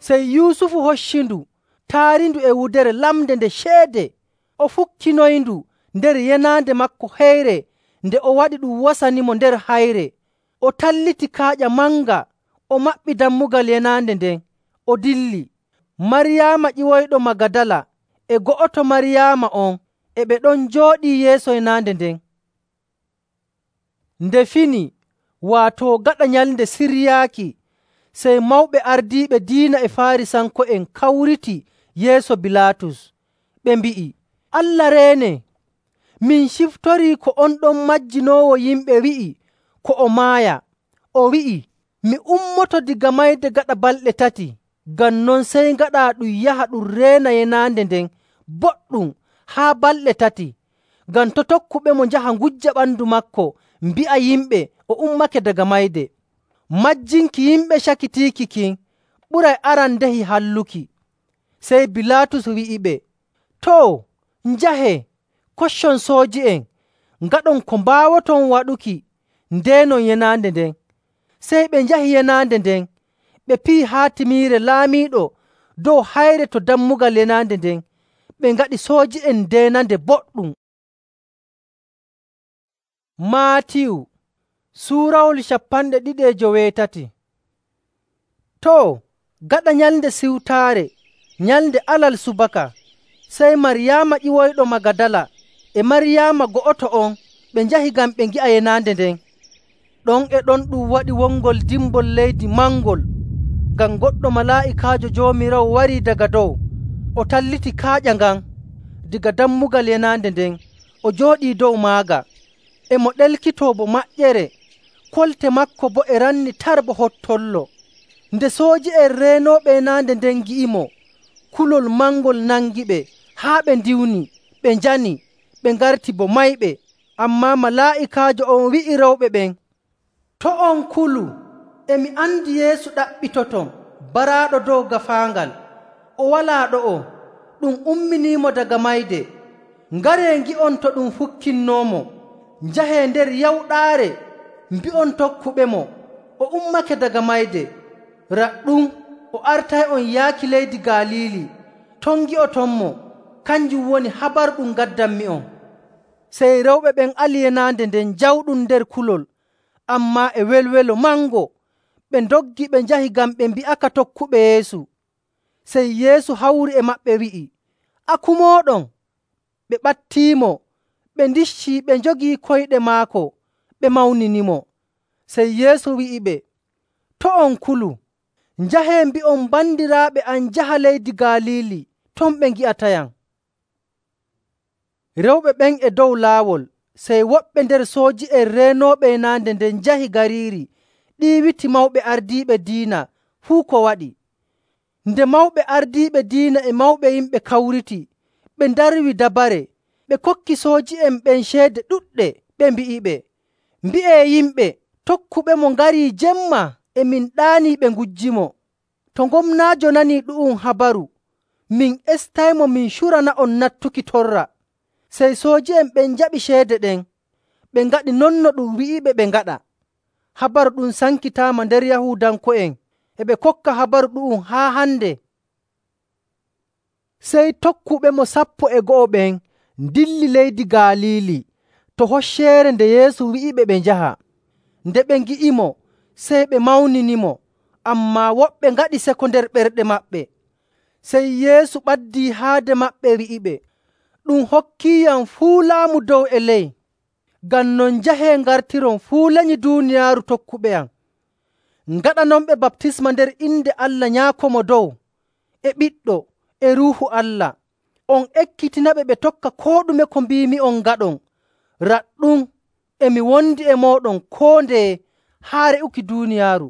S2: Sey Yusufu hoccindu, taarindu e wudere lamde nde ceede. O fukkinoyindu nder yenaande maako heyre nde o waɗi ɗum wasanimo nder hayre. O talliti kaaƴa manga, o maɓɓi dammugal yenaande nden, o dilli. Maryaama ƴiwoyɗo Magadala e go'oto Maryaama on e ɓe ɗon njooɗii yeeso yenaande nden. Nde fini, waato gaɗa nyalnde siryaaki, sey mawɓe ardiiɓe diina e Faarisanko'en kawriti yeeso Bilaatus. Ɓe mbi'i, “Allah reene! Min ciftorii ko on ɗon majjinoowo yimɓe wi'i ko o maaya. O wi'i, ‘Mi ummoto daga mayde gaɗa balɗe tati.’ Ngam non sey ngaɗaa ɗum yaha ɗum reena yenaande nden boɗɗum haa balɗe tati, ngam to' tokkuɓemo njaha ngujja ɓandu maako mbi'a yimɓe o ummake daga mayde. Majjinki yimɓe cakitiiki kin ɓuray arandehi halluki.” Sey Bilaatus wi'iɓe, “Too, njahee, koccon sooji'en, ngaɗon ko mbaawoton waɗuki ndeenon yenaande nden. Sey ɓe njahi yenaande nden, ɓe piyi haatimiire laamiiɗo dow hayre to dammugal yenaande nden, ɓe ngaɗi sooji'en ndeenande boɗɗum. Maatiyu suurawol cappanɗe ɗiɗi e joweetati. Too, gaɗa Nyalnde Siwtaare, nyalnde alal subaka, sey Maryaama ƴiwoyɗo Magadala e Maryaama go'oto on ɓe njahi ngam ɓe ngi'a yenaande nden. Ɗon e ɗon ɗum waɗi wongol dimbol leydi mangol, ngam goɗɗo malaa'ikaajo Joomiraawo warii daga dow, o talliti kaaƴa ngan daga dammugal yenaande nden, o jooɗii dow maaga. E mo ɗelkitoo bo maƴƴere, kolte maako boo e ranni tar bo hottollo. Nde sooji'en reenooɓe yenaande nden ngi'imo, kulol mangol nangiɓe haa ɓe ndiwni, ɓe njani, ɓe ngarti bo mayɓe. Ammaa malaa'ikaajo on wi'i rewɓe ɓen, “To' on kulu. E mi andi Yeesu ɗaɓɓitoton, baraaɗo dow gaafaangal. O walaa ɗo'o, ɗum umminiimo daga mayde. Ngaree ngi'on to ɗum fukkinnoomo. Njahee nder yawɗaare mbi'on tokkuɓemo, o ummake daga mayde. Raɗɗum o artay'on yaaki leydi Galiili. Ton ngi'otonmo. Kanjum woni habaru ɗum ngaddanmi'on.” Sey rewɓe ɓen ali yenaande nden jawɗum nder kulol, ammaa e welwelo mango. Ɓe ndoggi ɓe njahi ngam ɓe mbi'aka tokkuɓe Yeesu. Sey Yeesu hawri e maɓɓe wi'i, “A kumooɗon?” Ɓe ɓattiimo, ɓe ndiccii, ɓe njogii koyɗe maako, ɓe mawninimo. Sey Yeesu wi'iɓe, “To' on kulu. Njahee mbi'on bandiraaɓe am njaha leydi Galiili, ton ɓe ngi'atayam.” Rewɓe ɓen e dow laawol, sey woɓɓe nder sooji'en reenooɓe yenaande nden njahi gariiri ɗiiwiti mawɓe ardiiɓe diina fuu ko waɗi. Nde mawɓe ardiiɓe diina e mawɓe yimɓe kawriti, ɓe ndarwi dabare, ɓe kokki sooji'en ɓen ceede ɗuɗɗe, ɓe mbi'iɓe, “Mbi'ee yimɓe, tokkuɓemo ngarii jemma, e min ɗaanii ɓe ngujjimo. To gomnaajo nanii ɗu'um habaru, min estaymo min curana'on nattuki torra.” Sey sooji'en ɓen njaɓi ceede ɗen, ɓe ngaɗi non no ɗum wi'iɓe ɓe ngaɗa. Habaru ɗum sankitaama nder Yahuudanko'en, e ɓe kokka habaru ɗu'um haa hande. Sey tokkuɓemo sappo e go'o ɓen ndilli leydi Galiili to hocceere nde Yeesu wi'iɓe ɓe njaha. Nde ɓe ngi'imo, sey ɓe mawninimo, ammaa woɓɓe ngaɗi seko nder ɓerɗe maɓɓe. Sey Yeesu ɓaddii haade maɓɓe wi'iɓe, “Ɗum hokkiiyam fuu laamu dow e ley. Ngam non njahee ngartiron fuu lenyi duuniyaaru tokkuɓe am. Ngaɗanonɓe baptisma nder inde Allah Nyaako Mo Dow, e Ɓiɗɗo, e Ruuhu Allah. On ekkitinaɓe ɓe tokka koo ɗume ko mbiimi'on ngaɗon. Raɗɗum, e mi wondi e mooɗon koo ndeye haa re'uki duuniyaaru.”